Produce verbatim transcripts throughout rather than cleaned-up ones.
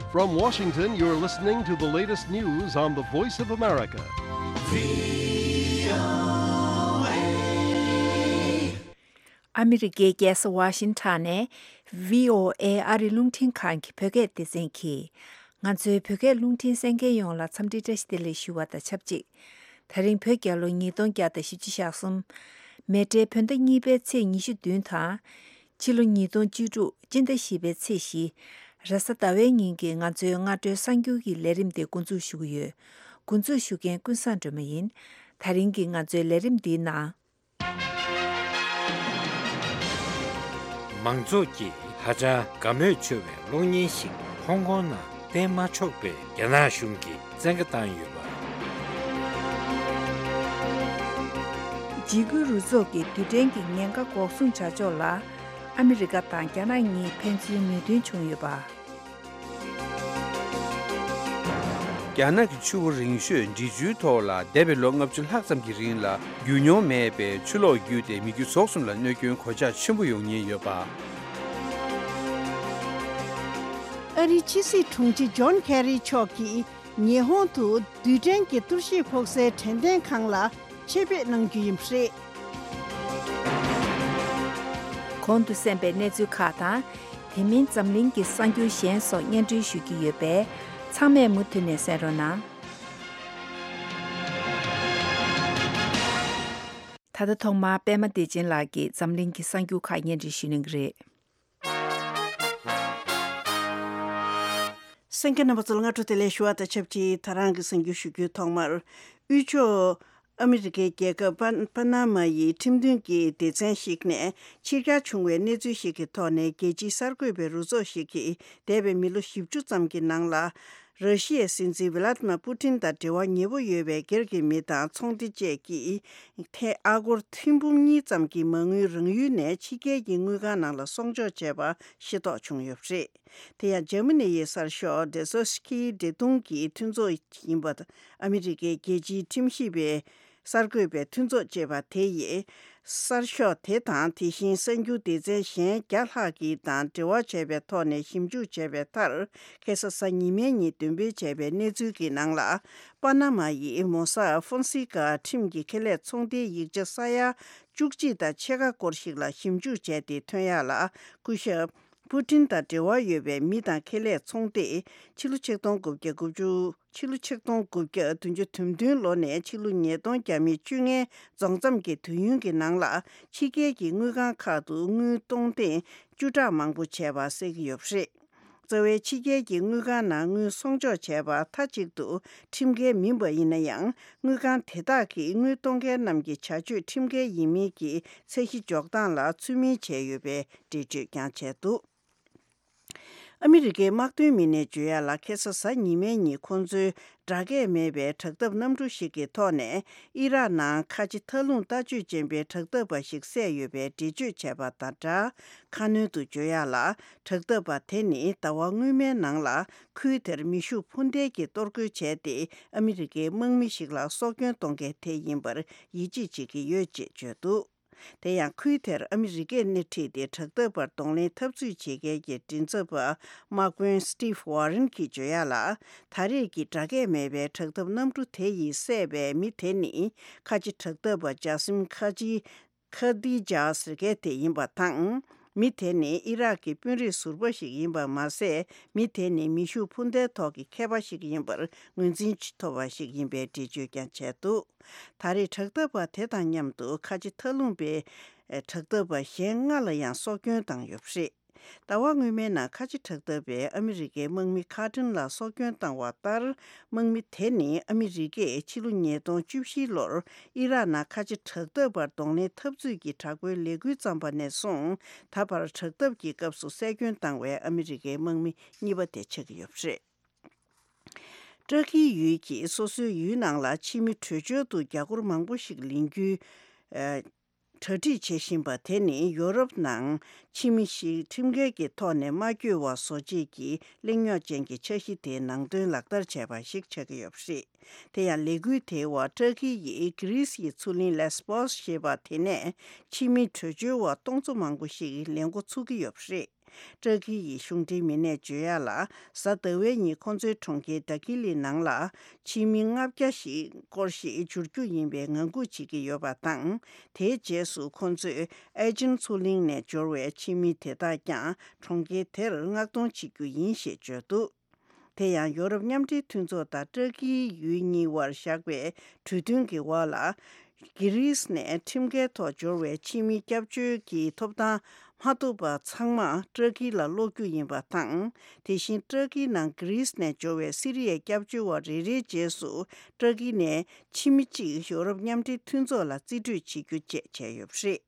From Washington, you're listening to the latest news on the Voice of America. ཨ་མི་རི་ཀའི་རྒྱལ་ས་ཝ་ཤིང་ཊོན་ནས་བྷི་ཨོ་ཨེ་ཨ་རིའི་རླུང་འཕྲིན་ཁང་གི་བོད་སྐད་སྡེ་ཚན་གྱིས། ང་ཚོའི་བོད་སྐད་རླུང་འཕྲིན་གསན་མཁན་ཡོངས་ལ་འཚམས་འདྲི་བཀྲ་ཤིས་བདེ་ལེགས་ཞུ་བ་དང་ཆབས་ཅིག་དེ་རིང་བོད་རྒྱལ་ལོ་ཉིས་སྟོང་བརྒྱ་དང་བཞི་བཅུ་ཞེ་གསུམ། མེ་སྤྲེལ་བོད་ཟླ་གཉིས་པའི་ཚེས་ཉི་ཤུ་བདུན་དང་། ཕྱི་ལོ་ཉིས་སྟོང་བཅུ་དྲུག་སྤྱི་ཟླ་བཞི་པའི་ཚེས་བཞི། རེས་གཟའ་ཟླ་བའི་ཉིན་གྱི་ང་ཚོའི་སྔ་དྲོའི་གསར་འགྱུར་གྱི་ལས་རིམ་དེ་འགོ་འཛུགས་ཞུ་གི་ཡོད། འགོ་འཛུགས་ཞུ་མཁན་ཀུན་བཟང་སྒྲོལ་མ་ཡིན། དེ་རིང་གི་ང་ཚོའི་ལས་རིམ་འདིའི་ནང་། མང་ཚོགས་ཀྱིས་ཧ་ཅང་དགའ་མོས་ཆེ་བའི་གློག་བརྙན་ཞིག་ཧོང་ཀོང་ནང་བསྟན་མ་ཆོག་པའི་རྒྱ་ནག་གཞུང་གིས་བཙན་བཀའ་བཏང་ཡོད་པ། འཇིགས་སྐུལ་རུ་ཚོགས་ཀྱི་རྡུལ་ཕྲན་གྱི་ཉེན་ཁ་འགོག་སྲུང་བྱ་ཕྱོགས་ལ་ཨ་མི་རི་ཀ་དང་རྒྱ་ནག་གཉིས་ཕན་ཚུན་མོས་མཐུན་བྱུང་ཡོད་པ། རྒྱ་ནག་གི་ཆུ་བོ་རིང་ཤོས་འབྲི་ཆུའི་ཐོག་ལ་འདས་པའི་ལོ་ལྔ་བཅུ་ལྷག་ཙམ་གྱི་རིང་ལ་རྒྱུས་མྱོང་མེད་པའི་ཆུ་ལོག་བརྒྱུད་དེ་མི་རྒྱུ་ཟོག་གསུམ་ལ་གནོད་སྐྱོན་གོད་ཆག་ཆེན་པོ་ཡོང་ཉེན་ཡོད་པ། ཨ་རིའི་ཕྱི་སྲིད་དྲུང་ཆེ་ཇོན་ཁེ་རི་མཆོག་གིས་ཉི་ཧོང་དུ་རྡུལ་ཕྲན་གྱི་གཏོར་བཤིག་ཕོག་སའི་དྲན་རྟེན་ཁང་ལ་ཆེད་ཕེབས་གནང་རྒྱུ་ཡིན་པ་རེད། གོང་དུ་གསན་པའི་གནས་ཚུལ་ཁག་དང་། དེ་མིན་འཛམ་གླིང་གི་གསར་འགྱུར་གཞན་སོགས་སྙན་སྒྲོན་ཞུ་རྒྱུ་ཡོད་པས། ཚང་མས་མུ་མཐུད་ནས་གསན་རོགས་གནང་། ད་ལྟ་ཐོག་མར་པད་མ་བདེ་ཆེན་ལགས་ཀྱིས་འཛམ་གླིང་གི་གསར་འགྱུར་ཁག་སྙན་སྒྲོན་ཞུ་གནང་གི་རེད། གསན་མཁན་རྣམ་པ་ཚོ་ལ་སྔ་དྲོ་བདེ་ལེགས་ཞུ་བ་དང་ཆབས་ཅིག་ད་རང་གི་གསར་འགྱུར་ཞུ་རྒྱུའི་ཐོག་མར། དབུས་ཕྱོགས་ཨ་མི་རི་ཀའི་རྒྱལ་ཁབ་པ་པ་ན་མ་ཡི་ཁྲིམས་མཐུན་གྱི་སྡེ་ཚན་ཞིག་ནས་ཕྱིར་གྱར་བྱུང་བའི་གནས་ཚུལ་ཞིག་གི་ཐོག་ནས། རྒྱལ་སྤྱིའི་གསར་འགོད་པའི་རུ་ཚོགས་ཤིག་གིས་འདས་པའི་མི་ལོ་བཞི་བཅུ་ཙམ་གྱི་ནང་ལ། ར་ཤི་ཡའི་སྲིད་འཛིན་ཝི་ལ་ཏི་མ་པུ་ཏིན་དང་འབྲེལ་བ་ཉེ་པོ་ཡོད་པའི་སྒེར་གྱི་མི་དང་ཚོང་སྡེ་བཅས་ཀྱིས། ཐེངས་ཨ་སྒོར་ཐེར་འབུམ་གཉིས་ཙམ་གྱི་མ་དངུལ་རང་ཡུལ་ནས་ཕྱི་རྒྱལ་གྱི་དངུལ་ཁང་ནང་ལ་གསོག་འཇོག་བྱས་པ་ཤེས་རྟོགས་བྱུང་ཡོད་པ་རེད། དེ་ཡང་འཇར་མ་ནི་ཡི་གསར་ཤོག་ཌེ་སོ་སི་ཀི་འབྲེལ་གཏོང་གི་མཐུན་ཚོགས་ཡིན་པ། ཨ་མི་རི་ཀའི་རྒྱལ་སྤྱིའི་ཁྲིམས་ཞིབ་པའི་གསར་འགོད་པའི་མཐུན་ཚོགས་ཅེས་པ་དེ་ཡིས། གསར་ཤོག་དེ་དང་དེ་བཞིན་གསར་འགྱུར་སྡེ་ཚན་གཞན་བརྒྱ་ལྷག་གི་དང་འབྲེལ་བ་བྱས་པའི་ཐོག་ནས་ཞིབ་འཇུག་བྱས་པའི་མཐར། ཁ་སང་གཟའ་ཉི་མའི་ཉིན་འདོན་སྤེལ་བྱས་པའི་གནས་ཚུལ་གྱི་ནང་ལ། པ་ན་མ་ཡི་མོ་ས་ཧྥོན་སི་ཀ་ཁྲིམས་ཀྱི་ཁེ་ལས་ཚོང་སྡེའི་ཡིག་ཆ་ས་ཡ་བཅུ་གཅིག་དང་ཕྱེད་ཀ་སྐོར་ཞིག་ལ་ཞིབ་འཇུག་བྱས་ཏེ་ཐོན་ཡག་ལ། སྐུ་ཞབས་པུ་ཏིན་དང་འབྲེལ་བ་ཡོད་པའི་མི་དང་ཁེ་ལས་ཚོང་སྡེས་ཕྱི་ལོ་ཆིག་སྟོང་དགུ་བརྒྱ་དགུ་བཅུ། ཕྱི་ལོ་ཆིག་སྟོང་དགུ་བརྒྱ་བདུན་ཅུ་དོན་བདུན་ལོ་ནས་ཕྱི་ལོ་ཉིས་སྟོང་བརྒྱ་མེད་བཅོ་ལྔའི་རྫོགས་མཚམས་ཀྱི་དུས་ཡུན་གྱི་ནང་ལ། ཕྱི་རྒྱལ་གྱི་དངུལ་ཁང་ཁག་ཏུ་དངུལ་གཏོང་གཏན་བཅུ་ཕྲག་མང་པོ་བྱས་པ་གསལ་གྱི་ཡོད་པ་རེད། རྩ་བའི་ཕྱི་རྒྱལ་གྱི་དངུལ་ཁང་ནང་དངུལ་གསོག་འཇོག་བྱས་པ་མཐའ་གཅིག་ཏུ་ཁྲིམས་འགལ་མིན་པ་ཡིན་ན་ཡང་། དངུལ་ཁང་དེ་དག་གིས་དངུལ་གཏོང་མཁན་རྣམས་ཀྱི་བྱ་སྤྱོད་ཁྲིམས་འགལ་ཡིན་མིན་གྱི་ཚད་གཞི་འཇོག་སྟངས་ལ་ཚུལ་མིན་བྱས་ཡོད་པའི་འགྲེལ་བརྗོད་ཀྱང་བྱས་འདུག་ཨ་མི་རི་ཀའི་དམག་དོན་མི་སྣས་བརྗོད་ཡག་ལ། ཁ་སང་གཟའ་ཉི་མའི་ཉིན་ཁོང་ཚོའི་སྒྲ་སྐད་མེད་པའི་དྲག་འཐབ་གནམ་གྲུ་ཞིག་གི་ཐོག་ནས་ཨི་རག་ནང་ཁ་ཆེ་མཐའ་ལྷུང་ལྟ་སྤྱོད་ཅན་པའི་དྲག་འཐབ་པ་ཞིག་བསད་ཡོད་པའི་འགྲེལ་བརྗོད་བྱས་པ་དང་སྦྲགས། ཁ་སྣོན་དུ་བརྗོད་ཡག་ལ། དྲག་འཐབ་པ་དེ་ནི་ཟླ་བ་སྔོན་མའི་ནང་ལ་ཁུལ་དེར་མེ་ཤུགས་འཕུར་མདེལ་གྱིས་གཏོར་རྒོལ་བྱས་ཏེ། ཨ་མི་རི་ཀའི་དམག་མི་ཞིག་ལ་སྲོག་སྐྱོན་གཏོང་མཁན་དེ་ཡིན་པར་ཡིད་ཆེས་བྱེད་ཀྱི་ཡོད་ཅེས་བརྗོད་འདུག་དེ་ཡང་ཁུལ་དེར་ཨ་མི་རི་ཀས་སྣེ་ཁྲིད་དེ་དྲག་འཐབ་པར་གདོང་ལེན་འཐབ་རྩོད་བྱེད་མཁན་གྱི་མགྲིན་ཚབ་པ་དམག་དཔོན་Steve Warren་གྱིས་བརྗོད་ཡག་ལ། ད་རེས་ཀྱི་སྒྲ་སྐད་མེད་པའི་དྲག་འཐབ་གནམ་གྲུ་དེ་ཡིས་བསད་པའི་མི་དེ་ནི་ཁ་ཆེ་དྲག་འཐབ་པ་ཇ་སིམ་ཁ་ཆེ་ཁ་དི་ཇ་ཟེར་མཁན་དེ་ཡིན་པ་དང་། མི་དེ་ནི་ཨི་རག་གི་དཔོན་རིགས་ཟུར་པ་ཞིག་ཡིན་པ་མ་ཟད། མི་དེ་ནི་མེ་ཤུགས་འཕུར་མདའི་ཐོག་གི་མཁས་པ་ཞིག་ཡིན་པར་ངོས་འཛིན་ཐོབ་པ་ཞིག་ཡིན་པའི་འགྲེལ་བརྗོད་ཀྱང་བྱས་འདུག་ད་རེས་དྲག་འཐབ་པ་དེ་དང་མཉམ་དུ་ཁ་ཆེ་མཐའ་ལྷུང་པའི་དྲག་འཐབ་པ་གཞན་ལྔ་ལ་ཡང་སྲོག་སྐྱོན་བཏང་ཡོད་པ་རེད། ཟླ་བ་སྔོན་མའི་ནང་ཁ་ཆེ་དྲག་འཐབ་པས་ཨ་མི་རི་ཀའི་དམག་མི་ཁག་ཕྲན་ལ་སྲོག་སྐྱོན་བཏང་བ་ལྟར། དམག་མི་དེ་ནི་ཨ་མི་རི་ཀས་ཕྱི་ལོ་ཉིས་སྟོང་བཅུ་བཞི་ལོར་ཨི་རག་ནང་ཁ་ཆེ་དྲག་འཐབ་པར་གདོང་ལེན་འཐབ་རྩོད་ཀྱི་དྲག་པོའི་ལས་འགུལ་བརྩམས་པ་ནས་བཟུང་། ད་བར་དྲག་འཐབ་ཀྱི་སྐབས་སུ་བསད་སྐྱོན་བཏང་བའི་ཨ་མི་རི་ཀའི་དམག་མི་གཉིས་པ་དེ་ཆགས་ཀྱི་ཡོད་པ་རེད། ཏྲ་ཀིའི་ཡུལ་གྱིས་སོ་སོའི་ཡུལ་ནང་ལ་ཕྱི་མི་བྲོས་བྱོལ་དུ་རྒྱ་སྒོར་མང་པོ་ཞིག་ལེན་རྒྱུའི་ཨ་གྲ་སྒྲིག་བྱེད་བཞིན་པ་དེ་ནི་ཡོ་རོབ་ནང་ཕྱི་མི་ཞིག་ཁྲིམས་འགལ་གྱི་ཐོག་ནས་མ་བསྐྱོད་པ་བཟོ་བྱེད་ཀྱི་གླེང་རྙོག་ཅན་གྱི་འཆར་གཞི་དེའི་ནང་དོན་ལག་བསྟར་བྱས་པ་ཞིག་ཆགས་ཀྱི་ཡོད་པ་རེད། དེ་ཡང་ལས་འགུལ་དེའི་འོག་ཏྲ་ཀི་ཡིས་གྷི་རིས་ཀྱི་མཚོ་གླིང་ལེས་པོས་ཞེས་པ་དེ་ནས་ཕྱི་མི་བྲོས་བྱོལ་བ་སྟོང་ཚོ་མང་པོ་ཞིག་ལེན་འགོ་ཚུགས་ཀྱི་ཡོད་པ་རེད། ཏྲ་ཀི་ཡི་གཞུང་འབྲེལ་མི་སྣས་བརྗོད་ཡག་ལ། གཟའ་ཟླ་བའི་ཉིན་ཁོང་ཚོའི་གྲོང་ཁྱེར་ཌ་ཀི་ལི་ནང་ལ་ཕྱི་མི་ལྔ་བརྒྱ་ཞིག་སྐོར་ཞིག་འབྱོར་རྒྱུ་ཡིན་པའི་ངང་སྒུག་བྱེད་ཀྱི་ཡོད་པ་དང་། དེའི་རྗེས་སུ་ཁོང་ཚོས་ཨེ་ཅིན་མཚོ་གླིང་ནས་འབྱོར་བའི་ཕྱི་མི་དེ་དག་ཀྱང་གྲོང་ཁྱེར་དེར་མངགས་གཏོང་བྱེད་རྒྱུ་ཡིན་ཞེས་བརྗོད་འདུག་དེ་ཡང་ཡོ་རོབ་མཉམ་འབྲེལ་མཐུན་ཚོགས་དང་ཏྲ་ཀིའི་ཡུལ་གཉིས་དབར་བཞག་པའི་གྲོས་མཐུན་གྱི་འོག་ལ། གྷི་རིས་ནས་ཁྲིམས་འགལ་ཐོག་འབྱོར་བའི་ཕྱི་མི་སྐྱབས་བཅོལ་གྱི་ཐོབ་ཐང་མ་ཐོབ་པ་ཚང་མ་ཏྲ་ཀི་ལ་སློག་རྒྱུ་ཡིན་པ་དང་། དེ་བཞིན་ཏྲ་ཀིའི་ནང་གྷི་རིས་ནས་འབྱོར་བའི་སི་རི་ཡའི་སྐྱབས་བཅོལ་བ་རེ་རེའི་རྗེས་སུ་ཏྲ་ཀི་ནས་ཕྱི་མི་གཅིག་ཡོ་རོབ་མཉམ་འབྲེལ་མཐུན་ཚོགས་ལ་རྩིས་སྤྲོད་བྱེད་རྒྱུ་བཅས་བྱས་ཡོད་པ་རེད།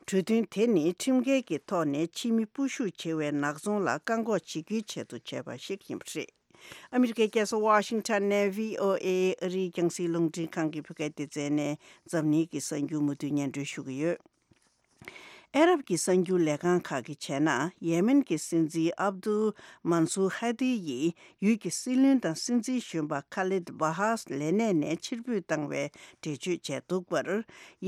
གྲོས་མཐུན་དེ་ནི་ཁྲིམས་འགལ་གྱི་ཐོག་ནས་ཕྱི་མི་སྤོ་བཤུད་བྱེད་པའི་ནག་ཚོང་ལ་བཀག་འགོག་བྱེད་རྒྱུའི་ཆེད་དུ་བྱས་པ་ཞིག་ཡིན་པ་རེད། ཨ་མི་རི་ཀའི་རྒྱལ་ས་ཝ་ཤིང་ཊོན་ནས་བྷི་ཨོ་ཨེ་ཨ་རིའི་རྒྱང་སྲིང་རླུང་འཕྲིན་ཁང་གི་བོད་སྐད་སྡེ་ཚན་ནས་འཛམ་གླིང་གི་གསར་འགྱུར་མུ་མཐུད་སྙན་སྒྲོན་ཞུ་གི་ཡོད། ཨ་རབ་ཀྱི་གསར་འགྱུར་ལས་ཁང་ཁག་གིས་བྱས་ན། ཡེ་མེན་གྱི་སྲིད་འཛིན་ཨབ་དུལ་མན་སུར་ཧ་དི་ཡིས་ཡུལ་གྱི་སྲིད་བློན་དང་སྲིད་འཛིན་གཞོན་པ་ཁ་ལིད་བྷ་ཧཱས་ལས་གནས་ནས་ཕྱིར་འབུད་བཏང་བའི་འགྲེལ་བརྗོད་བྱས་འདུག་པར།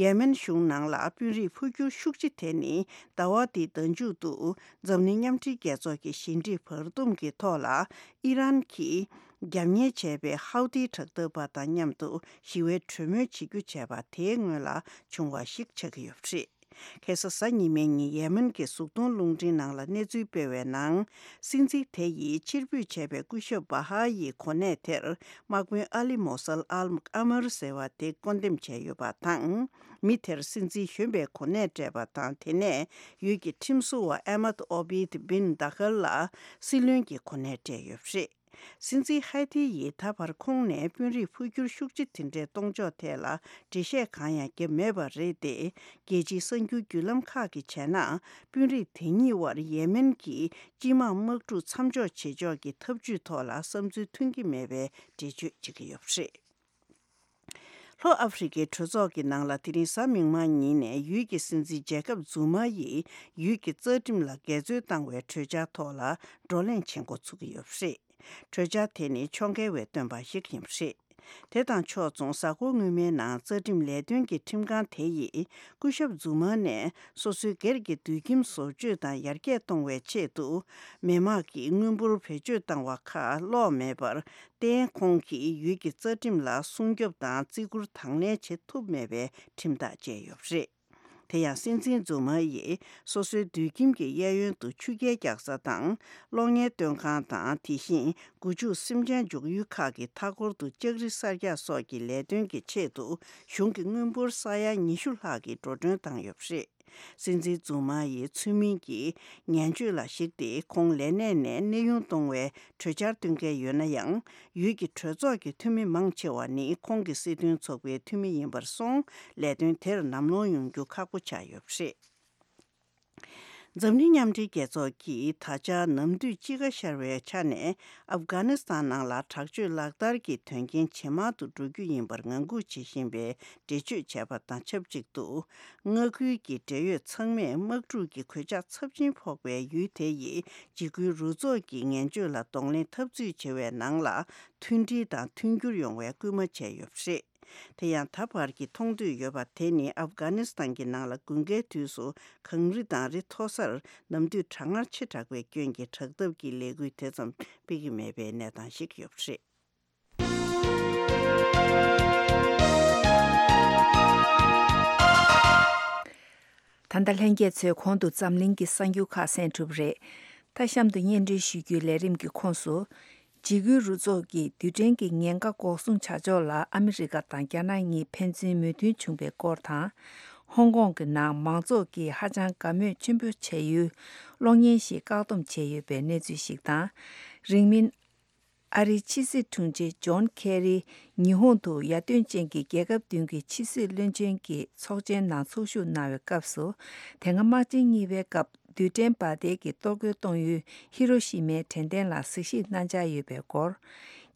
ཡེ་མེན་གཞུང་ནང་ལ་དཔོན་རིགས་འཕོ་འགྱུར་ཤུགས་ཆེ་དེ་ནི་ཟླ་བ་འདིའི་ཟླ་མཇུག་ཏུ་འཛམ་གླིང་མཉམ་འབྲེལ་རྒྱལ་ཚོགས་ཀྱི་ཞི་འགྲིག་བར་འདུམ་གྱི་ཐོག་ལ་ཨི་རན་གྱིས་རྒྱབ་གཉེར་བྱས་པའི་ཧའུ་ཏི་དྲག་འཐབ་པ་དང་མཉམ་དུ་ཞི་བའི་གྲོས་མོལ་བྱེད་རྒྱུ་བྱས་པ་དེའི་སྔོན་ལ་བྱུང་བ་ཞིག་ཆགས་ཀྱི་ཡོད་པ་རེད། ཁ་སང་གཟའ་ཉི་མའི་ཉིན་ཡེ་མེན་གྱི་གཟུགས་མཐོང་རླུང་འཕྲིན་ནང་ལ་གནས་ཚུལ་སྤེལ་བའི་ནང་། སྲིད་འཛིན་དེ་ཡིས་ཕྱིར་འབུད་བྱས་པའི་སྐུ་ཞབས་བྷ་ཧ་ཡི་གོ་གནས་དེར་དམག་དཔོན་ཨ་ལི་མོ་སལ་ཨལ་ཨ་མར་ཟེར་བ་དེ་བསྐོ་འདེམས་བྱས་ཡོད་པ་དང་། མི་དེར་སྲིད་འཛིན་གཞོན་པའི་གོ་གནས་སྤྲད་པ་དང་། དེ་ནས་ཡུལ་གྱི་ཁྲིམས་བཟོ་བ་ཨེ་མད་ཨོ་བིད་བིན་དཱ་ཧལ་ལ་སྲིད་བློན་གྱི་གོ་གནས་སྤྲད་ཡོད་པ་རེད། སྲིད་འཛིན་ཧའེ་ཐི་ཡིས་ད་བར་ཁོང་ནས་དཔོན་རིགས་འཕོ་འགྱུར་ཤུགས་ཆེ་དེ་འདྲའི་གཏོང་ཕྱོགས་ཐད་ལ་འགྲེལ་བཤད་གང་ཡང་བརྒྱབ་མེད་པ་རེད་དེ། རྒྱལ་སྤྱིའི་གསར་འགྱུར་བརྒྱུད་ལམ་ཁག་གིས་བྱས་ན། དཔོན་རིགས་དེ་གཉིས་དབར་ཡེ་མེན་གྱི་སྤྱི་དམངས་དམག་འཁྲུག་མཚམས་འཇོག་བྱེད་ཕྱོགས་ཀྱི་ཐབས་ཇུས་ཐོག་ལ་བསམ་ཚུལ་མཐུན་གྱི་མེད་པའི་འགྲེལ་བརྗོད་བྱེད་ཀྱི་ཡོད་པ་རེད། ལྷོ་ཨ་ཧྥེ་རི་ཁའི་གྲོས་ཚོགས་ཀྱི་ནང་ལ་དེ་རིང་གཟའ་མིག་དམར་ཉིན་ནས་ཡུལ་གྱི་སྲིད་འཛིན་ཇེ་ཀབ་ཛུ་མ་ཡིས་ཡུལ་གྱི་རྩ་ཁྲིམས་ལ་འགལ་འཛོལ་བཏང་བའི་གྲོས་འཆར་ཐོག་ལ་བགྲོ་གླེང་བྱེད་འགོ་ཚུགས་ཀྱི་ཡོད་པ་རེད། གྲོས་འཆར་དེ་ནི་ཕྱོགས་འགལ་བས་བཏོན་པ་ཞིག་ཡིན་པ་རེད། དེ་དང་ཕྱོགས་མཚུངས། གཟའ་འཁོར་སྔོན་མའི་ནང་རྩ་ཁྲིམས་ལས་དོན་གྱི་ཁྲིམས་ཁང་དེ་ཡིས་སྐུ་ཞབས་ཛུ་མ་ནས་སོ་སོའི་སྒེར་གྱི་དུད་ཁྱིམ་བཟོ་བཅོས་དང་ཡར་རྒྱས་གཏོང་བའི་ཆེད་དུ་མི་དམངས་ཀྱིས་དངུལ་འབོར་བེད་སྤྱོད་བཏང་བ་ཁག་སློག་མེད་པར་བརྟེན། ཁོང་གིས་ཡུལ་གྱི་རྩ་ཁྲིམས་ལ་སྲུང་སྐྱོབ་དང་བརྩི་བཀུར་དང་ལེན་བྱེད་ཐུབ་མེད་པའི་ཁྲིམས་ཐག་བཅད་ཡོད་པ་རེད། དེ་ཡང་སྲིད་འཛིན་ཛུ་མ་ཡིས་སོ་སོའི་དུད་ཁྱིམ་གྱི་གཡས་གཡོན་དུ་ཆུ་རྐྱལ་རྒྱག་ས་དང་གློག་བརྙན་སྟོན་ཁང་དང་། དེ་བཞིན་སྒོ་ཕྱུགས་སེམས་ཅན་འཇོག་ཡུལ་ཁག་གི་མཐའ་འཁོར་དུ་ལྕགས་རི་གསར་རྒྱག་སོགས་ཀྱི་ལས་དོན་གྱི་ཆེད་དུ་གཞུང་གི་དངུལ་འབོར་ས་ཡ་ཉི་ཤུ་ལྷག་གི་འགྲོ་གྲོན་བཏང་ཡོད་པ་རེད། སྲིད་འཛིན་ཛུ་མ་ཡིས་ཚུལ་མིན་གྱི་ངན་སྤྱོད་ལ་གཞིགས་ཏེ་ཁོང་ལས་གནས་ནས་གནས་དབྱུང་གཏོང་བའི་གྲོས་འཆར་བཏོན་མཁན་ཡོད་ན་ཡང་། ཡུལ་གྱི་གྲོས་ཚོགས་ཀྱི་འཐུས་མི་མང་ཆེ་བ་ནི་ཁོང་གི་སྲིད་དོན་ཚོགས་པའི་འཐུས་མི་ཡིན་པར་སོང་། ལས་དོན་དེར་ནམ་ལངས་ཡོང་རྒྱུ་ཁག་པོ་ཆགས་ཡོད་པ་རེད། འཛམ་གླིང་མཉམ་འབྲེལ་རྒྱལ་ཚོགས་ཀྱིས་ད་ཆ་ནམ་དུས་དཔྱིད་ཀ་ཤར་བའི་ཆ་ནས་ཨབ་གྷ་ནི་སི་ཐན་ནང་ལ་དྲག་སྤྱོད་ལག་བསྟར་གྱི་དོན་རྐྱེན་ཇེ་མང་དུ་འགྲོ་རྒྱུ་ཡིན་པར་ངང་སྒུག་བྱེད་བཞིན་པའི་འགྲེལ་བརྗོད་བྱས་པ་དང་ཆབས་ཅིག་ཏུ། མངའ་ཁུལ་གྱི་འབྲེལ་ཡོད་ཚང་མས་དམག་འཁྲུག་གི་གོད་ཆག་ཚབས་ཆེན་ཕོག་པའི་ཡུལ་དེ་ཡི་འཇིགས་སྐུལ་རུ་ཚོགས་ཀྱི་ངན་སྤྱོད་ལ་གདོང་ལེན་འཐབ་རྩོད་བྱེད་པའི་ནང་ལ་མཐུན་སྒྲིལ་དང་མཐུན་འགྱུར་ཡོང་བའི་སྐུལ་མ་བྱས་ཡོད་པ་རེད། དེ་ཡང་ད་བར་གྱི་མཐོང་ཐོས་ཡོད་པ་དེ་ནི་ཨབ་གྷ་ནི་སི་ཐན་གྱི་ནང་ལ་དགུན་ཁའི་དུས་སུ་གངས་རི་དང་རི་མཐོ་སར་ནམ་དུས་གྲང་ངར་ཆེ་དྲགས་པའི་སྐྱོན་གྱིས་དྲག་འཐབ་ཀྱི་ལས་འགུལ་དེ་ཙམ་སྤེལ་གྱི་མེད་པའི་གནས་སྟངས་ཤིག་ཡོད་པ་རེད། ད་ལྟ་ལྷན་རྒྱས་ཚོས་གོང་དུ་འཛམ་གླིང་གི་གསར་འགྱུར་ཁག་གསན་གྲུབ་རེད། ད་གཤམ་དུ་སྙན་སྒྲོན་ཞུ་རྒྱུའི་ལས་རིམ་གྱི་ཁོངས་སུ། འཇིགས་སྐུལ་རུ་ཚོགས་ཀྱིས་རྡུལ་ཕྲན་གྱི་ཉེན་ཁ་འགོག་སྲུང་བྱ་ཕྱོགས་ལ་ཨ་མི་རི་ཀ་དང་རྒྱ་ནག་གཉིས་ཕན་ཚུན་མོས་མཐུན་བྱུང་བའི་སྐོར་དང་། ཧོང་ཀོང་གི་ནང་མང་ཚོགས་ཀྱིས་ཧ་ཅང་དགའ་མོས་ཆེན་པོ་བྱ་ཡུལ་གློག་བརྙན་ཞིག་བཀག་སྡོམ་བྱས་ཡོད་པའི་གནས་ཚུལ་ཞིག་དང་། རིང་མིན། ཨ་རིའི་ཕྱི་སྲིད་དྲུང་ཆེ་ཇོན་ཁེ་རི་ཉི་ཧོང་དུ་ཡར་ཐོན་ཅན་གྱི་རྒྱལ་ཁབ་བདུན་གྱི་ཕྱི་སྲིད་བློན་ཆེན་གྱི་ཚོགས་ཆེན་ནང་ཚོགས་ཞུགས་གནང་བའི་སྐབས་སུ། དེ་སྔ་དམག་ཆེན་གཉིས་པའི་སྐབས་རྡུལ་ཕྲན་འབར་མདེལ་གྱི་གཏོར་རྒོལ་གཏོང་ཡུལ་ཧི་རོ་ཤི་མའི་དྲན་རྟེན་ལ་གཟིགས་ཞིབ་གནང་འཆར་ཡོད་པའི་སྐོར།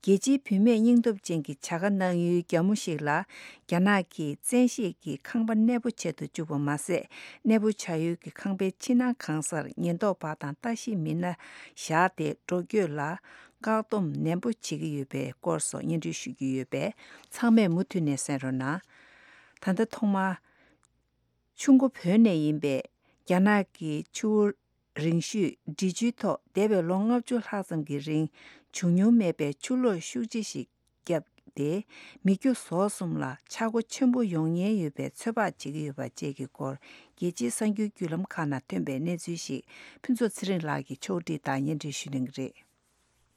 རྒྱལ་སྤྱིའི་བུད་མེད་སྙིང་སྟོབས་ཅན་གྱི་བྱ་དགའ་གནང་ཡུལ་རྒྱ་མོ་ཞིག་ལ་རྒྱ་ནག་གིས་བཙན་ཤེད་ཀྱིས་ཁང་པ་གནས་སྤོ་བྱེད་དུ་བཅུག་པ་མ་ཟད། གནས་སྤོ་བྱ་ཡུལ་གྱི་ཁང་པའི་ཕྱི་ནང་གང་སར་ཉེན་རྟོག་པ་དང་ལྟ་ཞིབ་མི་སྣ་བཞག་སྟེ་འགྲོ་སྐྱོད་ལ། བཀག་སྡོམ་ནན་པོ་བྱེད་ཀྱི་ཡོད་པའི་སྐོར་སོགས་སྙན་སྒྲོན་ཞུ་རྒྱུ་ཡོད་པས་ཚང་མས་མུ་མཐུད་ནས་གསན་རོགས་གནང་། ད་ལྟ་ཐོག་མར། ཆུ་མགོ་བོད་ནས་ཡིན་པའི་རྒྱ་ནག་གི་ཆུ་བོ་ རིང་ཤོས་འབྲི་ཆུའི་ཐོག་འདས་པའི་ལོ་ལྔ་བཅུ་ལྷག་ཙམ་གྱི་རིང་བྱུང་མྱོང་མེད་པའི་ཆུ་ལོག་ཤུགས་ཆེ་ཞིག་བརྒྱབ་སྟེ། མི་རྒྱུ་ཟོག་གསུམ་ལ་ཆག་སྒོ་ཆེན་པོ་ཡོང་ཉེན་ཡོད་པའི་ཚོད་དཔག་བྱེད་ཀྱི་ཡོད་པ་བཅས་ཀྱི་སྐོར། རྒྱལ་སྤྱིའི་གསར་འགྱུར་བརྒྱུད་ལམ་ཁག་ནང་ཐོན་པའི་གནས་ཚུལ་ཞིག་ཕུན་ཚོགས་ཚེ་རིང་ལགས་ཀྱིས་ཕྱོགས་སྒྲིག་དང་སྙན་སྒྲོན་ཞུ་གནང་གི་རེད།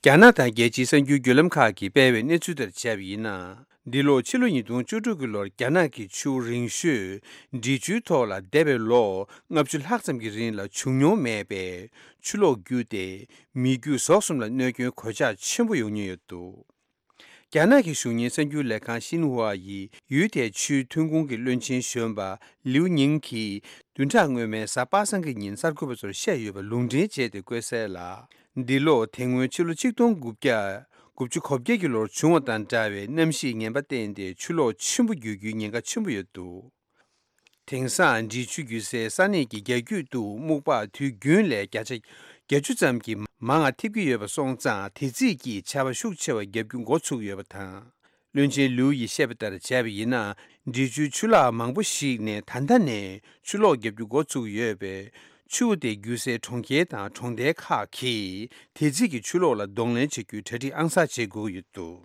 རྒྱ་ནག་དང་རྒྱལ་སྤྱིའི་གསར་འགྱུར་བརྒྱུད་ལམ་ཁག་གིས་སྤེལ་བའི་གནས་ཚུལ་ལྟར་བྱས་པ་ཡིན་ན། འདི་ལོ་ཕྱི་ལོ་ཉིས་སྟོང་བཅུ་དྲུག་གི་ལོར་རྒྱ་ནག་གི་ཆུ་རིང་ཤོས་འབྲི་ཆུའི་ཐོག་ལ་འདས་པའི་ལོ་ལྔ་བཅུ་ལྷག་ཙམ་གྱི་རིང་ལ་བྱུང་མྱོང་མེད་པའི་ཆུ་ལོག་བརྒྱུད་དེ། མི་རྒྱུ་ཟོག་གསུམ་ལ་གནོད་སྐྱོན་གོད་ཆག་ཆེན་པོ་ཡོང་ཉེན་ཡོད་འདུག་རྒྱ་ནག་གི་གཞུང་གཉེར་གསར་འགྱུར་ལས་ཁང་ཤིན་ཧྭ་ཡིས་ཡུལ་དེའི་ཆུའི་ཐོན་ཁུངས་ཀྱི་བློན་ཆེན་གཞོན་པ་ལིའུ་ཉིང་གིས་བདུན་ཕྲག་སྔོན་མའི་གཟའ་པ་སངས་ཀྱི་ཉིན་གསར་འགོད་པ་ཚོར་བཤད་ཡོད་པ་ལུང་འདྲེན་བྱས་ཏེ་བཀོད་གསལ་ལ། འདི་ལོ་དེ་སྔོན་ཕྱི་ལོ་ཆིག་སྟོང་དགུ་བརྒྱ་དགུ་བཅུ་གོ་བརྒྱད་ཀྱི་ལོར་བྱུང་བ་དང་འདྲ་བའི་གནམ་གཤིས་ངན་པ་བསྟན་ཏེ་ཆུ་ལོག་ཆེན་པོ་རྒྱུག་རྒྱུའི་ཉེན་ཁ་ཆེན་པོ་ཡོད་འདུག་དེང་སང་འབྲི་ཆུ་རྒྱུག་སའི་ས་གནས་ཀྱི་རྒྱ་རྒྱུད་དུ་སྨུག་པ་དུས་རྒྱུན་ལས་བརྒྱ་ཆ་བརྒྱད་ཅུ་ཙམ་གྱིས་མང་བ་ཐེབས་ཀྱི་ཡོད་པ་སོང་ཙང་། དེ་རྩིས་ཀྱིས་ཆར་པ་ཤུགས་ཆེ་བ་བརྒྱབ་རྒྱུ་འགོ་ཚུགས་ཡོད་པ་དང་། བློན་ཆེན་ལིའུ་ཡིས་བཤད་པ་ལྟར་བྱས་པ་ཡིན་ན། འབྲི་ཆུའི་ཆུ་ལག་མང་པོ་ཞིག་ནས་ད་ལྟ་ནས་ཆུ་ལོག་བརྒྱབ་རྒྱུ་འགོ་ཚུགས་ཡོད་པས། ཆུ་དེ་རྒྱུག་སའི་གྲོང་ཁྱེར་དང་གྲོང་རྡལ་ཁག་གིས་དེ་རྩིས་ཀྱི་ཆུ་ལོག་ལ་གདོང་ལེན་བྱེད་རྒྱུའི་གྲ་སྒྲིག་ཨང་གསར་བྱེད་དགོས་ཀྱི་ཡོད་འདུག་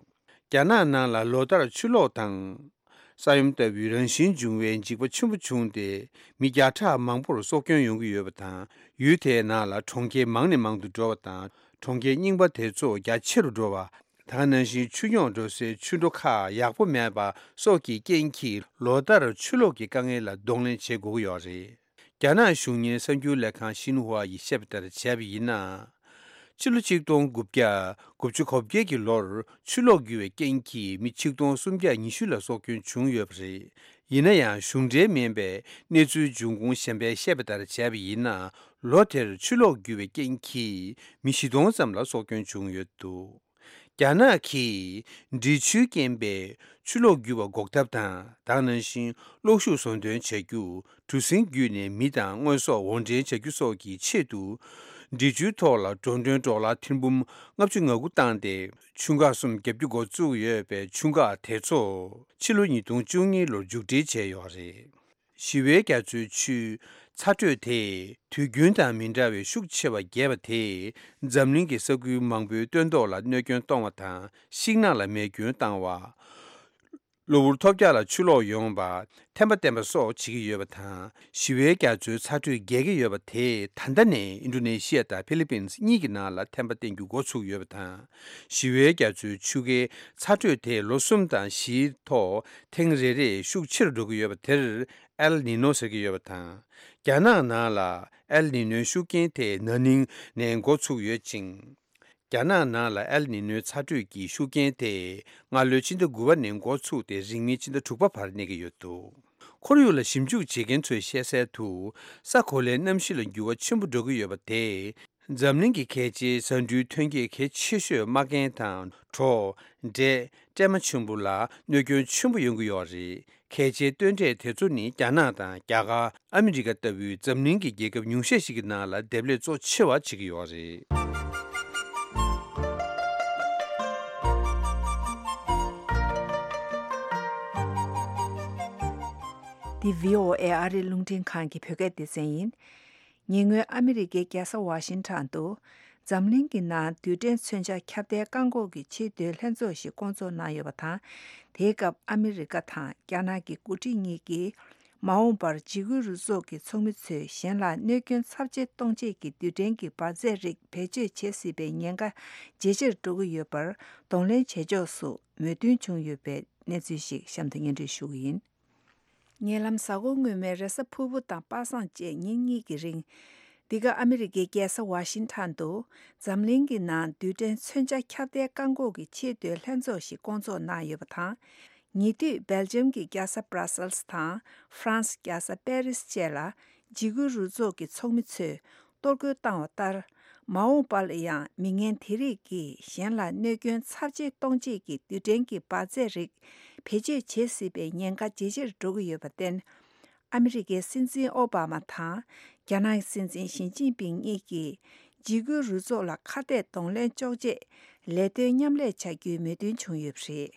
རྒྱ་ནག་ནང་ལ་ལོ་ལྟར་ཆུ་ལོག་དང་། ས་ཡོམ་ལྟ་བུའི་རང་བཞིན་འབྱུང་བའི་འཇིགས་པ་ཆེན་པོ་བྱུང་སྟེ། མི་བརྒྱ་ཕྲག་མང་པོར་སྲོག་སྐྱོན་ཡོང་གི་ཡོད་པ་དང་། ཡུལ་དེའི་ནང་ལ་གྲོང་ཁྱེར་མང་ནས་མང་དུ་འགྲོ་བ་དང་། གྲོང་ཁྱེར་རྙིང་པ་དེ་ཚོ་རྒྱ་ཆེ་རུ་འགྲོ་བ། ད་ག་ནང་བཞིན་ཆུ་རྙོག་འགྲོ་སའི་ཆུ་འགྲོ་ཁག་ཡག་པོ་མེད་པ་སོགས་ཀྱི་རྐྱེན་གྱིས། ལོ་ལྟར་ཆུ་ལོག་གི་དཀའ་ངལ་ལ་གདོང་ལེན་བྱེད་དགོས་ཀྱི་ཡོད་རེད། རྒྱ་ནག་གཞུང་གཉེར་གསར་འགྱུར་ལས་ཁང་ཤིན་ཧྭ་ཡིས་བཤད་པ་ལྟར་བྱས་པ་ཡིན་ན། ཕྱི་ལོ་ཆིག་སྟོང་དགུ་བརྒྱ་དགུ་བཅུ་གོ་བརྒྱད་ཀྱི་ལོར་ཆུ་ལོག་རྒྱུ་བའི་རྐྱེན་གྱིས་མི་ཆིག་སྟོང་སུམ་བརྒྱ་ཉི་ཤུ་ལ་སྲོག་སྐྱོན་བྱུང་ཡོད་པ་རེད། ཡིན་ན་ཡང་། གཞུང་འབྲེལ་མིན་པའི་གནས་ཚུལ་འབྱུང་ཁུངས་གཞན་པས་བཤད་པ་ལྟར་བྱས་པ་ཡིན་ན། ལོ་དེར་ཆུ་ལོག་རྒྱུ་བའི་རྐྱེན་གྱིས་མི་བཞི་སྟོང་ཙམ་ལ་སྲོག་སྐྱོན་བྱུང་ཡོད་འདུག་རྒྱ་ནག་གིས་འབྲི་ཆུའི་རྐྱེན་པས་ཆུ་ལོག་རྒྱུ་བ་འགོག་ཐབས་དང་། ད་ག་ནང་བཞིན་གློག་ཤུགས་བཟོ་འདོན་བྱ་རྒྱུ། གྲུ་གཟིངས་བརྒྱུད་ནས་མི་དང་དངོས་ཟོག་དབོར་འདྲེན་བྱ་རྒྱུ་སོགས་ཀྱི་ཆེད་དུ། འབྲི་ཆུའི་ཐོག་ལ་འགྲོ་གྲོན་ཌོ་ལར་ཐེར་འབུམ་ལྔ་བཅུ་ང་དགུ་བཏང་སྟེ། ཆུ་འགག་གསུམ་བརྒྱབ་རྒྱུ་འགོ་བཙུགས་ཡོད་པའི་ཆུ་འགག་དེ་ཚོ་ཕྱི་ལོ་ཉིས་སྟོང་བཅུ་གཉིས་ལོར་མཇུག་སྒྲིལ་བྱས་ཡོད་རེད། ཞི་བའི་རྒྱ་མཚོའི་ཆུའི་ཚ་དྲོད་དེས་དུས་རྒྱུན་དང་མི་འདྲ་བའི་ཤུགས་ཆེ་བ་རྒྱས་པ་དེས་འཛམ་གླིང་གི་ས་ཁུལ་མང་པོའི་སྟོན་ཐོག་ལ་གནོད་སྐྱོན་གཏོང་བ་དང་། ཤིང་ནགས་ལ་མེ་སྐྱོན་བཏང་བ། གློ་བུར་ཐོལ་རྒྱག་ལ་ཆུ་ལོག་ཡོང་བ། ཐན་པ་བསྟན་པ་སོགས་བྱེད་ཀྱི་ཡོད་པ་དང་། ཞི་བའི་རྒྱ་མཚོའི་ཚ་དྲོད་རྒྱས་ཀྱི་ཡོད་པ་དེས་ད་ལྟ་ནས་ཨིན་ཌོ་ནེ་ཤི་ཡ་དང་ཕི་ལི་པིན་གཉིས་ཀྱི་ནང་ལ་ཐན་པ་བསྟན་རྒྱུ་འགོ་ཚུགས་ཡོད་པ་དང་། ཞི་བའི་རྒྱ་མཚོའི་ཆུ་ཁའི་ཚ་དྲོད་དེ་ལོ་གསུམ་དང་བཞིའི་ཐོག་ཐེངས་རེ་རེ་ཤུགས་ཆེ་རུ་འགྲོ་གི་ཡོད་པ་དེར་ཨེལ་ནི་ནོ་ཟེར་གྱི་ཡོད་པ་དང་། རྒྱ་ནག་ནང་ལ་ཨེལ་ནི་ནོའི་ཤུགས་རྐྱེན་དེ་ན་ནིང་ནས་འགོ་ཚུགས་ཡོད་ཅིང་། རྒྱ་ནག་ནང་ལ་ཨེལ་ནི་ནོའི་ཚ་དྲོད་ཀྱི་ཤུགས་རྐྱེན་དེ་སྔ་ལོའི་ཕྱི་ཟླ་དགུ་པ་ནས་འགོ་ཚུགས་ཏེ་རིང་མིན་ཕྱི་ཟླ་དྲུག་པ་བར་གནས་ཀྱི་ཡོད་འདུག་ཁོར་ཡུག་ལ་ཞིབ་འཇུག་བྱེད་མཁན་ཚོས་བཤད་གསལ་དུ། ས་གོ་ལའི་གནམ་གཤིས་ལ་འགྱུར་བ་ཆེན་པོ་འགྲོ་གི་ཡོད་པ་དེས། འཛམ་གླིང་གི་གལ་ཆེའི་ཟ་འབྲུའི་ཐོན་སྐྱེད་གལ་ཆེ་ཤོས་མ་རྒན་དང་གྲོ། འབྲས། སྲན་མ་ཆེན་པོ་ལ་གནོད་སྐྱོན་ཆེན་པོ་ཡོང་གི་ཡོད་རེད། གལ་ཆེའི་སྟོན་འབྲས་དེ་ཚོ་ནི་རྒྱ་ནག་དང་རྒྱ་གར། ཨ་མི་རི་ཀ་ལྟ་བུའི་འཛམ་གླིང་གི་རྒྱལ་ཁབ་ཉུང་ཤས་ཤིག་གི་ནང་ལ་འདེབས་ལས་གཙོ་ཆེ་བ་བྱེད་ཀྱི་ཡོད་རེད། འདི་བྷི་ཨོ་ཨེ་ཨ་རིའི་རླུང་འཕྲིན་ཁང་གི་བོད་སྐད་སྡེ་ཚན་ཡིན། ཉེ་སྔོན་ཨ་མི་རི་ཀའི་རྒྱལ་ས་ཝ་ཤིང་ཊོན་དུ། འཛམ་གླིང་གི་ནང་རྡུལ་ཕྲན་མཚོན་ཆ་ཁྱབ་གདལ་བཀག་འགོག་གི་ཆེས་མཐོའི་ལྷན་ཚོགས་ཤིག་བསྐོང་ཚོགས་གནང་ཡོད་པ་དང་། དེའི་སྐབས་ཨ་མི་རི་ཀ་དང་རྒྱ་ནག་གི་འགོ་ཁྲིད་གཉིས་ཀྱིས། མ་འོངས་པར་འཇིགས་སྐུལ་རུ་ཚོགས་ཀྱི་ཚོགས་མི་ཚོས་གཞན་ལ་གནོད་སྐྱོན་ཚབས་ཆེ་གཏོང་བྱེད་ཀྱི་རྡུལ་ཕྲན་གྱི་འབར་རྫས་རིགས་བེད་སྤྱོད་བྱེད་སྲིད་པའི་ཉེན་ཁ་ཇེ་ཆེར་འགྲོ་གི་ཡོད་པར་གདོང་ལེན་བྱེད་ཕྱོགས་སུ་མོས་མཐུན་བྱུང་ཡོད་པའི་གནས་ཚུལ་ཞིག་གཤམ་དུ་སྙན་སྒྲོན་ཞུ་གི་ཡིན། ཉེ་ལམ་གཟའ་འཁོར་སྔོན་མའི་རེས་གཟའ་ཕུར་བུ་དང་པ་སངས་བཅས་ཉིན་གཉིས་ཀྱི་རིང་། འདི་ག་ཨ་མི་རི་ཀའི་རྒྱལ་ས་ཝ་ཤིང་ཊོན་དུ། འཛམ་གླིང་གི་ནང་རྡུལ་ཕྲན་མཚོན་ཆ་ཁྱབ་གདལ་བཀག་འགོག་གི་ཆེས་མཐོའི་ལྷན་ཚོགས་ཤིག་བསྐོང་ཚོགས་གནང་ཡོད་པ་དང་། ཉེ་དུས་སྦེལ་ཇམ་གྱི་རྒྱལ་ས་བྷ་ར་སེལ་སི་དང་། ཧྥ་རན་སི་རྒྱལ་ས་པེ་རིས་བཅས་ལ། འཇིགས་སྐུལ་རུ་ཚོགས་ཀྱི་ཚོགས་མི་ཚོས། གཏོར་རྒོལ་བཏང་བ་ལྟར། མ་འོངས་པ་ལ་ཡང་མི་ངན་དེ་རིགས་ཀྱིས་གཞན་ལ་གནོད་སྐྱོན་ཚབས་ཆེ་གཏོང་བྱེད་ཀྱི་རྡུལ་ཕྲན་གྱི་འབར་རྫས་རིགས་བེད་སྤྱོད་བྱེད་སྲིད་པའི་ཉེན་ཁ་ཇེ་ཆེར་འགྲོ་གི་ཡོད་པར་བརྟེན། ཨ་མི་རི་ཀའི་སྲིད་འཛིན་ཨོ་བྷ་མ་དང་རྒྱ་ནག་གི་སྲིད་འཛིན་ཞི་ཅིན་ཕིང་གཉིས་ཀྱིས་འཇིགས་སྐུལ་རུ་ཚོགས་ལ་ཁ་གཏད་གདོང་ལེན་གཅོག་ཆེད་ལས་དོན་མཉམ་ལས་བྱ་རྒྱུའི་མོས་མཐུན་བྱུང་ཡོད་པ་རེད།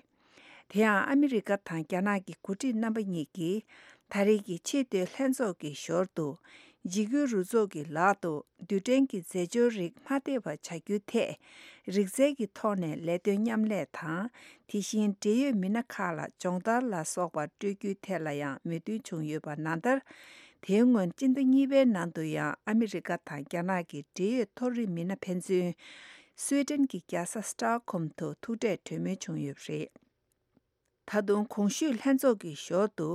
དེ་ཡང་ཨ་མི་རི་ཀ་དང་རྒྱ་ནག་གི་འགོ་ཁྲིད་རྣམ་པ་གཉིས་ཀྱིས་ད་རེས་ཀྱི་ཆེས་མཐོའི་ལྷན་ཚོགས་ཀྱི་ཞོར་དུ། འཇིགས་སྐུལ་རུ་ཚོགས་ཀྱི་ལག་ཏུ་རྡུལ་ཕྲན་གྱི་རྫས་སྦྱོར་རིགས་མ་ཐེབས་པ་བྱ་རྒྱུའི་ཐད། རིག་རྩལ་གྱི་ཐོག་ནས་ལས་དོན་མཉམ་ལས་དང་། དེ་བཞིན་འབྲེལ་ཡོད་མི་སྣ་ཁག་ལ་སྦྱོང་བརྡར་ལ་སོགས་པ་སྤྲོད་རྒྱུའི་ཐད་ལ་ཡང་མོས་མཐུན་བྱུང་ཡོད་པ་ནང་ལྟར། དེའི་སྔོན་སྤྱི་ཟླ་གཉིས་པའི་ནང་དུ་ཡང་ཨ་མི་རི་ཀ་དང་རྒྱ་ནག་གི་འབྲེལ་ཡོད་མཐོ་རིམ་མི་སྣ་ཕན་ཚུན་སུའེ་ཏེན་གྱི་རྒྱལ་ས་སི་ཏོག་ཧོམ་དུ་ཐུག་འཕྲད་གྲོས་མོལ་བྱུང་ཡོད་པ་རེད། ད་དུང་གོང་ཞུས་ལྷན་ཚོགས་ཀྱི་ཞོར་དུ།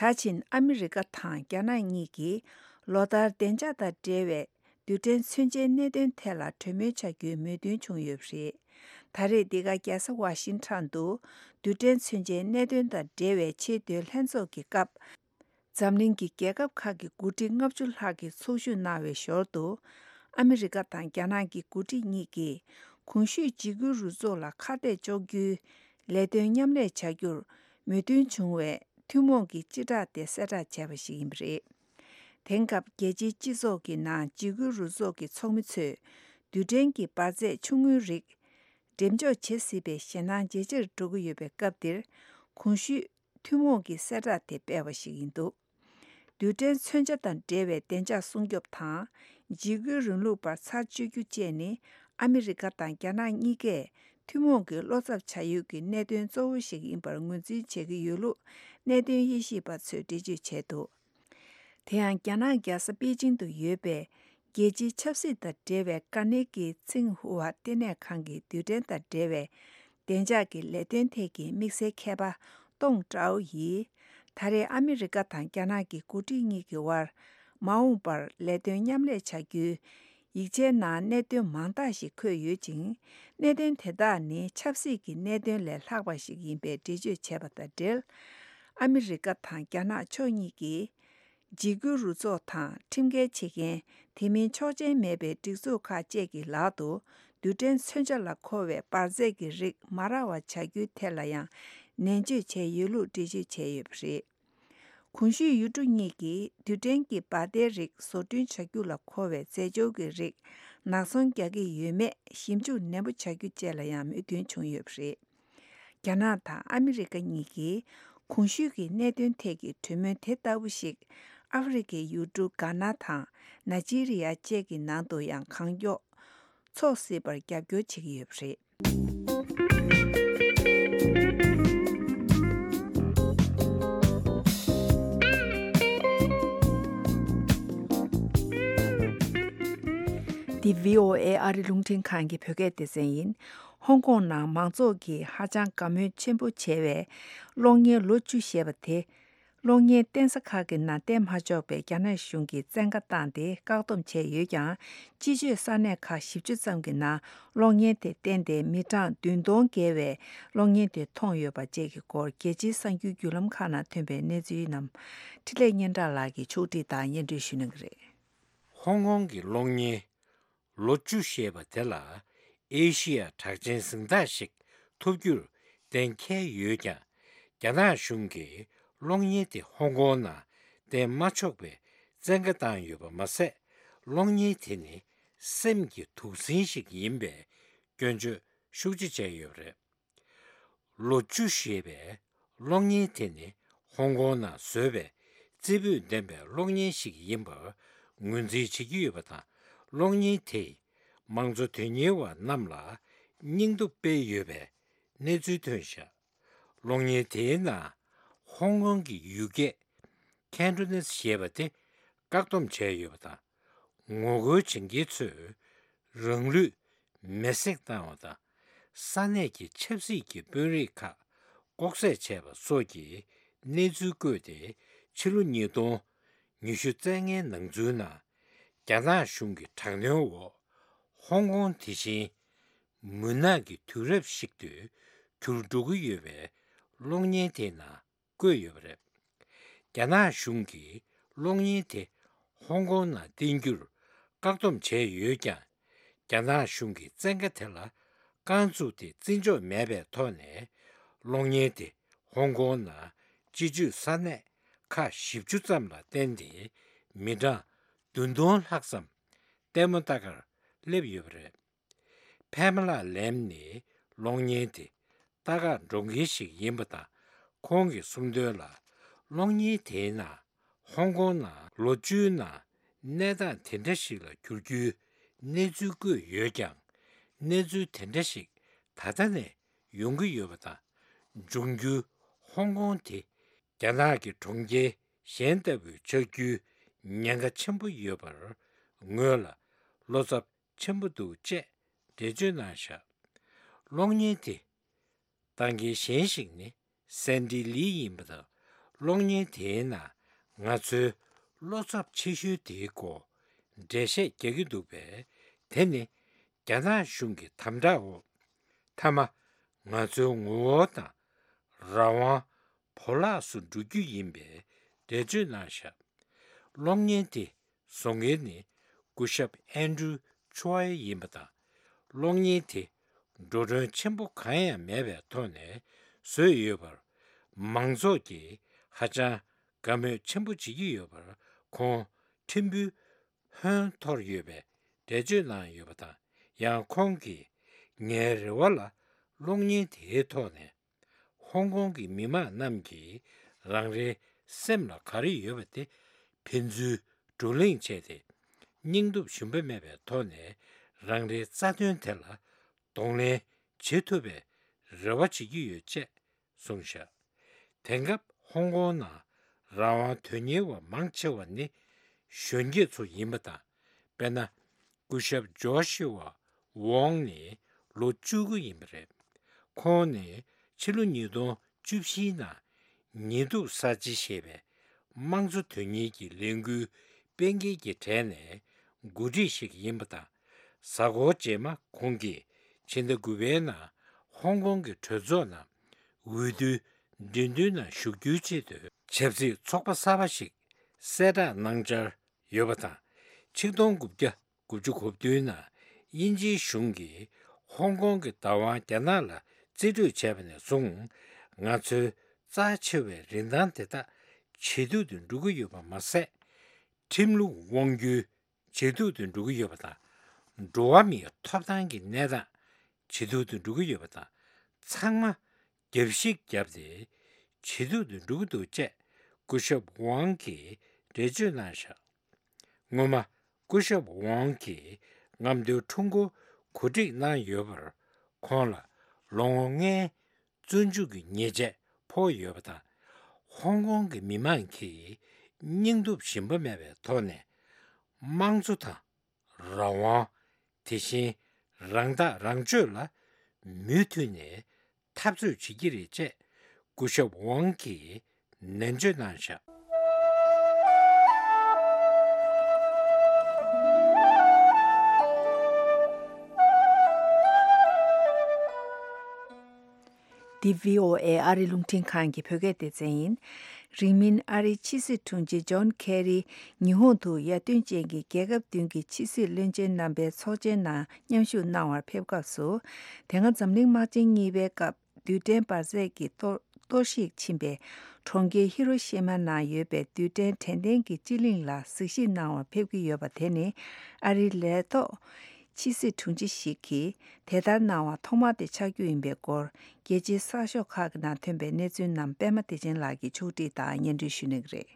ད་ཕྱིན་ཨ་མི་རི་ཀ་དང་རྒྱ་ནག་གཉིས་ཀྱིས་ལོ་ལྟར་བདེ་འཇགས་དང་འབྲེལ་བའི་རྡུལ་ཕྲན་མཚོན་ཆའི་གནད་དོན་ཐད་ལ་གྲོས་མོལ་བྱ་རྒྱུའི་མོས་མཐུན་བྱུང་ཡོད་པ་རེད། ད་རེས་འདི་ག་རྒྱལ་ས་ཝ་ཤིང་ཊོན་དུ་རྡུལ་ཕྲན་མཚོན་ཆའི་གནད་དོན་དང་འབྲེལ་བའི་ཆེས་མཐོའི་ལྷན་ཚོགས་ཀྱི་སྐབས། འཛམ་གླིང་གི་རྒྱལ་ཁབ་ཁག་གི་འགོ་ཁྲིད་ལྔ་བཅུ་ལྷག་གིས་ཚོགས་ཞུགས་གནང་བའི་ཞོར་དུ། ཨ་མི་རི་ཀ་དང་རྒྱ་ནག་གི་འགོ་ཁྲིད་གཉིས་ཀྱིས་གོང་ཞུས་འཇིགས་སྐུལ་རུ་ཚོགས་ལ་ཁ་གཏད་གཅོག་རྒྱུའི་ལས་དོན་མཉམ་ལས་བྱ་རྒྱུར་མོས་མཐུན་བྱུང་བའི་ཐུན་མོང་གི་སྤྱི་བསྒྲགས་དེ་གསལ་བསྒྲགས་བྱས་པ་ཞིག་ཡིན་པ་རེད། དེང་སྐབས་རྒྱལ་སྤྱིའི་སྤྱི་ཚོགས་ཀྱི་ནང་འཇིགས་སྐུལ་རུ་ཚོགས་ཀྱི་ཚོགས་མི་ཚོས་རྡུལ་ཕྲན་གྱི་འབར་རྫས་ཆུང་ངུའི་རིགས་འགྲེམས་འཇོག་བྱེད་སྲིད་པའི་ཞེད་སྣང་ཇེ་ཆེར་འགྲོ་གི་ཡོད་པའི་སྐབས་འདིར། གོང་ཞུས་ཐུན་མོང་གི་གསལ་བསྒྲགས་དེ་སྤེལ་བ་ཞིག་ཡིན་འདུག་རྡུལ་ཕྲན་མཚོན་ཆ་དང་འབྲེལ་བའི་བདེ་འཇགས་སྲུང་སྐྱོབ་དང་། འཇིགས་སྐུལ་རིང་ལུགས་པར་ཚར་གཅོད་རྒྱུ་བཅས་ནི། ཨ་མི་རི་ཀ་དང་རྒྱ་ནག་གཉིས་ཀས་ཐུན་མོང་གི་བློ་འཚབ་བྱ་ཡུལ་གྱི་གནད་དོན་གཙོ་བོ་ཞིག་ཡིན་པར་ངོས་འཛིན་བྱེད་ཀྱི་ཡོད་ལུགས་གནད་དོན་དབྱེ་ཞིབ་པ་ཚོས་འགྲེལ་བརྗོད་བྱས་འདུག་དེ་ཡང་རྒྱ་ནག་རྒྱལ་ས་པེ་ཅིང་དུ་ཡོད་པའི་རྒྱལ་སྤྱིའི་ཆབ་སྲིད་དང་འབྲེལ་བའི་ཀ་ནེ་གི་ཚིང་ཧུའ་ལྟེ་གནས་ཁང་གི་རྡུལ་ཕྲན་དང་འབྲེལ་བའི་བདེ་འཇགས་ཀྱི་ལས་དོན་ཐད་ཀྱི་དམིགས་བསལ་མཁས་པ་ཏོང་ཀྲའོ་ཡིས། ད་རེས་ཨ་མི་རི་ཀ་དང་རྒྱ་ནག་གི་འགོ་ཁྲིད་གཉིས་ཀྱི་དབར་མ་འོངས་པར་ལས་དོན་མཉམ་ལས་བྱ་རྒྱུའི་ཡིག་ཆའི་ནང་གནད་དོན་མང་དག་ཞིག་འཁོད་ཡོད་ཅིང་། གནད་དོན་དེ་དག་ནི་ཆབ་སྲིད་ཀྱི་གནད་དོན་ལས་ལྷག་པ་ཞིག་ཡིན་པའི་འགྲེལ་བརྗོད་བྱས་པ་དང་འབྲེལ། ཨ་མི་རི་ཀ་དང་རྒྱ་ནག་ཕྱོགས་གཉིས་ཀྱིས། འཇིགས་སྐུལ་རུ་ཚོགས་དང་ཁྲིམས་འགལ་བྱེད་མཁན་དེ་མིན་ཆོག་མཆན་མེད་པའི་སྒྲིག་འཛུགས་ཁག་བཅས་ཀྱི་ལག་ཏུ་རྡུལ་ཕྲན་མཚོན་ཆ་ལ་མཁོ་བའི་འབར་རྫས་ཀྱི་རིགས་མ་རག་པ་བྱ་རྒྱུའི་ཐད་ལ་ཡང་ནན་བརྗོད་བྱས་ཡོད་ལུགས་འགྲེལ་བརྗོད་བྱས་ཡོད་པ་རེད། གོང་ཞུས་ཡུལ་གྲུ་གཉིས་ཀྱིས་རྡུལ་ཕྲན་གྱི་འབར་མདེལ་རིགས་བཟོ་སྐྲུན་བྱ་རྒྱུ་ལ་མཁོ་བའི་རྫས་སྦྱོར་གྱི་རིགས་ནག་ཚོང་རྒྱག་གི་ཡོད་མེད་ཞིབ་འཇུག་ནན་པོ་བྱ་རྒྱུ་བཅས་ལ་ཡང་མོས་མཐུན་བྱུང་ཡོད་པ་རེད། རྒྱ་ནག་དང་ཨ་མི་རི་ཀ་གཉིས་ཀྱིས་གོང་ཞུས་ཀྱི་གནད་དོན་ཐད་ཀྱི་གྲོས་མོལ་དེ་ལྟ་བུ་ཞིག་ཨ་ཧྥེ་རི་ཁའི་ཡུལ་གྲུ་གྷ་ན་དང་ནཱི་ཇི་རི་ཡ་བཅས་ཀྱི་ནང་དུ་ཡང་གང་མགྱོགས་འཚོགས་སྲིད་པར་རྒྱབ་སྐྱོར་བྱེད་ཀྱི་ཡོད་པ་རེད། འདི་བྷི་ཨོ་ཨེ་ཨ་རི་རླུང་འཕྲིན་ཁང་གི་བོད་སྐད་སྡེ་ཚན་ཡིན། ཧོང་ཀོང་ནང་མང་ཚོགས་ཀྱིས་ཧ་ཅང་དགའ་མོས་ཆེན་པོ་བྱེད་པའི་གློག་བརྙན་ལོ་བཅུ་ཞེས་པ་དེ། གློག་བརྙན་བསྟན་ས་ཁག་གི་ནང་བསྟན་མ་ཆོག་པའི་རྒྱ་ནག་གཞུང་གིས་བཙན་བཀའ་བཏང་སྟེ་བཀག་སྡོམ་བྱས་ཡོད་ཀྱང་། སྤྱི་སྤྱོད་ས་གནས་ཁག་བཞི་བཅུ་ཙམ་གྱི་ནང་གློག་བརྙན་དེ་བསྟན་ཏེ་མི་གྲངས་བདུན་སྟོང་བརྒལ་བས་གློག་བརྙན་དེ་མཐོང་ཡོད་པ་བཅས་ཀྱི་སྐོར་རྒྱལ་སྤྱིའི་གསར་འགྱུར་བརྒྱུད་ལམ་ཁག་ནང་ཐོན་པའི་གནས་ཚུལ་རྣམས་འཕྲིན་ལས་སྙན་གྲགས་ལགས་ཀྱིས་ཕྱོགས་སྒྲིག་དང་སྙན་སྒྲོན་ཞུ་གནང་གི་རེད། ཧོང་ཀོང་གི་གློག་བརྙན་ལོ་བཅུ་ཞེས་པ་དེ་ལ་ཨེ་ཤི་ཡ་གྲགས་ཅན་གཟེངས་རྟགས་ཤིག་ཐོབ་རྒྱུར་གཏན་འཁེལ་ཡོད་ཀྱང་། རྒྱ་ནག་གཞུང་གིས་གློག་བརྙན་དེ་ཧོང་ཀོང་ནང་བསྟན་མ་ཆོག་པའི་བཙན་བཀའ་བཏང་ཡོད་པ་མ་ཟད། གློག་བརྙན་དེ་ནི་སེམས་ཀྱི་དུག་སྲིན་ཞིག་ཡིན་པའི་སྐྱོན་བརྗོད་ཤུགས་ཆེ་བྱས་ཡོད་པ་རེད། ལོ་བཅུ་ཞེས་པའི་གློག་བརྙན་དེ་ནི་ཧོང་ཀོང་ནང་བཟོས་པའི་རྩེ་ཕུད་ལྡན་པའི་གློག་བརྙན་ཞིག་ཡིན་པར་ངོས་འཛིན་བྱེད་ཀྱི་ཡོད་པ་དང་། གློག་བརྙན་དེས་མང་གཙོ་དོན་གཉེར་བ་རྣམས་ལ་སྙིང་སྟོབས་སྤེལ་ཡོད་པའི་གནས་ཚུལ་ཐོན་བཞག་གློག་བརྙན་དེའི་ནང་ཧོང་ཀོང་གི་ཡུལ་སྐད་ཁན་ཊོ་ནེས་ཞེས་པ་དེ་བཀག་སྡོམ་བྱས་ཡོད་པ་དང་། ངོ་རྒོལ་བྱེད་མཁན་ཚོས་རང་ལུས་མེར་སྲེག་བཏང་བ་དང་། ས་གནས་ཀྱི་ཆབ་སྲིད་ཀྱི་དཔོན་རིགས་ཁག་ལྐོག་བསད་བྱས་པ་སོགས་ཀྱི་གནས་ཚུལ་བཀོད་དེ། ཕྱི་ལོ་ཉིས་སྟོང་ཉི་ཤུ་རྩ་ལྔའི་ནང་ཚུན་ནང་རྒྱ་ནག་གཞུང་གི་དྲག་གནོན་འོག་ཧོང་ཀོང་དེ་བཞིན་མུན་ནག་གི་དུས་རབས་ཤིག་ཏུ་གྱུར་འགྲོ་གི་ཡོད་པའི་གློག་བརྙན་དེའི་ནང་བཀོད་ཡོད་པ་རེད། རྒྱ་ནག་གཞུང་གིས་གློག་བརྙན་དེ་ཧོང་ཀོང་ནང་བསྟན་རྒྱུར་བཀག་སྡོམ་བྱས་ཡོད་ཀྱང་། རྒྱ་ནག་གཞུང་གིས་བཙན་བཀའ་དེ་ལ་རྐང་བཙུགས་ཏེ་བརྩི་འཇོག་མེད་པའི་ཐོག་ནས། གློག་བརྙན་དེ་ཧོང་ཀོང་ནང་སྤྱི་སྤྱོད་ས་གནས་ཁག་བཞི་བཅུ་ཙམ་ལ་བསྟན་ཏེ། མི་གྲངས་བདུན་སྟོང་ལྷག་ཙམ་ལྟད་མོ་ལྟ་གར་སླེབས་ཡོད་པ་རེད། ཕེ་མ་ལ་ལེམ་ནི་གློག་བརྙན་དེ་ལྟ་གར་འགྲོ་མཁན་ཞིག་ཡིན་པ་དང་། ཁོང་གིས་གསུངས་དོན་ལ། གློག་བརྙན་དེའི་ནང་ཧོང་ཀོང་ནང་ལོ་བཅུའི་ནང་ གནས་སྟངས་དེ་འདྲ་ཞིག་ལ་འགྱུར་རྒྱུའི་གནས་ཚུལ་བཀོད་ཡོད་ཀྱང་། གནས་ཚུལ་དེ་འདྲ་ཞིག་ད་ལྟ་ནས་ཡོང་གི་ཡོད་པ་དང་། འབྱུང་འགྱུར་ཧོང་ཀོང་དེ་རྒྱ་ནག་གི་གྲོང་ཁྱེར་གཞན་ལྟ་བུའི་ཆགས་རྒྱུའི་ཉེན་ཁ་ཆེན་པོ་ཡོད་པར་ངོས་ལ་བློ་འཚབ་ཆེན་པོ་འདུག་ཅེས་འགྲེལ་བརྗོད་གནང་བཞག་གློག་བརྙན་དེ་ལྟ་མཁན་གཞན་ཞིག་ནི་སན་ཏི་ལི་ཡིན་པ་དང་། གློག་བརྙན་དེའི་ནང་ང་ཚོའི་བློ་འཚབ་ཆེ་ཤོས་དེའི་སྐོར་འགྲེལ་བཤད་རྒྱག་གི་འདུག་པས། དེ་ནི་རྒྱ་ནག་གཞུང་གི་དམ་དྲག་འོག་མཐའ་མ་ང་ཚོའི་ངོ་བོ་དང་རང་དབང་བོར་བརླག་སུ་འགྲོ་རྒྱུ་ཡིན་པའི་འགྲེལ་བརྗོད་གནང་བཞག་གློག་བརྙན་དེ་བཟོ་མཁན་ནི་སྐུ་ཞབས་ཨན་ཌྲུ་ཆོའེ་ཡིན་པ་དང་། གློག་བརྙན་དེ་འགྲོ་གྲོན་ཆེན་པོ་གང་ཡང་མེད་པའི་ཐོག་ནས་བཟོས་ཡོད་པར། མང་ཚོགས་ཀྱིས་ཧ་ཅང་དགའ་མོས་ཆེན་པོ་བྱེད་ཀྱི་ཡོད་པར་ཁོང་ཕྲན་བུས་ཧོན་འཐོར་ཡོད་པའི་འགྲེལ་བརྗོད་གནང་ཡོད་པ་དང་། ཡང་ཁོང་གིས་ངའི་རེ་བ་ལ་གློག་བརྙན་དེའི་ཐོག་ནས་ཧོང་ཀོང་གི་མི་མང་རྣམས་ཀྱིས་རང་རེའི་སེམས་ལ་ག་རེ་ཡོད་པ་དེ་ཕན་ཚུན་བགྲོ་གླེང་བྱས་ཏེ། སྙིང་སྟོབས་ཞུམ་པ་མེད་པའི་ཐོག་ནས་རང་རེའི་རྩ་དོན་དེ་ལ་གདོང་ལེན་བྱེད་ཐུབ་པའི་རེ་བ་བྱེད་ཀྱི་ཡོད་ཅེས་གསུངས་བཞག་དེང་སྐབས་ཧོང་ཀོང་ནང་རང་དབང་དོན་གཉེར་བ་མང་ཆེ་བ་ནི་གཞོན་སྐྱེས་ཚོ་ཡིན་པ་དང་། དཔེར་ན། སྐུ་ཞབས་ཇོ་ཤི་ཝ་ཝོང་ནི་ལོ་བཅུ་དགུ་ཡིན་པ་རེད། ཁོང་ནི་ཕྱི་ལོ་ཉིས་སྟོང་བཅུ་བཞིའི་ནང་ཉེས་གཏུག་གསར་བརྗེ་ཞེས་པའི་དམངས་གཙོ་དོན་གཉེར་གྱི་ལས་འགུལ་སྤེལ་མཁན་གྱི་གྲས་ནས་འགོ་ཁྲིད་ཞིག་ཡིན་པ་དང་། གཟའ་འཁོར་རྗེས་མ་ཁོང་གིས་ཕྱི་ཟླ་དགུ་པའི་ནང་ཧོང་ཀོང་གི་གྲོས་ཚོགས་ནང་འོས་བསྡུའི་འགྲན་བསྡུར་ནང་ཞུགས་རྒྱུའི་ཆེད་དུ་ཆབ་སྲིད་ཚོགས་པ་གསར་པ་ཞིག་གསལ་བསྒྲགས་གནང་འཆར་ཡོད་པ་དང་། ཆིག་སྟོང་དགུ་བརྒྱ་དགུ་བཅུ་གོ་བདུན་ནང་དབྱིན་ཇིའི་གཞུང་གིས་ཧོང་ཀོང་གི་བདག་དབང་རྒྱ་ནག་ལ་རྩིས་སྤྲོད་བྱས་པ་ནས་བཟུང་། ང་ཚོའི་རྩ་ཆེ་བའི་རིན་ཐང་དེ་དག་ཇེ་སྡུག་ཏུ་འགྲོ་གི་ཡོད་པ་མ་ཟད། ཁྲིམས་ལུགས་དབང་སྒྱུར་ཇེ་སྡུག་ཏུ་འགྲོ་གི་ཡོད་པ་དང་། འགྲོ་བ་མིའི་ཐོབ་ཐང་གི་གནས་སྟངས་ཇེ་སྡུག་ཏུ་འགྲོ་གི་ཡོད་པ་དང་། ཚང་མ་རྒྱབ་བཤིག་བརྒྱབ་སྟེ་ཇེ་སྡུག་ཏུ་འགྲོ་གི་འདུག་ཅེས་སྐུ་ཞབས་ཝང་གིས་འགྲེལ་བརྗོད་གནང་བཞག་སྔོན་མ་སྐུ་ཞབས་ཝང་གིས་རྔམ་སྟོན་ཁྲོམ་སྐོར་གོ་སྒྲིག་གནང་ཡོད་པར། ཁོང་ལ་ལོ་ངོ་ལྔའི་བཙོན་འཇུག་གི་ཉེས་ཆད་ཕོག་ཡོད་པ་དང་། ཧོང་ཀོང་གི་མི་མང་གིས་སྙིང་སྟོབས་ཞུམ་པ་མེད་པའི་ཐོག་ནས་དམངས་གཙོ་དང་། རང་དབང་། དེ་བཞིན་རང་ཐག་རང་གཅོད་ལ་མུ་མཐུད་ནས་འཐབ་རྩོད་བྱེད་ཀྱི་རེད་ཅེས་སྐུ་ཞབས་ཝང་གིས་ནན་བརྗོད་གནང་བཞག་འདི་བྷི་ཨོ་ཨེ་ཨ་རི་རླུང་འཕྲིན་ཁང་གི་བོད་སྐད་སྡེ་ཚན་ཡིན། རིང་མིན་ཨ་རིའི་ཕྱི་སྲིད་དྲུང་ཆེ་ཇོན་ཁེ་རི་ཉི་ཧོང་དུ་ཡར་ཐོན་ཅན་གྱི་རྒྱལ་ཁབ་བདུན་གྱི་ཕྱི་སྲིད་བློན་ཆེན་རྣམ་པའི་ཚོགས་ཆེན་ནང་མཉམ་ཞུགས་གནང་བར་ཕེབས་སྐབས་སུ། དེ་སྔ་འཛམ་གླིང་དམག་ཆེན་གཉིས་པའི་སྐབས་རྡུལ་ཕྲན་འབར་རྫས་ཀྱིས་གཏོར་གཏོར་བཤིག་ཕྱིན་པའི་གྲོང་ཁྱེར་ཧི་རོ་ཤི་མ་ནང་ཡོད་པའི་རྡུལ་ཕྲན་དྲན་རྟེན་གྱི་སྤྱི་གླིང་ལ་གཟིགས་ཞིབ་གནང་བར་ཕེབས་ཀྱི་ཡོད་པ་དེ་ནི་ཨ་རིའི་ལས་ཐོག་ཕྱི་སྲིད་དྲུང་ཆེ་ཞིག་གིས་དེ་ལྟར་གནང་བ་ཐོག་མ་དེ་ཆགས་རྒྱུ་ཡིན་པའི་སྐོར། རྒྱལ་སྤྱིའི་གསར་ཤོག་ཁག་གི་ནང་ཐོན་པའི་གནས་ཚུལ་རྣམས་པད་མ་བདེ་ཆེན་ལགས་ཀྱིས་ཕྱོགས་སྒྲིག་དང་སྙན་སྒྲོན་ཞུ་གནང་གི་རེད།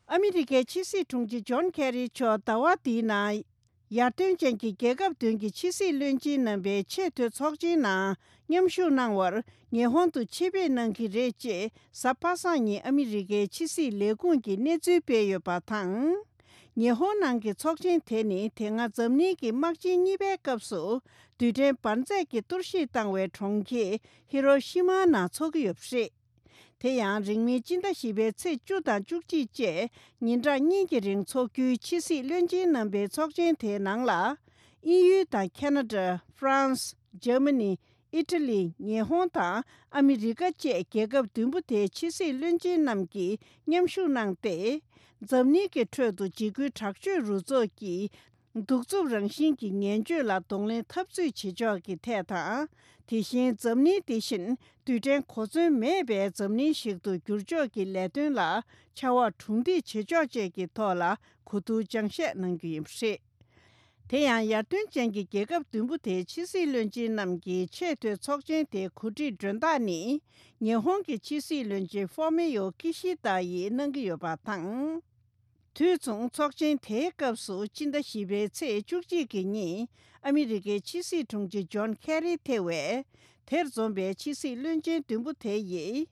ཨ་མི་རི་ཀའི་ཕྱི་སྲིད་དྲུང་ཆེ་ཇོན་ཁེ་རི་མཆོག་ཟླ་བ་འདིའི་ནང་ཡར་ཐོན་ཅན་གྱི་རྒྱལ་ཁབ་བདུན་གྱི་ཕྱི་སྲིད་བློན་ཆེན་རྣམ་པའི་ཆེས་མཐོའི་ཚོགས་ཆེན་ནང་མཉམ་ཞུགས་གནང་བར་ཉི་ཧོང་དུ་ཆེད་ཕེབས་གནང་གི་རེད་ཅེས་གཟའ་པ་སངས་ཉིན་ཨ་མི་རི་ཀའི་ཕྱི་སྲིད་ལས་ཁུངས་ཀྱིས་གནས་ཚུལ་སྤེལ་ཡོད་པ་དང་། ཉི་ཧོང་ནང་གི་ཚོགས་ཆེན་དེ་ནི་དེ་སྔ་འཛམ་གླིང་གི་དམག་ཆེན་གཉིས་པའི་སྐབས་སུ་རྡུལ་ཕྲན་འབར་རྫས་ཀྱིས་གཏོར་བཤིག་བཏང་བའི་གྲོང་ཁྱེར་ཧི་རོ་ཤི་མ་ནང་འཚོགས་ཀྱི་ཡོད་པ་རེད། དེ་ཡང་རིང་མིན་སྤྱི་ཟླ་བཞི་པའི་ཚེས་བཅུ་དང་བཅུ་གཅིག་བཅས་ཉིན་གྲངས་གཉིས་ཀྱི་རིང་འཚོགས་རྒྱུའི་ཕྱི་སྲིད་བློན་ཆེན་རྣམ་པའི་ཚོགས་ཆེན་དེའི་ནང་ལ། དབྱིན་ཡུལ་དང་ཁེ་ན་ཌ། ཧྥ་རན་སི། འཇར་མ་ནི། ཨི་ཊ་ལི། ཉི་ཧོང་དང་ཨ་མི་རི་ཀ་བཅས་རྒྱལ་ཁབ་བདུན་པོ་དེའི་ཕྱི་སྲིད་བློན་ཆེན་རྣམས་ཀྱིས་མཉམ་ཞུགས་གནང་སྟེ། འཛམ་གླིང་གི་ཁྲོད་དུ་འཇིགས་སྐུལ་དྲག་སྤྱོད་རུ་ཚོགས་ཀྱི་གདུག་རྩུབ་རང་བཞིན་གྱི་ངན་སྤྱོད་ལ་གདོང་ལེན་འཐབ་རྩོད་བྱེད་ཕྱོགས་ཀྱི་ཐད་དང་། དེ་བཞིན་འཛམ་གླིང་འདི་བཞིན་རྡུལ་ཕྲན་གོ་མཚོན་མེད་པའི་འཛམ་གླིང་ཞིག་ཏུ་འགྱུར་ཕྱོགས་ཀྱི་ལས་དོན་ལ་ཕྱར་བ་གྲུ་འདེགས་བྱེད་ཕྱོགས་བཅས་ཀྱི་ཐོག་ལ་གོ་བསྡུར་སྦྱང་བཤད་གནང་རྒྱུ་ཡིན་པ་རེད། དེ་ཡང་ཡར་ཐོན་ཅན་གྱི་རྒྱལ་ཁབ་བདུན་པོ་དེའི་ཕྱི་སྲིད་བློན་ཆེན་རྣམས་ཀྱི་ཆེས་མཐོའི་ཚོགས་ཆེན་དེའི་གོ་སྒྲིག་མགྲོན་བདག་ནི་ཉི་ཧོང་གི་ཕྱི་སྲིད་བློན་ཆེན་ཧྥོ་མི་ཡོ་ཀི་ཤི་ད་ཡིས་གནང་གི་ཡོད་པ་དང་། དུས་མཚུངས་ཚོགས་ཆེན་དེའི་སྐབས་སུ་སྤྱི་ཟླ་བཞི་པའི་ཚེས་བཅུ་གཅིག་གི་ཉིན་ཨ་མི་རི་ཀའི་ཕྱི་སྲིད་དྲུང་ཆེ་ཇོན་ཁེ་རི་ཐེ་བས་དེར་འཛོམས་པའི་ཕྱི་སྲིད་བློན་ཆེན་བདུན་པོ་དེ་ཡིས།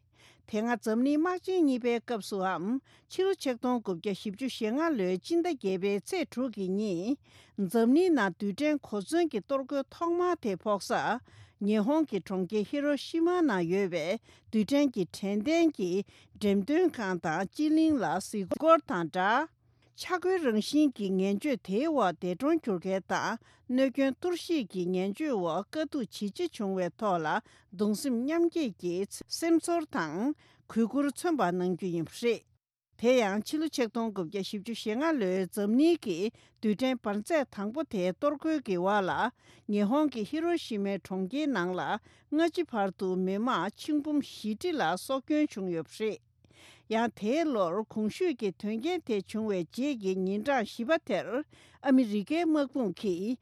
དེ་སྔ་འཛམ་གླིང་དམག་ཆེན་གཉིས་པའི་སྐབས་སུའམ་ཕྱི་ལོ་ཆིག་སྟོང་དགུ་བརྒྱ་བཞི་བཅུ་ཞེ་ལྔ་ལོའི་སྤྱི་ཟླ་བརྒྱད་པའི་ཚེས་དྲུག་གི་ཉིན། འཛམ་གླིང་ནང་རྡུལ་ཕྲན་གོ་མཚོན་གྱི་གཏོར་རྒོལ་ཐོག་མ་དེ་ཕོག་ས། ཉི་ཧོང་གི་གྲོང་ཁྱེར་ཧི་རོ་ཤི་མ་ནང་ཡོད་པའི་རྡུལ་ཕྲན་གྱི་དྲན་རྟེན་གྱི་འགྲེམས་སྟོན་ཁང་དང་སྤྱི་གླིང་ལ་གཟིགས་སྐོར་དང་སྦྲགས། ཆག་སྒོའི་རང་བཞིན་གྱི་ངན་སྤྱོད་དེའི་འོག་འདས་གྲོངས་གྱུར་མཁན་དང་གནོད་སྐྱོན་གཏོར་བཤིག་གི་ངན་སྤྱོད་འོག་དཀའ་སྡུག་ཇི་ཆེ་བྱུང་བའི་ཐོག་ལ་གདུང་སེམས་མཉམ་སྐྱེད་ཀྱི་སེམས་ཚོར་དང་གུས་བཀུར་མཚོན་པ་གནང་རྒྱུ་ཡིན་པ་རེད། དེ་ཡང་ཕྱི་ལོ་ཆིག་སྟོང་དགུ་བརྒྱ་བཞི་བཅུ་ཞེ་ལྔ་ལོའི་འཛམ་གླིང་གི་རྡུལ་ཕྲན་འབར་རྫས་དང་པོ་དེའི་གཏོར་རྒོལ་གྱི་འོག་ལ་ཉི་ཧོང་གི་ཧི་རོ་ཤི་མའི་གྲོང་ཁྱེར་ནང་ལ་སྔ་ཕྱི་བར་དུ་མི་མང་ཆིག་འབུམ་བཞི་ཁྲི་ལ་སྲོག་སྐྱོན་བྱུང་ཡོད་པ་རེད། ཡང་དེའི་ལོར་གོང་ཞུས་ཀྱི་དོན་རྐྱེན་དེ་བྱུང་བའི་རྗེས་ཀྱི་ཉིན་གྲངས་བཞི་པ་དེར་ཨ་མི་རི་ཀའི་དམག་དཔུང་གིས།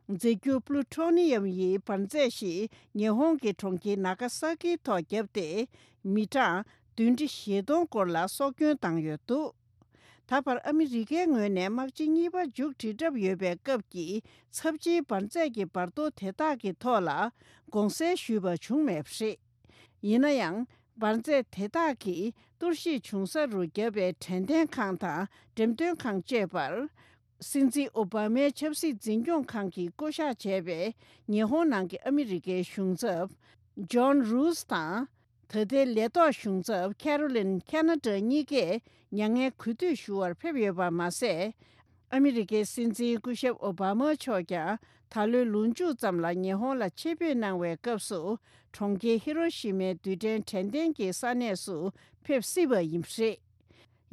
རྫས་འགྱུར་པུ་ལུ་ཊོ་ནི་ཡམ་ཡི་འབར་རྫས་ཤིག་ཉི་ཧོང་གི་གྲོང་ཁྱེར་ནཱ་ག་ས་ཀིའི་ཐོག་བརྒྱབ་སྟེ། མི་གྲངས་བདུན་ཁྲི་བཞི་སྟོང་སྐོར་ལ་སྲོག་སྐྱོན་བཏང་ཡོད་འདུག་ད་བར་ཨ་མི་རི་ཀའི་ངོས་ནས་དམག་ཆེན་གཉིས་པ་མཇུག་སྒྲིལ་གྲབས་ཡོད་པའི་སྐབས་ཀྱི་ཚབས་ཆེའི་འབར་རྫས་ཀྱི་འབར་གཏོར་དེ་དག་གི་ཐོག་ལ་དགོངས་སེལ་ཞུས་པ་བྱུང་མེད་པ་རེད། ཡིན་ན་ཡང་། འབར་རྫས་དེ་དག་གིས་གཏོར་བཤིག་བྱུང་ས་རུ་བརྒྱབ་པའི་དྲན་རྟེན་ཁང་དང་འགྲེམས་སྟོན་ཁང་བཅས་པར། སྲིད་འཛིན་ཨོ་བྷ་མའི་ཆབ་སྲིད་འཛིན་སྐྱོང་ཁང་གིས་བསྐོ་གཞག་བྱས་པའི་ཉི་ཧོང་ནང་གི་ཨ་མི་རི་ཀའི་གཞུང་ཚབ། ཇོན་རུས་དང་། ད་ལྟའི་ལས་ཐོག་གཞུང་ཚབ་ཁེ་རོ་ལིན་ཁེ་ན་ཌ་གཉིས་ཀས་མྱ་ངན་གུས་འདུད་ཞུ་བར་ཕེབས་ཡོད་པ་མ་ཟད། ཨ་མི་རི་ཀའི་སྲིད་འཛིན་སྐུ་ཞབས་ཨོ་བྷ་མ་མཆོག་ཀྱང་ད་ལོའི་ལོ་མཇུག་ཙམ་ལ་ཉི་ཧོང་ལ་ཆེད་ཕེབས་གནང་བའི་སྐབས་སུ། གྲོང་ཁྱེར་ཧི་རོ་ཤི་མའི་རྡུལ་ཕྲན་དྲན་རྟེན་གྱི་ས་གནས་སུ་ཕེབས་སྲིད་པ་ཡིན་པ་རེད།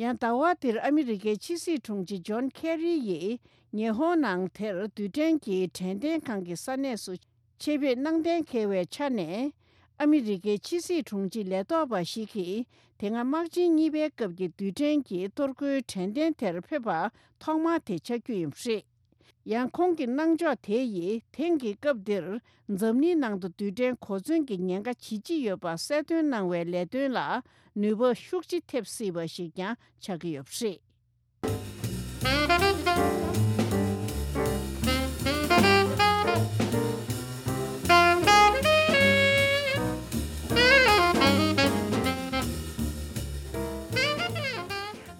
ཡང་ཟླ་བ་འདིར་ཨ་མི་རི་ཀའི་ཕྱི་སྲིད་དྲུང་ཆེ་ཇོན་ཁེ་རི་ཡིས་ཉི་ཧོང་ནང་དེར་རྡུལ་ཕྲན་གྱི་དྲན་རྟེན་ཁང་གི་ས་གནས་སུ་ཆེད་ཕེབས་གནང་གཏན་འཁེལ་བའི་ཆ་ནས། ཨ་མི་རི་ཀའི་ཕྱི་སྲིད་དྲུང་ཆེ་ལས་ཐོག་པ་ཞིག་གིས་དེ་སྔ་དམག་ཆེན་གཉིས་པའི་སྐབས་ཀྱི་རྡུལ་ཕྲན་གྱི་གཏོར་རྒོལ་དྲན་རྟེན་དེར་ཕེབས་པ་ཐོག་མ་དེ་ཆགས་རྒྱུ་ཡིན་པ་རེད། ཡང་ཁོང་གི་གནང་ཕྱོགས་དེ་ཡིས་དེང་གི་སྐབས་འདིར་འཛམ་གླིང་ནང་དུ་རྡུལ་ཕྲན་གོ་མཚོན་གྱི་ཉེན་ཁ་ཇི་ལྕི་ཡོད་པ་གསལ་སྟོན་གནང་བའི་ལས་དོན་ལ་ནུས་པ་ཤུགས་ཆེ་ཐེབས་སྲིད་པ་ཞིག་ཀྱང་ཆགས་ཀྱི་ཡོད་པ་རེད།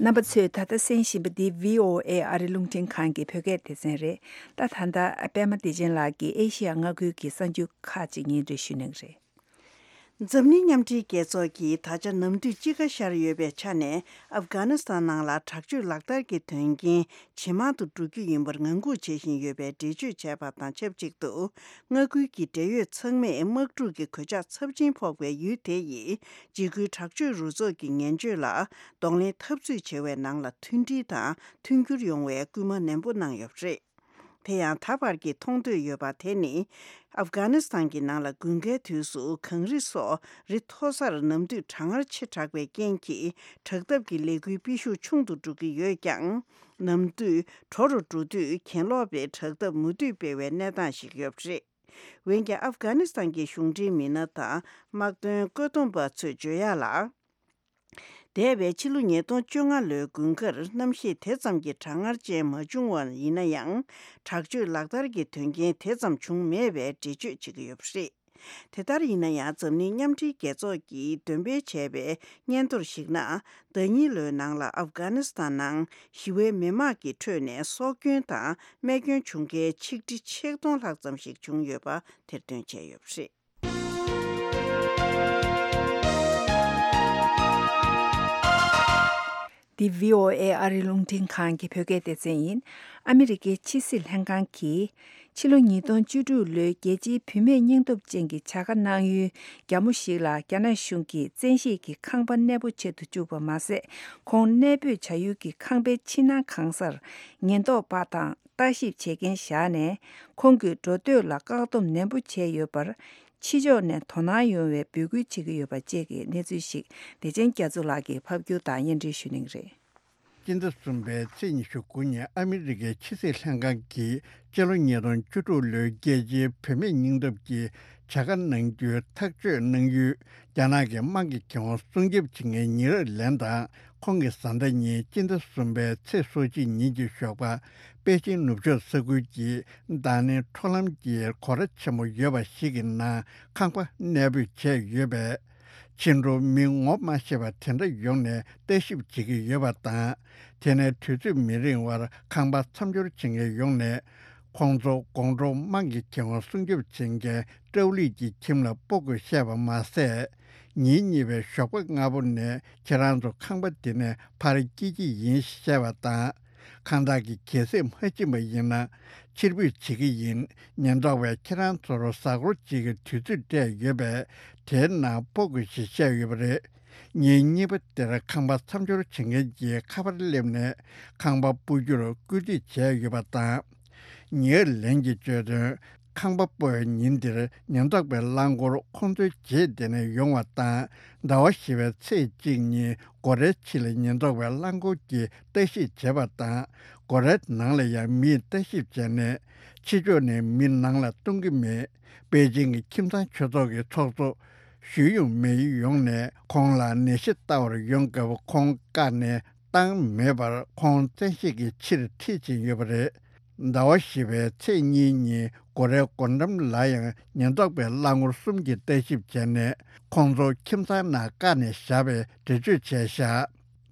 རྣམ་པ་ཚོས་ད་ལྟ་གསན་བཞིན་པ་འདི་བྷི་ཨོ་ཨེ་ཨ་རི་རླུང་འཕྲིན་ཁང་གི་བོད་སྐད་སྡེ་ཚན་རེད། ད་ད་ལྟ་པད་མ་བདེ་ཆེན་ལགས་ཀྱིས་ཨེ་ཤི་ཡ་མངའ་ཁུལ་གྱི་གསར་འགྱུར་ཁག་ཅིག་སྙན་སྒྲོན་ཞུ་གནང་གི་རེད། འཛམ་གླིང་མཉམ་འབྲེལ་རྒྱལ་ཚོགས་ཀྱིས་ད་ཆ་ནམ་དུས་དཔྱིད་ཀ་ཤར་ཡོད་པའི་ཆ་ནས་ཨབ་གྷ་ནི་སི་ཐན་ནང་ལ་དྲག་སྤྱོད་ལག་བསྟར་གྱི་དོན་རྐྱེན་ཇེ་མང་དུ་འགྲོ་རྒྱུ་ཡིན་པར་ངང་སྒུག་བྱེད་བཞིན་ཡོད་པའི་འགྲེལ་བརྗོད་བྱས་པ་དང་ཆབས་ཅིག་ཏུ། མངའ་ཁུལ་གྱི་འབྲེལ་ཡོད་ཚང་མས་དམག་འཁྲུག་གི་གོད་ཆག་ཚབས་ཆེན་ཕོག་པའི་ཡུལ་དེ་ཡི་འཇིགས་སྐུལ་དྲག་སྤྱོད་རུ་ཚོགས་ཀྱི་ངན་སྤྱོད་ལ་གདོང་ལེན་འཐབ་རྩོད་བྱེད་པའི་ནང་ལ་མཐུན་སྒྲིལ་དང་མཐུན་འགྱུར་ཡོང་བའི་སྐུལ་མ་ནན་པོ་གནང་ཡོད་པ་རེད། དེ་ཡང་ད་བར་གྱི་མཐོང་ཐོས་ཡོད་པ་དེ་ནི། ཨབ་གྷ་ནི་སི་ཐན་གྱི་ནང་ལ་དགུན་ཁའི་དུས་སུ་གངས་རི་སོགས་རི་མཐོ་སར་ནམ་དུས་གྲང་ངར་ཆེ་དྲགས་པའི་རྐྱེན་གྱིས་དྲག་འཐབ་ཀྱི་ལས་འགུལ་སྤེལ་ཤུགས་ཆུང་དུ་འགྲོ་གི་ཡོད་ཀྱང་། ནམ་དུས་དྲོ་རུ་འགྲོ་དུས་གྱེན་ལོག་པའི་དྲག་འཐབ་མུ་མཐུད་སྤེལ་བའི་གནས་སྟངས་ཤིག་ཡོད་པ་རེད། འོན་ཀྱང་ཨབ་གྷ་ནི་སི་ཐན་གྱི་གཞུང་འབྲེལ་མི་སྣ་དང་དམག་དོན་བཀོད་འདོམས་པ་ཚོས་བརྗོད་ཡག་ལ། འདས་པའི་ཕྱི་ལོ་ཉིས་སྟོང་བཅོ་ལྔ་ལོའི་དགུན་ཁར་གནམ་གཤིས་དེ་ཙམ་གྱི་གྲང་ངར་ཅན་མ་བྱུང་བ་ཡིན་ན་ཡང་། དྲག་སྤྱོད་ལག་བསྟར་གྱི་དོན་རྐྱེན་དེ་ཙམ་བྱུང་མེད་པའི་འགྲེལ་བརྗོད་བྱེད་ཀྱི་ཡོད་པ་རེད། དེ་ལྟར་ཡིན་ན་ཡང་འཛམ་གླིང་མཉམ་འབྲེལ་རྒྱལ་ཚོགས་ཀྱིས་འདོན་སྤེལ་བྱས་པའི་སྙན་ཐོར་ཞིག་ན། ཟླ་ཉིན་ལོའི་ནང་ལ་ཨབ་གྷ་ནི་སི་ཐན་ནང་ཞི་བའི་མི་དམངས་ཀྱི་ཁྲོད་ནས་སྲོག་སྐྱོན་དང་རྨས་སྐྱོན་བྱུང་མཁན་ཆིག་ཁྲི་ཆིག་སྟོང་ལྷག་ཙམ་ཞིག་བྱུང་ཡོད་པ་དེར་སྟོན་བྱས་ཡོད་པ་རེད། འདི་བྷི་ཨོ་ཨེ་ཨ་རི་རླུང་འཕྲིན་ཁང་གི་བོད་སྐད་སྡེ་ཚན་ཡིན། ཨ་མི་རི་ཀའི་ཕྱི་སྲིད་ལྷན་ཁང་གིས། ཕྱི་ལོ་ཉིས་སྟོང་བཅུ་དྲུག་ལོའི་རྒྱལ་སྤྱིའི་བུད་མེད་སྙིང་སྟོབས་ཅན་གྱི་བྱ་དགའ་གནང་ཡུལ་རྒྱ་མོ་ཞིག་ལ་རྒྱ་ནག་གཞུང་གིས་བཙན་ཤེད་ཀྱིས་ཁང་པ་གནས་སྤོ་བྱེད་དུ་བཅུག་པ་མ་ཟད། ཁོང་གནས་སྤོས་བྱ་ཡུལ་གྱི་ཁང་པའི་ཕྱི་ནང་གང་སར་ཉེན་རྟོག་པ་དང་ལྟ་ཞིབ་བྱེད་མཁན་བཞག་ནས། ཁོང་གི་འགྲོ་སྡོད་ལ་བཀག་སྡོམ་ནན་པོ་བྱས་ཡོད་པར། ཕྱི་ཕྱོགས་ནས་དོ་སྣང་ཡོང་བའི་འབོད་སྐུལ་བྱེད་ཀྱི་ཡོད་པ་བཅས་ཀྱི་གནས་ཚུལ་ཞིག་བདེ་ཆེན་རྒྱ་མཚོ་ལགས་ཀྱིས་ཕབ་སྒྱུར་དང་སྙན་སྒྲོན་ཞུ་གནང་གི་རེད། སྤྱི་ཟླ་གསུམ་པའི་ཚེས་ཉི་ཤུ་དགུ་ཉིན་ཨ་མི་རི་ཀའི་ཕྱི་སྲིད་ལྷན་ཁང་གིས་སྤྱི་ལོ་ཉིས་སྟོང་བཅུ་དྲུག་ལོའི་རྒྱལ་སྤྱིའི་བུད་མེད་སྙིང་སྟོབས་ཀྱི་བྱ་དགའ་གནང་རྒྱུའི་ཐག་གཅོད་གནང་ཡུལ། རྒྱ་ནག་གི་དམངས་ཀྱི་ཁེ་དབང་སྲུང་སྐྱོབ་བྱེད་མཁན་ཉི་ཨར་ལན་དང་ཁོང་གི་བཟའ་ཟླ་གཉིས་སྤྱི་ཟླ་གསུམ་པའི་ཚེས་སོ་གཅིག་ཉིན་གྱི་ཞོགས་པ་པེ་ཅིང་ནུབ་ཕྱོགས་ས་ཁུལ་གྱི་ད་ནི་འཕྲོ་ལམ་གྱི་སྒོ་ར་ཆེན་མོ་ཡོད་པ་ཞིག་གི་ནང་ཁང་པ་གནས་སྤོས་བྱས་ཡོད་པས། ཕྱི་འགྲོ་མི་ངོ་མ་ཤེས་པ་དེ་འདྲ་ཡོང་ནས་ལྟ་ཞིབ་བྱེད་ཀྱི་ཡོད་པ་དང་། དེ་ནས་དུས་ཚོད་མི་རིང་བར་ཁང་པ་མཚམས་སྦྱོར་བྱེད་མཁན་ཡོང་ནས། ཁོང་ཚོ་དགོང་དྲོ་དམངས་ཀྱི་ཁེ་དབང་སྲུང་སྐྱོབ་བྱེད་མཁན་ཀྲའོ་ལི་ཀྱི་ཁྱིམ་ལ་སྤོ་དགོས་བཤད་པ་མ་ཟད། ཉིན་གཉིས་པའི་ཞོགས་པ་སྔ་པོ་ནས་ཁྱེད་རང་ཚོ་ཁང་པ་འདི་ནས་ཕར་སྐྱེལ་གྱི་ཡིན་བཤད་པ་དང་། ཁང་བདག་གིས་གལ་སྲིད་མ་ཕྱིན་པ་ཡིན་ན་ཕྱིར་འབུད་བྱེད་ཀྱི་ཡིན། ཉེན་རྟོག་པས་ཁྱེད་རང་ཚོར་གཟའ་འཁོར་གཅིག་གི་དུས་ཚོད་སྤྲད་ཡོད་པས། དེའི་ནང་སྤོ་དགོས་ཞེས་བཤད་ཡོད་པ་རེད། ཉིན་གཉིས་པ་དེར་ཁང་པ་མཚམས་སྦྱོར་བྱེད་མཁན་གྱིས་ཁ་པར་སླེབས་ནས་ཁང་པ་སྤོ་རྒྱུར་སྐུལ་འདེད་བྱས་ཡོད་པ་དང་། ཉེ་ལན་གྱིས་བརྗོད་དོན། ཁང་པ་སྤོ་བའི་ཉིན་དེར་ཉེན་རྟོག་པའི་རླངས་འཁོར་ཁོང་ཚོའི་རྗེས་འདེད་ནས་ཡོང་བ་དང་། ཟླ་བ་བཞི་པའི་ཚེས་གཅིག་ཉིན་སྒོ་རའི་ཕྱི་ལ་ཉེན་རྟོག་པའི་རླངས་འཁོར་གྱིས་ལྟ་ཞིབ་བྱས་པ་དང་། སྒོ་རའི་ནང་ལ་ཡང་མིས་ལྟ་ཞིབ་བྱས་ནས། ཕྱི་ཕྱོགས་ནས་མི་ནང་ལ་གཏོང་གི་མེད། པེ་ཅིང་གི་ཁྱིམ་ཚང་ཆོས་ཚོགས་ཀྱི་ཚོགས་གཙོ་ཞུས་ཡུང་མེ་ཡོང་ནས་ཁོང་ལ་ནད་གཞི་ལྟ་བར་ཡོང་སྐབས་ཁོང་བཀག་ནས་བཏང་མེད་པར་ཁོང་བཙན་ཤེད་ཀྱིས་ཕྱིར་ཁྲིད་ཕྱིན་ཡོད་པ་རེད། ཟླ་བ་བཞི་པའི་ཚེས་གཉིས་ཉིན་སྒོ་རའི་སྒོ་འགྲམ་ལ་ཡང་ཉེན་རྟོག་པའི་རླངས་འཁོར་གསུམ་གྱིས་ལྟ་ཞིབ་བྱས་ནས་ཁོང་ཚོ་ཁྱིམ་ཚང་ནང་བཀག་ནས་བཞག་པའི་འགྲེལ་བརྗོད་བྱས་བཞག་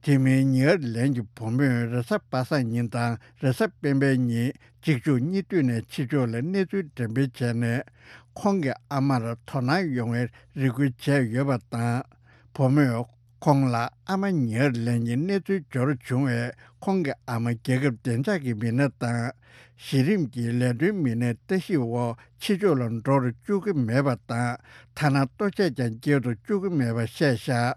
དེ་མིན་ཉེ་ཨར་ལན་གྱི་བུ་མོས་རེས་གཟའ་པ་སངས་ཉིན་དང་རེས་གཟའ་སྤེན་པའི་ཉིན་གཅིག་མཇུག་གཉིས་མཐུད་ནས་ཕྱི་ཕྱོགས་ལ་གནས་ཚུལ་འགྲེམས་སྤེལ་བྱས་ནས། ཁོང་གི་ཨ་མར་དོ་སྣང་ཡོང་བའི་རེ་སྐུལ་བྱས་ཡོད་པ་དང་། བུ་མོས་ཁོང་ལ་ཨ་མ་ཉེ་ཨར་ལན་གྱི་གནས་ཚུལ་འབྱོར་བྱུང་བས་ཁོང་གི་ཨ་མ་རྒྱལ་ཁབ་བདེ་འཇགས་ཀྱི་མི་སྣ་དང་། གཞི་རིམ་གྱི་ལས་དོན་མི་སྣའི་ལྟ་ཞིབ་འོག་ཕྱི་ཕྱོགས་ལ་འགྲོ་རུ་བཅུག་གི་མེད་པ་དང་། ཐ་ན་ལྟོ་ཆས་ཀྱང་སྐྱེལ་དུ་བཅུག་གི་མེད་པ་བཤད་བཞག་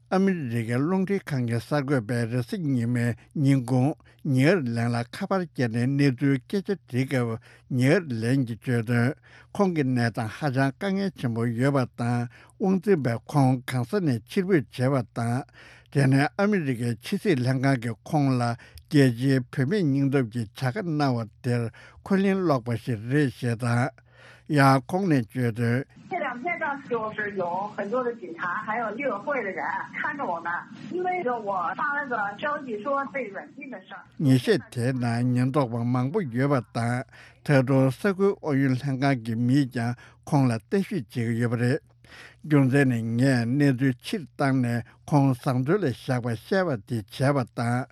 ཨ་མི་རི་ཀའི་རླུང་འཕྲིན་ཁང་གི་གསར་འགོད་པས་རེས་གཟའ་ཉི་མའི་ཉིན་གུང་ཉེ་ཨར་ལན་ལ་ཁ་པར་བརྒྱབ་ནས་གནས་ཚུལ་སྐད་ཆ་དྲིས་སྐབས། ཉེ་ཨར་ལན་གྱིས་བརྗོད་དོན། ཁོང་གི་གནས་སྟངས་ཧ་ཅང་དཀའ་ངལ་ཆེན་པོ་ཡོད་པ་དང་། དབང་འཛིན་པས་ཁོང་གང་ས་ནས་ཕྱིར་འབུད་བྱས་པ་དང་། དེ་ནས་ཨ་མི་རི་ཀའི་ཕྱི་སྲིད་ལྷན་ཁང་གིས་ཁོང་ལ་རྒྱལ་སྤྱིའི་བུད་མེད་སྙིང་སྟོབས་ཀྱི་བྱ་དགའ་གནང་བ་དེར་འཁོན་ལན་སློག་པ་ཞིག་རེད་ཞེས་དང་། ཡང་ཁོང་ནས་བརྗོད་དོན། 这两天呢，就是有很多的警察，还有义委会的人看着我们，因为我发了个消息说被软禁的事儿。 ཉིན་ཤས་དེའི་ནང་ཉེན་རྟོག་པ་མང་པོ་ཡོད་པ་དང་། ད་དུང་ས་ཁུལ་ཨུ་ཡོན་ལྷན་ཁང་གི་མིས་ཀྱང་ཁོང་ལ་ལྟ་ཞིབ་བྱེད་ཀྱི་ཡོད་པ་རེད། རྒྱུ་མཚན་ནི་ངས་གནས་ཚུལ་ཕྱིར་བཏང་ནས་ཁོང་བཟང་བཙོན་ལ་བཞག་པ་བཤད་པ་དེ་བྱས་པ་དང་།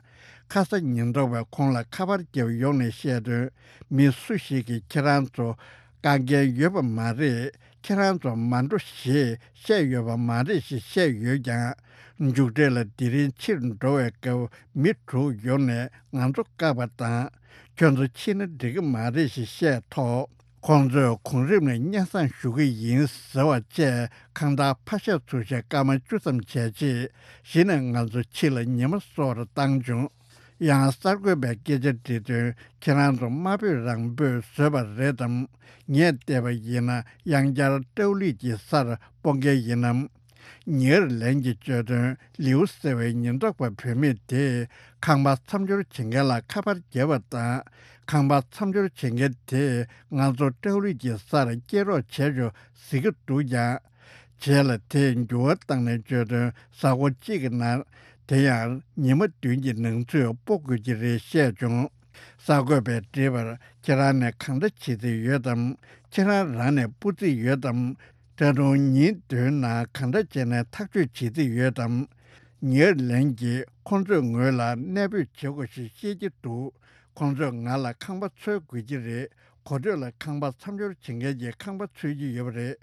ཁ་ས་ཉེན་རྟོག་པས་ཁོང་ལ་ཁ་པར་བརྒྱབ་ཡོང་ནས་བཤད་དོན། མི་སུ་ཞིག་གིས་ཁྱེད་རང་ཚོ་བཀག་འགན་ཡོད་པ་མ་རེད། ཁྱེད་རང་ཚོ་མ་འགྲོ་ཞེས་བཤད་ཡོད་པ་མ་རེད་ཞེས་བཤད་ཡོད་ཀྱང་། མཇུག་འབྲས་ལ་དེ་རིང་ཕྱིར་འགྲོ་བའི་སྐབས་མི་དྲུག་ཡོང་ནས་ང་ཚོ་བཀག་པ་དང་། ཁྱོད་ཚོ་ཕྱིན་ན་འགྲིག་གི་མ་རེད་ཞེས་བཤད་ཐོག་ཁོང་ཚོས་གོང་རིམ་ནས་སྙན་སེང་ཞུ་གི་ཡིན་ཟེར་བ་བཅས་ཁང་བདག་ཕར་བཤད་ཚུར་བཤད་སྐར་མ་བཅུ་ཙམ་བྱས་རྗེས། གཞི་ནས་ང་ཚོ་ཕྱི་ལ་ཉི་མ་གསོལ་བར་བཏང་བྱུང་། ཡང་གསར་འགོད་པས་སྐད་ཆ་དྲིས་དོན། ཁྱེད་རང་ཚོ་དམའ་འབོད་རང་འབོད་བཟོས་པ་རེད་དམ། ངས་བལྟས་པ་ཡིན་ན་ཡང་བསྐྱར་ཀྲའོ་ལི་ཀྱི་སར་སྤོ་མཁན་ཡིན་ནམ། ཉེ་ཨར་ལན་གྱིས་བརྗོད་དོན། ལིའུ་ཟེར་བའི་ཉེན་རྟོག་པ་བུད་མེད་དེས་ཁང་པ་མཚམས་སྦྱོར་བྱེད་མཁན་ལ་ཁ་པར་བརྒྱབ་པ་དང་། ཁང་པ་མཚམས་སྦྱོར་བྱེད་མཁན་དེས་ང་ཚོ་ཀྲའོ་ལི་ཀྱི་སར་སྐྱེལ་རོགས་བྱས་ཆོག་ཟེར་གྱི་འདུག་ཀྱང་། རྗེས་ལ་དེས་འགྱུར་བ་བཏང་ནས་བརྗོད་དོན། གཟའ་འཁོར་གཅིག་གི་ནང་། དེ་ཡང་ཉི་མ་བདུན་གྱི་ནང་ཚུད་སྤོ་དགོས་ཀྱི་རེད་བཤད་བྱུང་། གསར་འགོད་པས་དྲིས་པར། ཁྱེད་རང་ནས་གང་འདྲ་བྱེད་རྩིས་ཡོད་དམ། ཁྱེད་རང་རང་ནས་སྤོ་རྩིས་ཡོད་དམ། ད་དུང་ཉིན་བདུན་ནང་གང་འདྲ་བྱས་ནས་ཐག་གཅོད་བྱེད་རྩིས་ཡོད་དམ། ཉེ་ཨར་ལན་གྱིས་ཁོང་ཚོས་ངོས་ལ་གནས་སྤོས་བྱེད་དགོས་ཞེས་བཤད་ཀྱི་འདུག་ཁོང་ཚོས་ང་ལ་ཁང་པ་འཚོལ་དགོས་ཀྱི་རེད། གོ་ཐོས་ལ་ཁང་པ་མཚམས་སྦྱོར་བྱེད་མཁན་གྱིས་ཁང་པ་འཚོལ་གྱི་ཡོད་པ་རེད།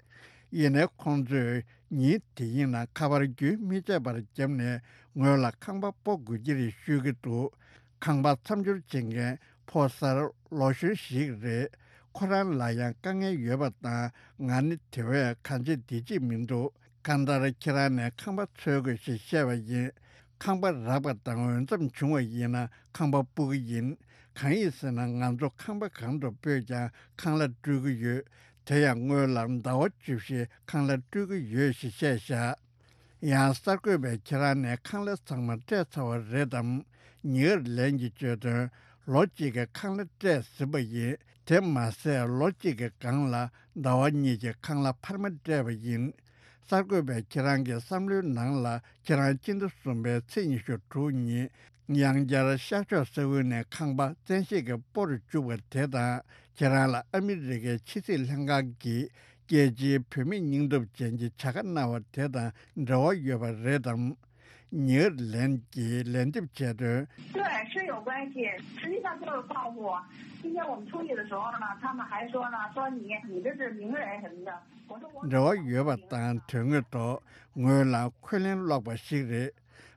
ཡིན་ནའི་ཁོང་ཚོས་ཉིན་དེ་ཡིན་ན་ཁ་པར་རྒྱུན་མི་ཆད་པར་བརྒྱབ་ནས་ངོས་ལ་ཁང་པ་སྤོ་དགོས་ཀྱི་རེད་ཞུ་གི་འདུག་ཁང་པ་མཚམས་སྦྱོར་བྱེད་མཁན་ཕོ་གསར་ལོ་གཞོན་ཞིག་རེད། ཁོ་རང་ལ་ཡང་དཀའ་ངལ་ཡོད་པ་དང་། ང་ནི་དེ་བས་གང་བྱེད་འདི་བྱེད་མི་འདུག་གང་ལྟར་ཁྱེད་རང་ནས་ཁང་པ་འཚོལ་དགོས་ཞེས་བཤད་པ་ཡིན། ཁང་པ་རག་པ་དང་འོས་འཚམ་བྱུང་བ་ཡིན་ན་ཁང་པ་སྤོ་གི་ཡིན། གང་ཡིན་ཟེར་ན་ང་ཚོ་ཁང་པ་གང་དུ་སྤོས་ཀྱང་ཁང་གླ་སྤྲོད་ཀྱི་ཡོད། དེ་ཡང་སྔོན་ལ་ཟླ་བ་བཅུ་བཞི་ཁང་གླ་སྤྲོད་ཀྱི་ཡོད་ཞེས་བཤད་བཞག་ཡང་གསར་འགོད་པས་ཁྱེད་རང་ནས་ཁང་གླ་ཚང་མ་སྤྲད་ཚར་བ་རེད་དམ། ཉེ་ཨར་ལན་གྱིས་བརྗོད་དོན། ལོ་གཅིག་གི་ཁང་གླ་སྤྲད་ཟིན་པ་ཡིན། དེ་མ་ཟད་ལོ་གཅིག་གི་སྒང་ལ་ཟླ་བ་གཉིས་ཀྱི་ཁང་གླ་འཕར་མ་སྤྲད་པ་ཡིན། གསར་འགོད་པས་ཁྱེད་རང་གི་བསམ་བློའི་ནང་ལ་ཁྱེད་རང་སྤྱི་ཟླ་གསུམ་པའི་ཚེས་ཉི་ཤུ་དྲུག་ཉིན་ཡང་བསྐྱར་ཤར་ཕྱོགས་ས་ཁུལ་ནས་ཁང་པ་བཙན་ཤེད་ཀྱིས་སྤོ་རུ་བཅུག་པ་དེ་དང་། ཁྱེད་རང་ལ་ཨ་མི་རི་ཀའི་ཕྱི་སྲིད་ལྷན་ཁང་གིས་རྒྱལ་སྤྱིའི་བུད་མེད་སྙིང་སྟོབས་ཅན་གྱི་བྱ་དགའ་གནང་བ་དེ་དང་འབྲེལ་བ་ཡོད་པ་རེད་དམ། ཉེ་ཨར་ལན་གྱིས་ལན་འདེབས་བྱས་དོན། 对，是有关系。实际上就是报复。今天我们出去的时候呢，他们还说呢，说你，你这是名人什么的。我说我 འབྲེལ་བ་ཡོད་པ་དང་དོན་དངོས་ཐོག་ངོས་ལ་འཁོན་ལན་སློག་པ་ཞིག་རེད།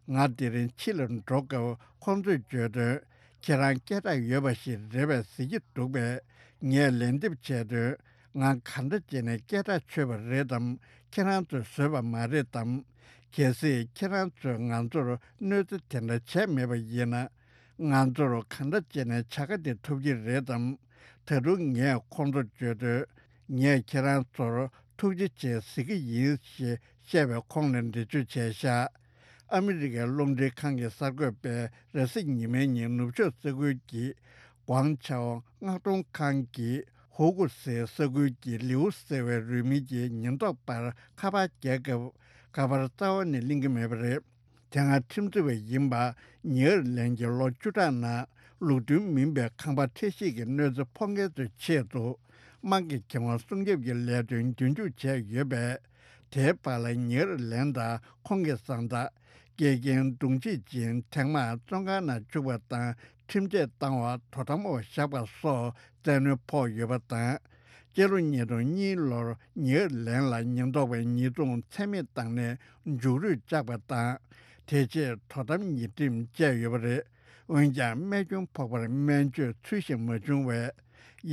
ང་དེ་རིང་ཕྱི་ལ་འགྲོ་སྐབས་ཁོང་ཚོས་བརྗོད་དོན། ཁྱེད་རང་སྐད་གྲགས་ཡོད་པ་ཞིག་རེད་པས་ཟེར་གྱི་འདུག་པས། ངས་ལན་འདེབས་བྱས་དོན། ང་ག་འདྲ་བྱས་ནས་སྐད་གྲགས་ཆོད་པ་རེད་དམ། ཁྱེད་རང་ཚོས་བཟོས་པ་མ་རེད་དམ། གལ་སྲིད་ཁྱེད་རང་ཚོས་ང་ཚོར་གནོད་འཚེ་དེ་འདྲ་བྱས་མེད་པ་ཡིན་ན། ང་ཚོར་གང་འདྲ་བྱས་ནས་བྱ་དགའ་དེ་ཐོབ་ཀྱི་རེད་དམ། ད་དུང་ངས་ཁོང་ཚོར་བརྗོད་དོན། ངས་ཁྱེད་རང་ཚོར་ཐུགས་རྗེ་ཆེ་ཟེར་གྱི་ཡིན་ཞེས་བཤད་པའི་ཁོངས་ནས་འགྲེལ་བརྗོད་བྱས་ཤག་ཨ་མི་རི་ཀའི་རླུང་འཕྲིན་ཁང་གི་གསར་འགོད་པས་རེས་གཟའ་ཉི་མའི་ཉིན་ནུབ་ཕྱོགས་ས་ཁུལ་གྱི་ཀོང་ཆའོ་མངགས་གཏོང་ཁང་གི་ཧུ་ཀུ་སེ་ས་ཁུལ་གྱི་ལིའུ་ཟེར་བའི་རུས་མིང་གི་ཉེན་རྟོག་པར་ཁ་པར་རྒྱག་སྐབས་ཁ་པར་རྩ་བ་ནས་ལེན་གྱི་མེད་པ་རེད། དེ་སྔ་ཁྲིམས་རྩོད་པ་ཡིན་པ་ཉེ་ཨར་ལན་གྱི་ལོ་བཅུ་ཕྲག་ནང་ལུགས་མཐུན་མིན་པའི་ཁང་པ་འཕྲལ་སེལ་གྱི་གནོད་འཚེ་ཕོག་མཁན་ཚོའི་ཆེད་དུ་དམངས་ཀྱི་ཁེ་དབང་སྲུང་སྐྱོབ་ཀྱི་ལས་དོན་རྒྱུན་འཁྱོངས་བྱས་ཡོད་པས། དེའི་བར་ལ་ཉེ་ཨར་ལན་དང་ཁོང་གི་བཟའ་ཟླ། དགེ་རྒན་གདུང་བྱེད་ཅིང་ཐེངས་མང་བཙོན་ཁང་ནང་བཅུག་པ་དང་ཁྲིམས་ཆད་བཏང་བ་དོ་དམ་འོག་བཞག་པ་སོགས་བཙན་གནོན་ཕོག་ཡོད་པ་དང་། སྤྱི་ལོ་ཉིས་སྟོང་གཉིས་ལོར་ཉེ་ཨར་ལན་ལ་ཉེན་རྟོག་པས་ཉེས་རྡུང་ཚད་མེད་བཏང་ནས་མཇུག་རུས་བཅག་པ་དང་། དེ་རྗེས་དོ་དམ་ཉེས་ཁྲིམས་བཅད་ཡོད་པ་རེད། འོན་ཀྱང་རྨས་སྐྱོན་ཕོག་པར་སྨན་བཅོས་ཚུལ་བཞིན་མ་བྱུང་བས།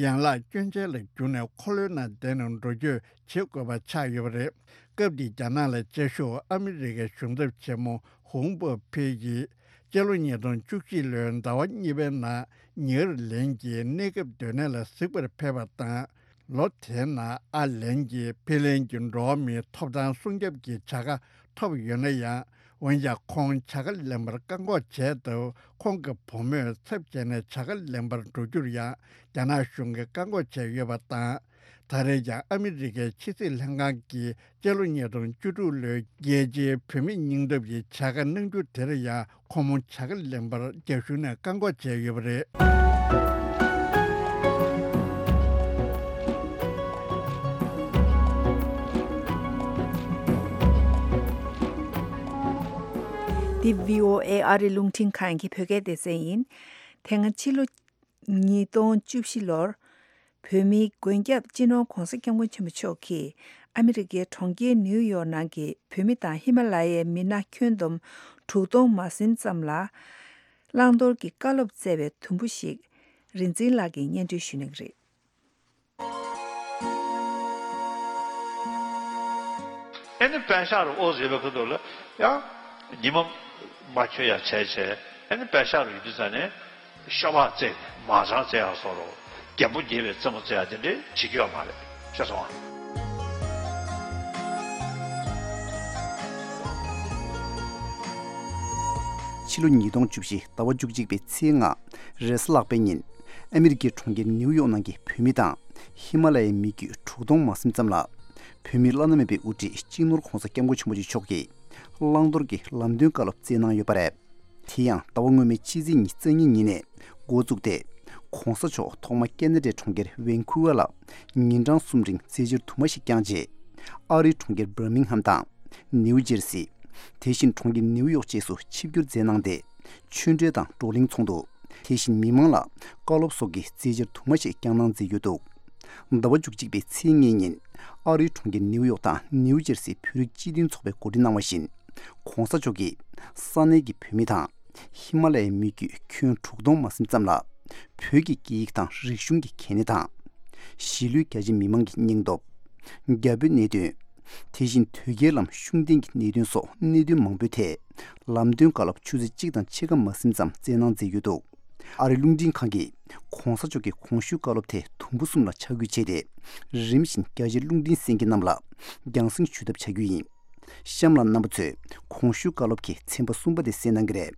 ཡན་ལག་སྐྱོན་ཅན་ལ་གྱུར་ནས་འཁོར་ལོའི་ནང་བསྡད་ནས་འགྲོ་སྐྱོད་བྱེད་དགོས་པ་ཆགས་ཡོད་པ་རེད། སྐབས་དེའི་རྒྱ་ནག་ལ་བཅའ་བཞུགས་ཨ་མི་རི་ཀའི་གཞུང་ཚབ་ཆེན་མོ་ཧུང་པོ་ཕེ་ཡིས་སྤྱི་ལོ་ཉིས་སྟོང་བཅུ་གཅིག་ལོའི་ཟླ་བ་གཉིས་པའི་ནང་ཉེ་ཨར་ལན་གྱི་གནས་སྐབས་སྡོད་གནས་ལ་གཟིགས་པར་ཕེབས་པ་དང་། ལོ་དེའི་ནང་ཨར་ལན་གྱིས་ཕིན་ལན་གྱི་འགྲོ་བ་མིའི་ཐོབ་ཐང་སྲུང་སྐྱོབ་ཀྱི་བྱ་དགའ་ཐོབ་ཡོད་ན་ཡང་། འོན་ཀྱང་ཁོང་བྱ་དགའ་ལེན་པར་བཀག་འགོག་བྱས་སྟབས། ཁོང་གི་བུ་མོས་ཚབ་བྱས་ནས་བྱ་དགའ་ལེན་པར་འགྲོ་རྒྱུར་ཡང་རྒྱ་ནག་གཞུང་གིས་བཀག་འགོག་བྱས་ཡོད་པ་དང་། ད་རེས་ཀྱང་ཨ་མི་རི་ཀའི་ཕྱི་སྲིད་ལྷན་ཁང་གིས་སྤྱི་ལོ་ཉིས་སྟོང་བཅུ་དྲུག་ལོའི་རྒྱལ་སྤྱིའི་བུད་མེད་སྙིང་སྟོབས་ཀྱི་བྱ་དགའ་གནང་རྒྱུ་དེར་ཡང་ཁོང་མོ་བྱ་དགའ་ལེན་པར་རྒྱ་གཞུང་ནས་བཀག་འགོག་བྱས་ཡོད་པ་རེད། འདི་བྷི་ཨོ་ཨེ་ཨ་རི་རླུང་འཕྲིན་ཁང་གི་བོད་སྐད་སྡེ་ཚན་ཡིན། དེ་སྔ་ཕྱི་ལོ་ཉིས་སྟོང་བཅུ་བཞི་ལོར། བོད་མིའི་མགོན་སྐྱབས་སྤྱི་ནོར་༧གོང་ས་༧སྐྱབས་མགོན་ཆེན་པོ་མཆོག་གིས་ཨ་མི་རི་ཀའི་གྲོང་ཁྱེར་ནིའུ་ཡོག་ནང་གི་བོད་མི་དང་ཧི་མ་ལ་ཡའི་མི་སྣ་ཁྱོན་བསྡོམས་དྲུག་སྟོང་མ་ཟིན་ཙམ་ལ་བླང་དོར་གྱི་བཀའ་སློབ་སྩལ་བའི་དུམ་བུ་ཞིག་རིག་འཛིན་ལགས་ཀྱིས་སྙན་སྒྲོན་ཞུ་གནང་གི་རེད། ཨེ་ནི་པད་ཤག་རུ་ཨོ་ཟེར་བའི་ཁུ་ཐུག་ལ་ཡང་ཉི་མ་མ་འཁྱོལ་ཡ་བྱས་བྱས། ཨེ་ནི་པད་ཤག་རུ་ཡོད་དུས་ཙ་ནས་ཤོ་སྦག་རྩེ་མ་ཅང་རྩེ་ཡ་སོགས་རོ་རྒན་པོ་རྒྱས་པའི་རྩེད་མོ་རྩེ་ཡ་དེ་འདྲས་བྱེད་ཀྱི་ཡོད་མ་རེད། ཤེས་སོང་ཨ། ཕྱི་ལོ་ཉིས་སྟོང་བཅུ་བཞི་ཟླ་བ་བཅུ་གཅིག་པའི་ཚེས་ལྔ་རེས་གཟའ་ལྷག་པའི་ཉིན། ཨ་མི་རི་ཀའི་གྲོང་ཁྱེར་ནིའུ་ཡོག་ནང་གི་བོད་མི་དང་ཧི་མ་ལ་ཡའི་མི་རྒྱུད་དྲུག་སྟོང་མ་ཟིན་ཙམ་ལ། བོད་མིའི་བླ་ན་མེད་པའི་དབུ་ཁྲིད་སྤྱི་ནོར་༧གོང་ས་༧སྐྱབས་མགོན་ཆེན་པོ་མཆོག་གིས་བླང་དོར་གྱི་ལམ་སྟོན་བཀའ་སློབ་སྩལ་གནང་ཡོད་པ་རེད། དེ་ཡང་ཟླ་བ་སྔོན་མའི་ཕྱི་ཚེས་ཉི་ཤུ་རྩ་གཉིས་ཉིན་ནས་འགོ་བཙུགས་ཏེ། ༧གོང་ས་མཆོག་ཐོག་མ་ཁེ་ན་ཌའི་གྲོང་ཁྱེར་ཝན་ཁུ་ཝར་ལ་ཉིན་གྲངས་གསུམ་རིང་རྩེད་འཇིར་དུ་མ་ཞིག་བསྐྱངས་རྗེས། ཨ་རིའི་གྲོང་ཁྱེར་བར་མིང་ཧམ་དང་། ནིའུ་ཇེར་སི། དེ་བཞིན་གྲོང་ཁྱེར་ནིའུ་ཡོག་བཅས་སུ་ཆིབས་བསྒྱུར་མཛད་གནང་སྟེ། ཆོས་འབྲེལ་དང་བགྲོ་གླེང་ཚོགས་འདུ། དེ་བཞིན་མི་མང་ལ་བཀའ་སློབ་སོགས་ཀྱི་རྩེད་འཇིར་དུ་མ་ཞིག་བསྐྱངས་གནང་མཛད་ཡོད་འདུག་ཟླ་བ་བཅུ་གཅིག་པའི་ཚེས་ལྔའི་ཉིན། ཨ་རིའི་གྲོང་ཁྱེར་ནིའུ་ཡོག་དང་ནིའུ་ཇེར་སིའི་བོད་རིགས་སྤྱི་མཐུན་ཚོགས་པས་གོ་སྒྲིག་གནང་བ་བཞིན། ྋགོང་ས་མཆོག་གིས་ས་གནས་ཀྱི་བོད་མི་དང་། ཧི་མ་ལ་ཡའི་མི་རྒྱུད་ཁྱོན་དྲུག་སྟོང་མ་ཟིན་ཙམ་ལ། བོད་ཀྱི་སྐད་ཡིག་དང་རིག་གཞུང་གི་གལ་གནད་དང་། གཞིས་ལུས་རྒྱ་ཆེ་མི་མང་གི་སྙིང་སྟོབས། རྒྱ་བོད་གནད་དོན། དེ་བཞིན་དོལ་རྒྱལ་ལམ་ཤུགས་ལྡན་གྱི་གནད་དོན་སོགས་གནད་དོན་མང་པོའི་ཐད། ལམ་སྟོན་བཀའ་སློབ་ཆུ་ཚོད་གཅིག་དང་ཕྱེད་ཀ་མ་ཟིན་ཙམ་སྩལ་གནང་མཛད་ཡོད་འདུག་ཨ་རིའི་རླུང་འཕྲིན་ཁང་གིས་ྋགོང་ས་མཆོག་གི་གོང་ཞུས་བཀའ་སློབ་དེ་དུམ་བུ་གསུམ་ལ་ཆ་བགོས་བྱས་ཏེ། རིམ་བཞིན་རྒྱ་ཆེའི་རླུང་འཕྲིན་གསན་མཁན་རྣམས་ལ་རྒྱང་སྲིང་ཞུ་ཐབས་བྱ་རྒྱུ་ཡིན། གཤམ་ལ་རྣམ་པ་ཚོས་གོང་ཞུས་བཀའ་སློབ་ཀྱི་ཚན་པ་གསུམ་པ་དེ་གསན་གནང་གི་རེད།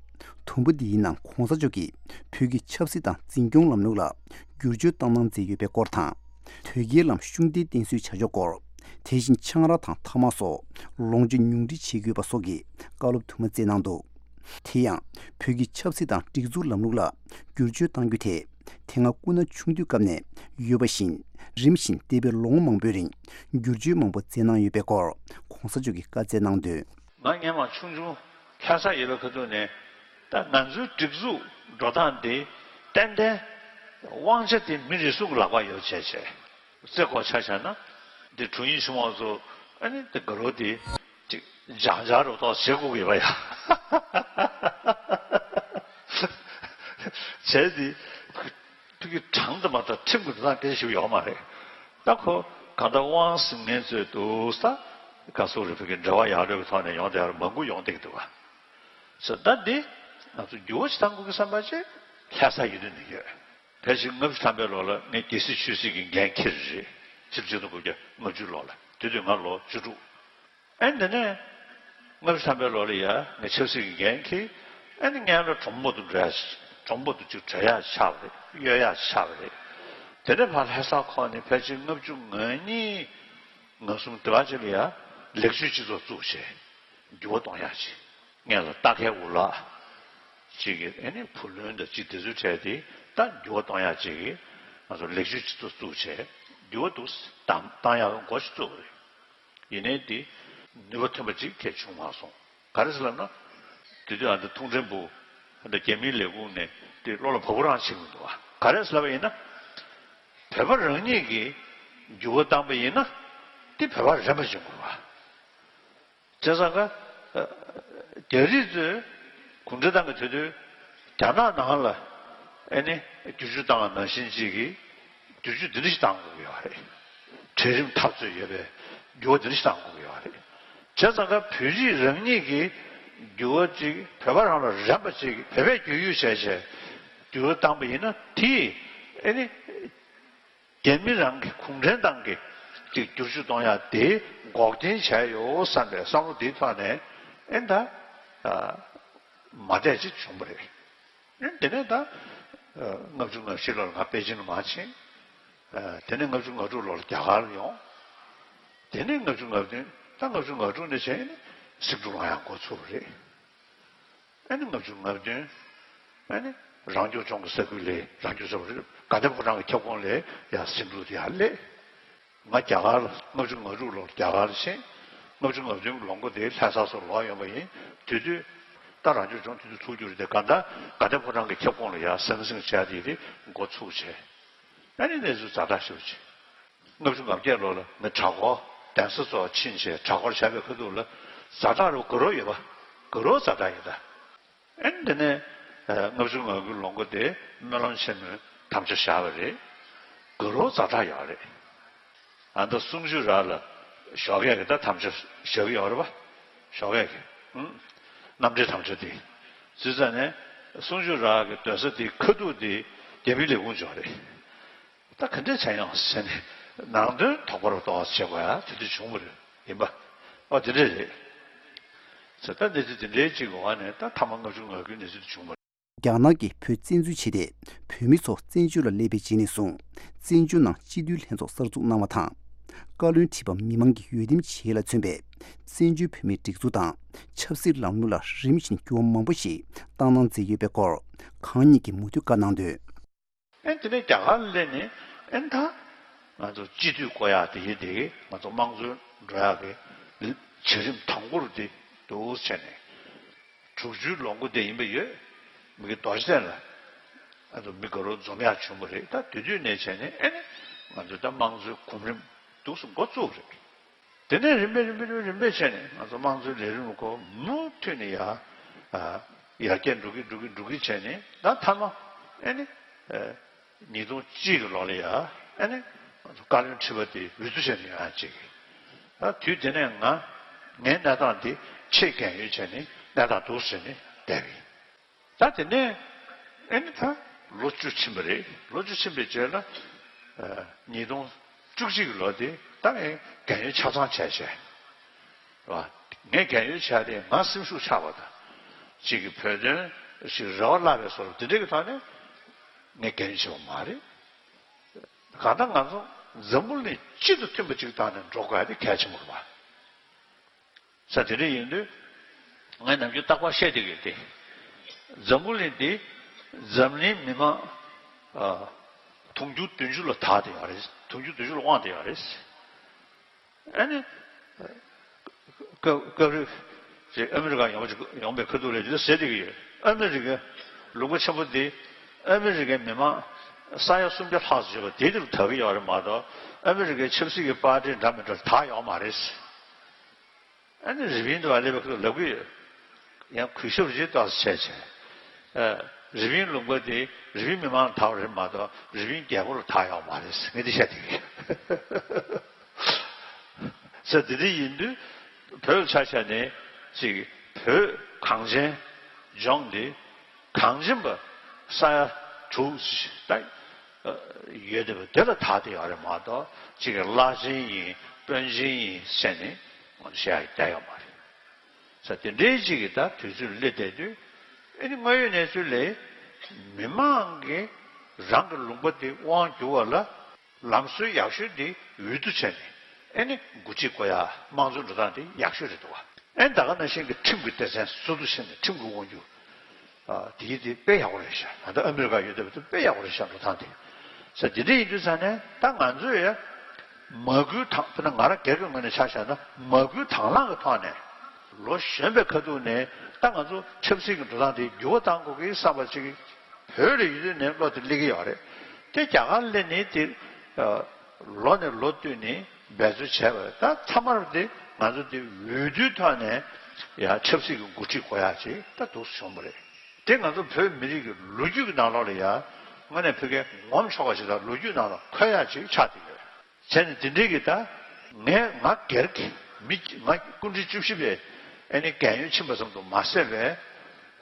དུམ་བུ་འདིའི་ནང་གོང་ས་མཆོག་གིས་བོད་ཀྱི་ཆབ་སྲིད་དང་འཛིན་སྐྱོང་ལམ་ལུགས་ལ་བསྒྱུར་བཅོས་བཏང་གནང་མཛད་ཡོད་པའི་སྐོར་དང་། དོལ་རྒྱལ་ལམ་ཤུགས་ལྡན་བསྟེན་གསོལ་བྱ་ཕྱོགས་སྐོར། དེ་བཞིན་ཆང་རག་དང་ཐ་མག་སོགས་ལོངས་སྤྱོད་ཉུང་འཕྲི་བྱེད་དགོས་པ་སོགས་ཀྱི་བཀའ་སློབ་དུ་མ་སྩལ་གནང་འདུག་དེ་ཡང་བོད་ཀྱི་ཆབ་སྲིད་དང་སྒྲིག་འཛུགས་ལམ་ལུགས་ལ་བསྒྱུར་བཅོས་གཏང་རྒྱུ་དེ། དེ་སྔ་སྐུ་ན་ཆུང་དུས་སྐབས་ནས་ཡོད་པ་བཞིན། རིམ་བཞིན་འདས་པའི་ལོ་ངོ་མང་པོའི་རིང་བསྒྱུར་བཅོས་མང་པོ་མཛད་གནང་ཡོད་པའི་སྐོར་གོང་ས་མཆོག་གིས་བཀའ་སྩལ་གནང་དོན། ང་སྔན་མ་ཆུང་ཆུང་ལྷ་ས་ཡོད་པའི་ཁ་ཐུག་ནས། ད་ང་ཚོའི་སྒྲིག་འཛུགས་འགྲོ་སྟངས་འདི་ཏན་ཏན་དབང་ཆ་དེ་མི་རེ་ཟུང་གི་ལག་པར་ཡོད་བྱས་བྱས། རྩེ་སྐོར་ཆ་བཞག་ན། འདི་དྲུང་ཡིག་ཆེན་མོ་ཚོ་ཨ་ནི་འདི་དགའ་རོགས་འདི་ཅིག་ལྗང་ལྗང་རུ་ཏོག་བྱེད་དགོས་ཀྱི་ཡོད་པ་ཡ། བྱས་འདི་ཕ་གི་གྲངས་དུ་མ་གཏོགས་ཁྲིམས་ཀྱི་འགྲོ་སྟངས་སྐད་ཆ་ཞིག་ཡོད་མ་རེད། ད་ཁོ་གང་ལྟར་དབང་ཟིན་མཁན་ཚོས་འདུག་ས། ག་སོག་རེ་ཕ་གི་འབྲེལ་བ་ཡག་རོགས་ཀྱི་ཐོག་ནས་ཡོང་བསྡད་ཡ་མང་པོ་ཡོང་བསྡད་ཀྱི་འདུག་བ། སོ་ད་འདི་ང་ཚོ་འགྱུར་བ་ཞིག་གཏང་དགོས་ཀྱི་བསམ་པ་ཅིག་ལྷ་ས་ཡིན་དུས་ནས་ཡོད། ཕལ་ཆེར་ལྔ་བཅུ་ཐམ་པའི་ལོ་ལ་ངས་རྒྱལ་སྲིད་ཆོས་སྲིད་ཀྱི་འགན་འཁྱེར་རེད། ཆིག་སྟོང་དགུ་བརྒྱ་ལྔ་བཅུ་ལོ་ལ་དེ་དུས་ང་ལོ་བཅུ་དྲུག་ཨེ་འདི་ནས་ལྔ་བཅུ་ཐམ་པའི་ལོ་ལ་ཡ་ངས་ཆབ་སྲིད་ཀྱི་འགན་འཁྱེར། ཨེ་ནི་སྔན་ལ་གྲོང་པ་དུ་འགྲོ་ཡ་ཞིག་གྲོང་པ་དུ་ཅིག་བྲོས་ཡ་ཆགས་པ་རེད། གཡོལ་ཡ་ཆགས་པ་རེད། དེ་ནས་ཕར་ལྷ་ས་ཁོག་ནས་ཕལ་ཆེར་ལྔ་བཅུ་ང་གཉིས་ང་གསུམ་དེ་བ་ཅིག་ལ་ཡ་ལེགས་བཅོས་སྤྱི་ཚོགས་བཙུགས་བྱས་འགྱུར་བ་གཏོང་ཡ་ཅིག་སྔན་ལ་རྟ་ཁའི་འུ་ལག་ཅིག་གི་ཨེ་ནི་བུ་ལོན་དང་ཅིག་དེ་ཚོའི་གྲས་དེ་ད་འགྱུར་བ་གཏོང་ཡ་ཅིག་གི་ང་ཚོ་ལེགས་བཅོས་སྤྱི་ཚོགས་བཙུགས་བྱས་འགྱུར་བ་འདུག་བཏང་བཏང་ཡག་གི་འགོ་ཞིག་བཙུགས་པ་རེད། ཡིན་ནའི་དེ་ནུས་པ་ཐོན་པ་ཅིག་གས་བྱུང་མ་སོང་། ག་རེ་ཟེར་ལབ་ན། དེ་དུས་ཨ་འདི་ཐུང་ཕྲན་བུ་ཨ་འདི་རྒྱ་མིའི་ལས་ཁུངས་ནས་དེ་བློ་ལ་བབ་པོ་རང་བྱེད་མི་འདུག་བ། ག་རེ་ཟེར་ལབ་པ་ཡིན་ན། བོད་པ་རང་ཉིད་ཀྱིས་འགྱུར་བ་བཏང་པ་ཡིན་ན་དེ་བོད་པ་རན་པ་བྱེད་དགོས་བ། བྱས་ཙང་ཀ་རྒྱ་རིགས་ཚོས་གུང་ཁྲན་ཏང་གི་དེ་དུས་རྒྱ་ནག་ནང་ལ་ཨེ་ནི་བསྒྱུར་བཅོས་བཏང་བ་ནང་བཞིན་ཅིག་གིས་བསྒྱུར་བཅོས་འདི་འདྲ་ཞིག་བཏང་དགོས་ཀྱི་ཡོད་རེད། གྲལ་རིམ་འཐབ་རྩོད་ཡོད་པའི་འགྱུར་བ་འདི་འདྲ་ཞིག་བཏང་དགོས་ཀྱི་ཡོད་རེད། བྱས་ཙང་ཀ་བོད་རིགས་རང་ཉིད་ཀྱིས་འགྱུར་བ་ཅིག་བོད་པ་རང་ལ་རན་པ་ཅིག་བོད་པས་བསྒྱུར་བཅོས་བྱས་བྱས་འགྱུར་བ་བཏང་པ་ཡིན་ན་དེས་ཨེ་ནི། རྒྱ་མི་རང་གི་གུང་ཁྲན་ཏང་གི་ཅིག་བསྒྱུར་བཅོས་གཏོང་ཡ་དེ་འགོག་རྐྱེན་བྱས་ཡོད་བསམ་པའི་བསམ་བློ་དེའི་ཐོག་ནས་ཨེ་ད་མ་བསྡད་ཅིག་བྱུང་བ་རེད། ཨེ་དེ་ནས་ད་ལྔ་བཅུ་ང་བཞི་ལོར་ང་པེ་ཅིན་ལ་མར་ཕྱིན། དེ་ནས་ལྔ་བཅུ་ང་དྲུག་ལོར་རྒྱ་གར་ལ་ཡོང་། དེ་ནས་ལྔ་བཅུ་ང་བདུན་ད་ལྔ་བཅུ་ང་དྲུག་ནས་བྱས་ནས་སེང་འབྲུག་ལ་ཡང་འགོ་ཚུགས་པ་རེད། ཨ་ནི་ལྔ་བཅུ་ང་བདུན། ཨ་ནི་རང་སྐྱོང་ལྗོངས་ཀྱི་ས་ཁུལ་ལས་རང་སྐྱོང་ས་ཁུལ་དགའ་ལྡན་ཕོ་བྲང་གི་ཁྱབ་ཁོངས་ལས་ཡར་སེང་འབྲུག་དེ་ཡར་སླེབས། ང་རྒྱ་གར་ལ་ལྔ་བཅུ་ང་དྲུག་ལོར་རྒྱ་གར་ལ་ཕྱིན། ལྔ་བཅུ་ང་བདུན་གྱི་ལོ་མགོ་དེ་ལྷ་ས་སོགས་ལོག་ཡོང་བ་ཡིན། དེ་དུས་ད་རང་སྐྱོང་ལྗོངས་དེ་དུས་ཚུགས་རྒྱུ་རེད་དེ་གང་ལྟར་དགའ་ལྡན་ཕོ་བྲང་གི་ཁྱབ་ཁོངས་ལ་ཡར་ཟང་ཟིང་བྱས་དེ་དེ་འགོ་ཚུགས་བྱས། ཨ་ནི་གནས་ཚུལ་ཛ་དྲག་ཞེ་པོ་ཅིག་ལྔ་བཅུ་ང་བརྒྱད་ལོ་ལ་ངས་གྲྭ་སྐོར་གདན་ས་ཚོ་ཕྱིན་བྱས་གྲྭ་སྐོར་བྱས་པའི་ཁ་ཐུག་ལ་ཛ་དྲག་རུ་དགའ་རབ་ཡོད་པ། དགའ་རབ་ཛ་དྲག་ཡོད་ད། ཨེ་འདི་ནས་ལྔ་བཅུ་ང་དགུ་ལོ་མགོ་དེ་སྨོན་ལམ་ཆེན་མོའི་དམ་བཅའ་བཞག་པ་རེད། དགའ་རབ་ཛ་དྲག་ཡོད་རེད། ཨ་ད་གསུང་ཆོས་ར་ལ་ཞོགས་ཀས་ཀྱི་ད་དམ་བཅའ་བཞག་གི་ཡོད་རེད་པ། ཞོགས་ཀས་ཀྱི་ཨུ། རྣམ་འགྲེལ་དམ་བཅའ་དེ། བྱས་ཙང་ནས་གསུང་ཆོས་ར་གི་སྡོད་ས་དེ་ཁ་ཐུག་དེ་རྒྱ་མིའི་ལས་ཁུངས་ཅིག་རེད། ད་ག་འདྲས་བྱས་ཡོང་ཟེར་ནས་ནང་དོན་དོགས་པ་རུ་གཏོང་བ་བྱེད་དགོས་ཡ་དེ་དུས་བྱུང་བ་རེད་ཡིན་པ། ཨོ་དེ་འདྲས་རེད། ཟེར་ད་གནས་ཚུལ་དེ་འདྲའི་གཅིག་གི་འོག་ནས་ད་ཐ་མ་ལྔ་བཅུ་ང་དགུའི་གནས་ཚུལ་དེ་བྱུང་བ་རེད། རྒྱ་ནག་གིས་བོད་བཙན་འཛུལ་བྱས་ཏེ་བོད་མི་ཚོ་བཙན་བྱོལ་ལ་སླེབས་པའི་རྗེས་ནས་བཟུང་བཙན་བྱོལ་ནང་སྤྱི་འཐུས་ལྷན་ཚོགས་གསར་འཛུགས་གནང་བ་དང་། བཀའ་བློན་ཁྲི་པ་མི་མང་གི་འོས་འདེམས་བྱེད་ཡུལ་ལ་མཚོན་པའི་བཙན་བྱོལ་བོད་མིའི་སྒྲིག་འཛུགས་དང་ཆབ་སྲིད་ལམ་ལུགས་ལ་རིམ་བཞིན་འགྱུར་བ་མང་པོ་ཞིག་བཏང་གནང་མཛད་ཡོད་པའི་སྐོར་གང་ཉིད་ཀྱིས་མུ་མཐུད་བཀའ་གནང་དོན། ཨེ་དེ་ནས་རྒྱ་གར་ལ་སླེབས་ནས་ཨེ་ད་ང་ཚོ་སྤྱི་འཐུས་བསྐོ་ཡག་དེ་ཡིན་དེ་ང་ཚོ་དམངས་གཙོའི་འགྲོ་ཡག་གི་བྱ་རིམ་དང་པོ་རུ་དེ་འདུག་བྱས་ནས་དྲུག་ཅུའི་ལོ་མགོ་དེ་ཡིན་པ་ཡོད། མི་གི་རྡོ་རྗེ་གདན་ལ་ཨ་ཚོ་མི་དགའ་རབ་འཛོམས་ཡག་བྱུང་བ་རེད། ད་དེ་དུས་ནས་བྱས་ནས་ཨེ་ནི་ང་ཚོ་ད་དམངས་གཙོའི་གོམ་རིམ་འདུག་སེ་འགོ་བཙུགས་རེད། དེ་ནས་རིམ་པས་རིམ་པས་རིམ་པས་རིམ་པས་བྱས་ནས་ང་ཚོ་དམངས་གཙོའི་ལས་རིམ་སྐོར་མུ་མཐུད་ནས་ཡར་ཨ་ཡར་རྒྱས་འགྲོ་གི་འགྲོ་གི་འགྲོ་གི་བྱས་ནས་ད་མཐའ་མ་ཨེ་ནི་ཨ་ཉིས་སྟོང་གཅིག་གི་ལོ་ལ་ཡ་ཨེ་ནི་ང་ཚོ་བཀའ་བློན་ཁྲི་པ་དེ་འོས་བསྡུ་བྱས་ནས་ཡོང་ཡག་ཅིག་ད་དུས་དེ་ནས་ང་ངའི་གནས་སྟངས་དེ་ཆེས་རྒན་ཡོལ་བྱས་ནས་གནས་སྟངས་འདུག་སེ་བྱས་ནས་བསྡད་པ་ཡིན། ད་དེ་ནས་ཨེ་ནི་ད་ལོ་བཅུ་ཕྱིན་པ་རེད། ལོ་བཅུ་ཕྱིན་པའི་རྗེས་ལ་ཨ་ཉིས་སྟོང་བཅུ་གཅིག་གི་ལོ་དེ་ད་ངས་རྒན་ཡོལ་ཆ་ཚང་བྱས་བྱས་རེད་བ། ངས་རྒན་ཡོལ་བྱས་ཏེ་ང་སེམས་ཤུགས་ཆག་པ་དང་གཅིག་གི་བོད་དོན་ ཞིག་རེ་བ་བརླག་པའི་བཟོ་འདྲ་དེ་འདྲའི་གི་ཐོག་ནས་ངས་རྒྱབ་སྐྱོར་བྱེད་པ་མ་རེད། གང་ལྟར་ང་ཚོ་འཛམ་བུ་གླིང་སྤྱི་དང་མཐུན་པ་ཅིག་བཏང་ནས་འགྲོ་དགོས་ཡ་དེ་གལ་ཆེན་པོ་རེད་པ། ས་དེ་འདྲ་ཡིན་དུས་ངས་ནམ་རྒྱུན་རྟག་པར་བཤད་བསྡད་ཀྱི་ཡོད་དེ། འཛམ་བུ་གླིང་འདི་འཛམ་གླིང་མི་མང་ཨ་དུང་ཕྱུར་བདུན་ཅུ་ལ་དར་བསྡད་ཡོད་རེད། དུང་ཕྱུར་བདུན་ཅུ་ལ་དབང་བསྡད་ཡོད་རེད། ཨ་ནི། སྐབས་སྐབས་རེ་ཅིག་ཨ་མི་རི་ཀ་ཡོང་བ་ཅིག་ཡོང་པའི་ཁ་ཐུག་ལ་ཅིག་ཟེར་བསྡད་ཀྱི་ཡོད། ཨ་མི་རི་ཀའི་ལུང་པ་ཆེན་པོ་འདི་ཨ་མི་རི་ཀའི་མི་མང་ས་ཡ་སུམ་བརྒྱ་ལྷག་ཙམ་ཡོད་པ་དེ་དེ་རུ་དར་གྱི་ཡོད་རེད་མ་གཏོགས། ཨ་མི་རི་ཀའི་ཆབ་སྲིད་ཀྱི་པར་ཊི་འདྲ་མི་འདྲ་དར་ཡོད་མ་རེད། ཨ་ནི་རི་པིན་དུ་བ་སླེབས་པའི་ཁ་ཐུག་ལབ་ཀྱི་ཡོད། ཡང་གུས་ཞབས་ཅིག་ཏོག་ཙམ་བྱས་བྱས། ཨ། རི་པིན་ལུང་པ་དེ་རི་པིན་མི་མང་ལ་དར་བ་རེད་མ་གཏོགས་རི་པིན་རྒྱལ་པོ་ལ་དར་ཡོད་མ་རེད། ངས་འདི་བཤད་བསྡད་ཀྱི་ཡོད། ས་དེ་འདྲ་ཡིན་དུས་བོད་ཆ་བཞག་ནས་ཅིག་བོད་གངས་ཅན་ལྗོངས་འདི་གངས་ཅན་པ་ས་ཡ་དྲུག་ད་ཡོད་བསྡད་པ་དེ་ལ་དར་བསྡད་ཡོད་རེད་མ་གཏོགས་ཅིག་བླ་ཆེན་ཡིན་དཔོན་ཆེན་ཡིན་ཟེར་ནས་བཤད་ཡ་བསྡད་ཡོད་མ་རེད། ས་དེ་འདྲའི་ཅིག་གི་ད་དུས་ཚོད་སླེབས་བསྡད་དུས་ཨ་ནི་དངོས་ཡོད་གནས་ཚུལ་ལས་མི་མང་གིས་རང་གི་ལུང་པ་དེ་དབང་བསྒྱུར་བ་ལ། ལམ་སྲོལ་ཡག་ཤོས་འདི་འོས་བསྡུ་བྱས་ནས་ཨེ་ནི་འགོ་ཁྲིད་བསྐོ་ཡ་དམངས་གཙོའི་འགྲོ་སྟངས་འདི་ཡག་ཤོས་རེད་འདུག་བ། ཨེ་ད་ག་ནང་བཞིན་གྱི་ཁྲིམས་ཀྱི་སྡེ་ཚན་སོ་སོ་བྱས་ནས་ཁྲིམས་ཀྱི་དབང་སྒྱུར་ཨ་དེ་དེ་དཔེ་ཡག་པོ་རེད་ཤག་ད་ལྟ་ཨ་མི་རི་ཀ་ཡོད་བསྡད་པ་དེ་དཔེ་ཡག་པོ་རེད་ཤག་འགྲོ་སྟངས་དེ། ས་དེ་འདྲ་ཡིན་དུས་ས་ནས་ད་ང་ཚོས་ཡ་མ་བསྐུལ་དང་དཔེར་ན་ང་རང་སྒེར་གྱི་ངོས་ནས་ཆ་བཞག་ན་མ་བསྐུལ་དང་བླངས་ཀྱི་ཐོག་ནས་ལོ་གཞོན་པའི་ཁ་ཐུག་ནས་ད་ང་ཚོ་ཆབ་སྲིད་ཀྱི་འགྲོ་སྟངས་དེ་འགྱུར་བ་གཏང་དགོས་ཀྱི་བསམ་པ་ཅིག་བོད་ལ་ཡོད་དུས་ནས་བློ་དེ་སླེབས་ཀྱི་ཡོད་རེད། དེ་རྒྱ་གར་སླེབས་ནས་དེ་ལོ་ནས་ལོ་བསྟུད་ནས་འབད་རྩོལ་བྱས་པ་རེད། ད་མཐའ་མར་དེ་ང་ཚོ་དེ་འོས་བསྡུའི་ཐོག་ནས་ཡང་ཆབ་སྲིད་ཀྱི་འགོ་ཁྲིད་དགོས་ཡག་ཅིག་ད་འདུག་སེ་བྱུང་བ་རེད། དེ་ང་ཚོ་བོད་མི་རིགས་ཀྱི་ལོ་རྒྱུས་ཀྱི་ནང་ལོགས་ལ་ཡང་དངོས་གནས་བོད་སྐད་ངོམ་ཆོག་པ་ཞིག་དང་ལོ་རྒྱུས་ནང་ལ་འཁོད་ཡག་ཅིག་ཆགས་བསྡད་ཡོད། བྱས་ནས་དེ་འདྲའི་གི་ད་ངས་ང་སྒེར་གྱི་མི་ང་སྐུ་ཕྲེང་བཅུ་བཞི་པའི་ཨ་ནི་རྒན་ཡོལ་ཕྱིན་པ་ཙམ་དུ་མ་ཟད་པའི་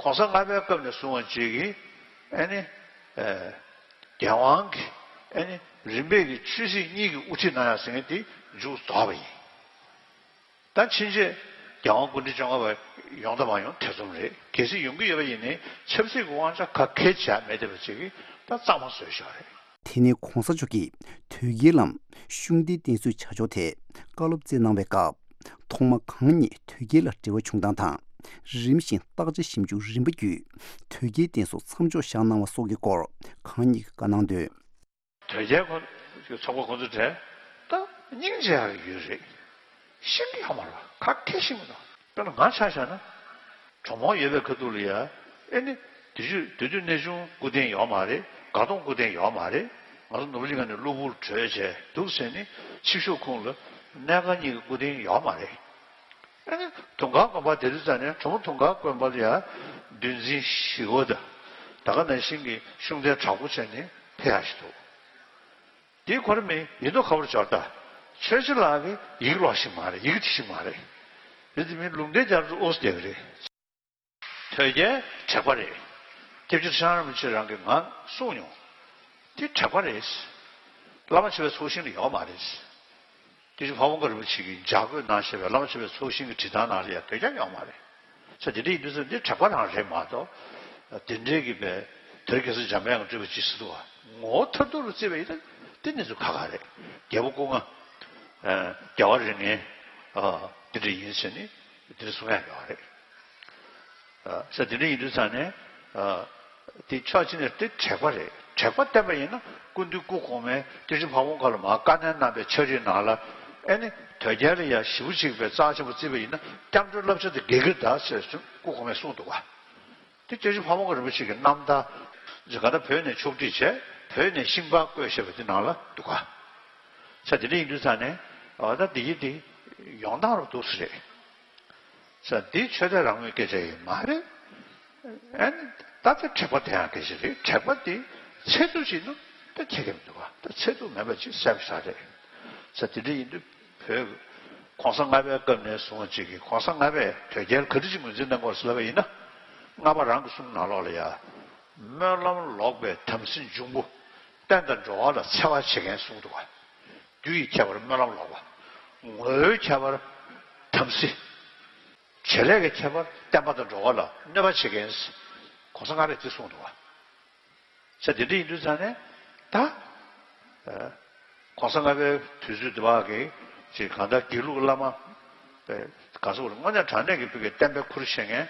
གོང་ས་ལྔ་པའི་སྐབས་ནས་བཟུང་བ་ཅིག་གི་ཨ་ནི་ཨ་རྒྱལ་དབང་གི་ཨ་ནི་རིམ་པས་ཀྱི་ཆོས་སྲིད་གཉིས་ཀྱི་དབུ་ཁྲིད་གནང་ཡག་ཟེར་མཁན་དེ་མཇུག་རྫོགས་པ་ཡིན། ད་ཕྱིན་ཆད་རྒྱལ་དབང་སྐུ་ཕྲེང་བཅོ་ལྔ་པ་ཡོང་དང་མ་ཡོང་ཐེ་ཚོམ་རེད། གལ་སྲིད་ཡོང་གི་ཡོད་པ་ཡིན་ནའི་ཆབ་སྲིད་ཀྱི་དབང་ཆ་ག་གེ་བྱས་མེད་བསྡད་པ་ཅིག་གིས་ད་གཙང་མ་བཟོས་བཞག་རེད། དེ་ནས་གོང་ས་མཆོག་གིས་དོལ་རྒྱལ་ལམ་ཤུགས་ལྡན་བསྟེན་གསོལ་བྱ་ཕྱོགས་ཐད་བཀའ་སློབ་སྩལ་གནང་བའི་སྐབས། ཐོག་མ་གང་ཉིད་དོལ་རྒྱལ་ལ་འབྲེལ་བ་བྱུང་སྟངས་དང་། རིམ་བཞིན་བརྟག་དཔྱད་ཞིབ་འཇུག་རིམ་པ་བརྒྱུད་དོལ་རྒྱལ་བསྟེན་གསོལ་མཚམས་འཇོག་བཞག་གནང་བ་སོགས་ཀྱི་སྐོར་གང་ཉིད་ཀྱིས་བཀའ་གནང་དོན། དོལ་རྒྱལ་ཁོ་ཚོགས་པ་ཁོ་ཚོ་གྲས་ད་སྙིང་རྗེ་ཡག་གི་ཡུལ་རེད། ཤེས་ཀྱི་ཡོད་མ་རེད་པ། ག་གེ་ཤེས་མི་འདུག་དཔེར་ན་ང་ཆ་བཞག་ན། གྲོགས་མོ་ཡོད་པའི་ཁ་ཐུག་ལ་ཡ། ཨེ་ནི། དུས་ཚོད་དུས་ཚོད་གནས་ཆུང་སྐུ་རྟེན་ཡོད་མ་རེད། དགའ་གདོང་སྐུ་རྟེན་ཡོད་མ་རེད། ང་ཚོ་ནོར་བུ་གླིང་ཁ་ནས་གློ་བུར་བྲོས་བྱས་འདུག་ཟེར་ནས་ཕྱི་ཕྱོགས་ཁོངས་ལ་གནད་འགག་གཉིས་ཀྱི་སྐུ་རྟེན་ཡོད་མ་རེད། ཨེ་ནི། དུང་དཀར་དགོན་པ་དེ་དུས་ཙམ་ནས་གྲོགས་མོ་དུང་དཀར་དགོན་པ་ལ་ཡ། འདུལ་འཛིན་ཞི་བ་དང་། ད་ག་ནང་བཞིན་གྱི་ཤུགས་ལྡན་དྲག་པོ་བྱས་ནས་ཕེབས་ཡག་ཞིག་འདུག་དེའི་གོ་རིམ་ཡིན་མདོག་ཁ་པོར་འབྱོར་ད། ཆོས་རྗེ་ལགས་ཀྱིས་ཡི་གེ་ཀློག་ཤེས་མ་རེད། ཡི་གེ་འབྲི་ཤེས་མ་རེད། རེད་དེ་མིན་ལུང་བསྟན་རྒྱབ་ཏུ་ཨོ་སི་བསྡད་ཀྱི་རེད། དོལ་རྒྱལ་དྲེགས་པ་རེད། སྐྱབས་རྗེ་ཁྲི་བྱང་རིན་པོ་ཆེ་རང་གིས་ང་གསུངས་མྱོང་། དེ་དྲེགས་པ་རེད། བླ་མ་མཆོད་པའི་ཚོགས་ཞིང་ལ་ཡོད་མ་རེད། སྐྱབས་རྗེ་ཕ་བོང་ཁ་རིན་པོ་ཆེ་གིས་ལྗགས་བཀོད་གནང་བཞག་པའི་བླ་མ་མཆོད་པའི་ཚོགས་ཞིང་གི་བྲིས་ཐང་ནང་ལ་ཡང་དོལ་རྒྱལ་ཡོད་མ་རེད། ས་དེ་འདྲ་ཡིན་དུས་ཙམ་འདི་དྲེགས་པ་རང་རེད་མ་གཏོགས། དེ་འདྲའི་གི་པའི་དོལ་རྒྱལ་སྲས་འཇམ་དཔལ་དབྱངས་སྤྲུལ་པ་ཅིག་ཟེར་འདུག་བ། ངོ་བོ་མཐར་ཐུག་ལ་བརྩིས་པ་ཡིན་ན་དེ་གནས་ཚུལ་ཁག་ཁག་རེད། རྒྱལ་པོ་སྐུ་ལྔ། ཨ། རྒྱལ་བ་རིགས་ལྔའི། ཨ། དེ་འདྲ་ཡིན་ཟེར་ནས་དེ་འདྲ་གསུང་ཡག་ཡོད་རེད། ཨ། ས་དེ་འདྲ་ཡིན་དུས་ཙམ་ནས། ཨ། དེ་ཕྱོགས་གཅིག་ནས་དེ་དྲེགས་པ་རེད། དྲེགས་པ་བསྟན་པ་ཡིན་ན་སྐུ་མདུན་སྐུ་གོང་མས་སྐྱབས་རྗེ་ཕ་བོང་ཁ་ལ་མར་བཀའ་ནན་གནང་བའི་ཕྱག་བྲིས་ནང་ལ། ཨེ་ནི། དོལ་རྒྱལ་ལ་ཡ་ཞེ་པོ་ཅིག་པའི་རྩ་ཆེན་པོ་བརྩིས་པ་ཡིན་ན་སྐྱབས་འགྲོའི་བསླབ་བྱ་དེ་དགེ་གི་རེད་ད་ཟེར་སྐུ་གོང་མས་གསུངས་འདུག་བ། དེ་སྐྱབས་རྗེ་ཕ་བོང་ཁ་རིན་པོ་ཆེ་གི་རྣམ་ཐར་ཇི་ག་ད་བོད་ནས་ཕྱོགས་བསྒྲིགས་བྱས་བོད་ནས་ཤིང་པར་བརྐོས་བཞག་པ་དེ་ནང་ལ་འདུག་ག་ས་དེ་འདྲ་ཡིན་དུས་ཙང་ནས་ཨ་ད་འདི་ཡི་དེ་ཡོང་སྟངས་རུ་འདུག་ས་རེད། ས་འདི་ཆོས་དད་རང་མོས་སྐད་ཆ་ཡིན་མ་རེད། ཨ་ནི་ད་དེ་དྲེགས་པ་དེ་ཡང་སྐད་ཆ་རེད། དྲེགས་པ་དེ་ཚད་ཐུབ་ཅིག་ནི་ད་ཁྱད་ཀྱི་མི་འདུག་ག་ད་ཚད་ཐུབ་མེད་པ་ཅིག་གསལ་པོ་ཆགས་རེད། ས་དེ་འདྲ་ཡིན་དུས། བོད་གོང་ས་ལྔ་པའི་སྐབས་ནས་བཟུང་བ་ཅིག་གིས་གོང་ས་ལྔ་པས་དོལ་རྒྱལ་ག་འདྲ་ཅིག་ངོས་འཛིན་གནང་དགོས་ཟེར་ལབ་པ་ཡིན་ན། ལྔ་པ་རང་གི་གསུང་ནང་ལོགས་ལ་ཡ། སྨོན་ལམ་ལོག་པའི་དམ་སྲི་འབྱུང་པོ། བསྟན་དང་འགྲོ་བ་ལ་འཚེ་བ་བྱེད་མཁན་གསུངས་འདུག་ག་རྒྱུ་ཡི་ཁྱད་པར་སྨོན་ལམ་ལོག་པ། ངོ་བོའི་ཁྱད་པར་དམ་སྲི། བྱེད་ལས་ཀྱི་ཁྱད་པར་བསྟན་པ་དང་འགྲོ་བ་ལ་གནོད་པ་བྱེད་མཁན། གོང་ས་ལྔ་པས་དེ་གསུངས་འདུག་བ། ས་དེ་འདྲ་ཡིན་དུས་ཙང་ནས་ད། ཨ། གོང་ས་ལྔ་པའི་དུས་ཚོད་དེ་བ་གི་ཅིག་གང་ལྟར་དགེ་ལུགས་བླ་མ། པའི་ག་ཚོད་རེད། དངོས་གནས་དྲང་གནས་ཀྱི་བོད་ཀྱི་བསྟན་པའི་ཁུར་བཞེས་མཁན་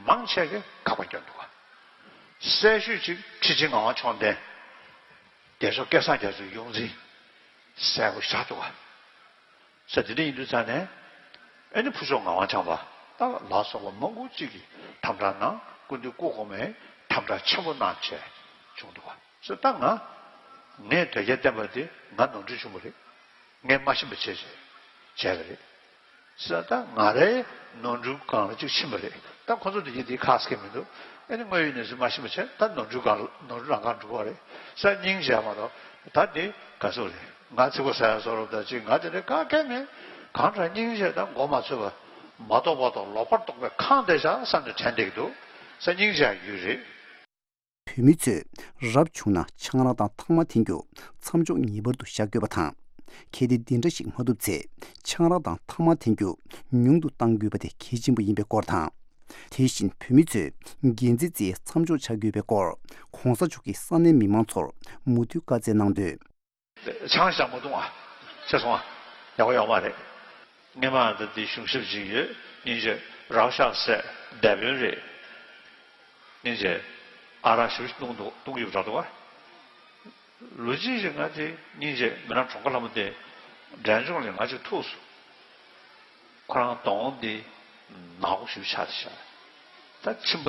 མང་ཆེ་གི་དགག་པ་སྐྱོན་འདུག་བ། གསལ་ཤོས་ཅིག་ཁྲི་ཆེན་ངག་དབང་མཆོག་ལྡན། རྒྱལ་མཆོག་སྐལ་བཟང་རྒྱ་མཚོའི་ཡོངས་འཛིན། གསལ་པོ་བཞག་འདུག་བ། ས་དེ་འདྲ་ཡིན་དུས་ཙང་ནས། ཨེ་ནི་ཕུར་ལྕོག་ངག་དབང་བྱམས་པ་ད་ལ་སོགས་པ་མང་པོ་ཅིག་གིས་དམ་དྲག་གནང་། སྐུ་མདུན་སྐུ་གོང་མས་དམ་དྲག་ཆེན་པོ་གནང་བྱས་བྱུང་འདུག་བ། ས་ད་ང་། ངས་དོལ་རྒྱལ་བསྟེན་པ་དེ་ང་ནོར་འཁྲུལ་བྱུང་བ་རེད། ངས་མ་ཤེས་པ་བྱས་བྱས་བྱས་པ་རེད། ས་ད་ང་རའི་ནོར་འཁྲུལ་སྒང་ལ་ཅིག་ཕྱིན་པ་རེད། ད་ཁོ་ཚོ་དེ་གྱིས་དེ་ཁག་སྐད་མི་འདུག་ཨེ་ནི་དངོས་ཡོད་གནས་ཚུལ་མ་ཤེས་པ་བྱས། ད་ནོར་འཁྲུལ་སྒང་ལ་ནོར་འཁྲུལ་རང་སྒང་འགྲོ་བ་རེད། ས་སྙིང་རྗེ་མ་གཏོགས་ད་དེ་ག་ཚོད་རེད། ང་ཚིག་པ་ཟ་ཡ་བཟོ་རོགས་ད་ཅིག་ང་དེ་འདྲའི་ག་གེ་མེད། གང་དྲག་སྙིང་རྗེ་དང་མགོ་མ་ཚོས་པ། མ་རྟོགས་པ་དང་ལོག་པར་རྟོག་པའི་ཁང་དེ་བཞག་བསམ་ནས་དྲན་བསྡད་ཀྱི་འདུག་ས་སྙིང་རྗེ་ཡ་ཡོད་རེད། བོད་མི་ཚོས་རབ་བྱུང་ན་ཆང་རག་དང་ཐ་མག་འཐེན་རྒྱུ་མཚམས་འཇོག་ངེས་པར་དུ་བྱ་དགོས་པ་དང་། གལ་ཏེ་འདི་འདྲ་ཞིག་མ་ཐུབ་ཚེ་ཆང་རག་དང་ཐ་མག་འཐེན་རྒྱུ་ཉུང་དུ་གཏང་དགོས་པ་དེ་གལ་ཆེན་པོ་ཡིན་པའི་སྐོར་དང་། དེ་བཞིན་བོད་མི་ཚོས་འགན་འཛིན་རྩིས་མཚམས་འཇོག་བྱ་དགོས་པའི་སྐོར་༧གོང་ས་མཆོག་གིས་ས་གནས་མི་མང་ཚོར་མུ་མཐུད་བཀའ་སྩལ་གནང་དོན། ཆང་ཞག་མ་བཏུང་ཨ། ཤེས་སོང་ཨ། ཡག་པོ་ཡོད་མ་རེད། སྔས་མ་ད་འདི་གཞུང་ཞབས་ཅིག་ཡོད། སྙིང་རྗེ་རག་ཤག་ཟེར་སྡེ་དཔོན་རེད། སྙིང་རྗེ་ཨ་རག་ཞེ་པོ་ཅིག་བཏུང་འདུག་བཏུང་གི་ཡོད་པ་འདྲ་འདུག་ཨ། ལོ་གཅིག་རིང་ང་དེ་སྙིང་རྗེ་མི་ནག་གྲོང་ཁ་ལྷ་མོ་དེ་འབྲས་ལྗོངས་ལ་ང་ཅིག་ཐུག་སོང་། ཁོ་རང་གདོང་དེ་ནག་པོ་ཞེ་པོ་ཆགས་བསྡད་ཤག་ད་མཆིན་པ་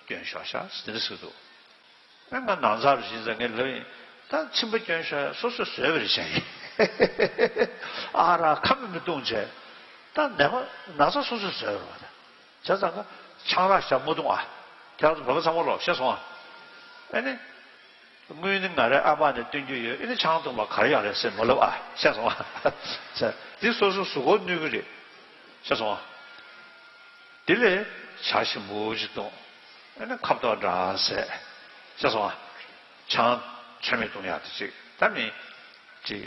སྐྱོན་ཤོར་ཤག་ཟེར་དེ་འདྲ་ཟེར་འདུག་ཨ་ང་ནང་ཚར་བཞིན་ཟེར་ངས་ལབ་ཡིན། ད་མཆིན་པ་སྐྱོན་ཤོར་ཡ་སོ་སོས་བཟོས་པ་རེད་བྱས་ཡིན། ཨ་རག་ཁ་མི་མི་བཏུང་བྱས། ད་ནད་པ་ན་ཚ་སོ་སོས་བཟོས་པ་རེད་བ། ད་བྱས་ཙང་ཀ་ཆང་རག་ཞག་མ་བཏུང་ཨ། ཁྱེད་རང་ཚོ་བོད་པ་ཚང་མ་ལོག་ཤེས་སོང་ཨ། ཨ་ནི། དངུལ་ནི་ང་རའི་ཨ་ཕ་ནས་བཏོན་རྒྱུ་ཡོད། ཨ་ནི་ཆང་བཏུང་བ་ག་རེ་ཡག་རེད་ཟེར་མ་ལབ་ཨ། ཤེས་སོང་ཨ། ཟེར་འདི་སོ་སོ་གཟུགས་པོར་གནོད་ཀྱི་རེད། ཤེས་སོང་ཨ། དེ་ལས་ཇ་ཞིམ་པོ་ཞིག་བཏུང་། ཨ་ནི་ཁ་བཏོག་འདྲ་ཟས། ཤེས་སོང་ཨ། ཆང་ཚོད་མེད་བཏུང་ཡག་དེ་ཅིག་ད་མི་ཅིག་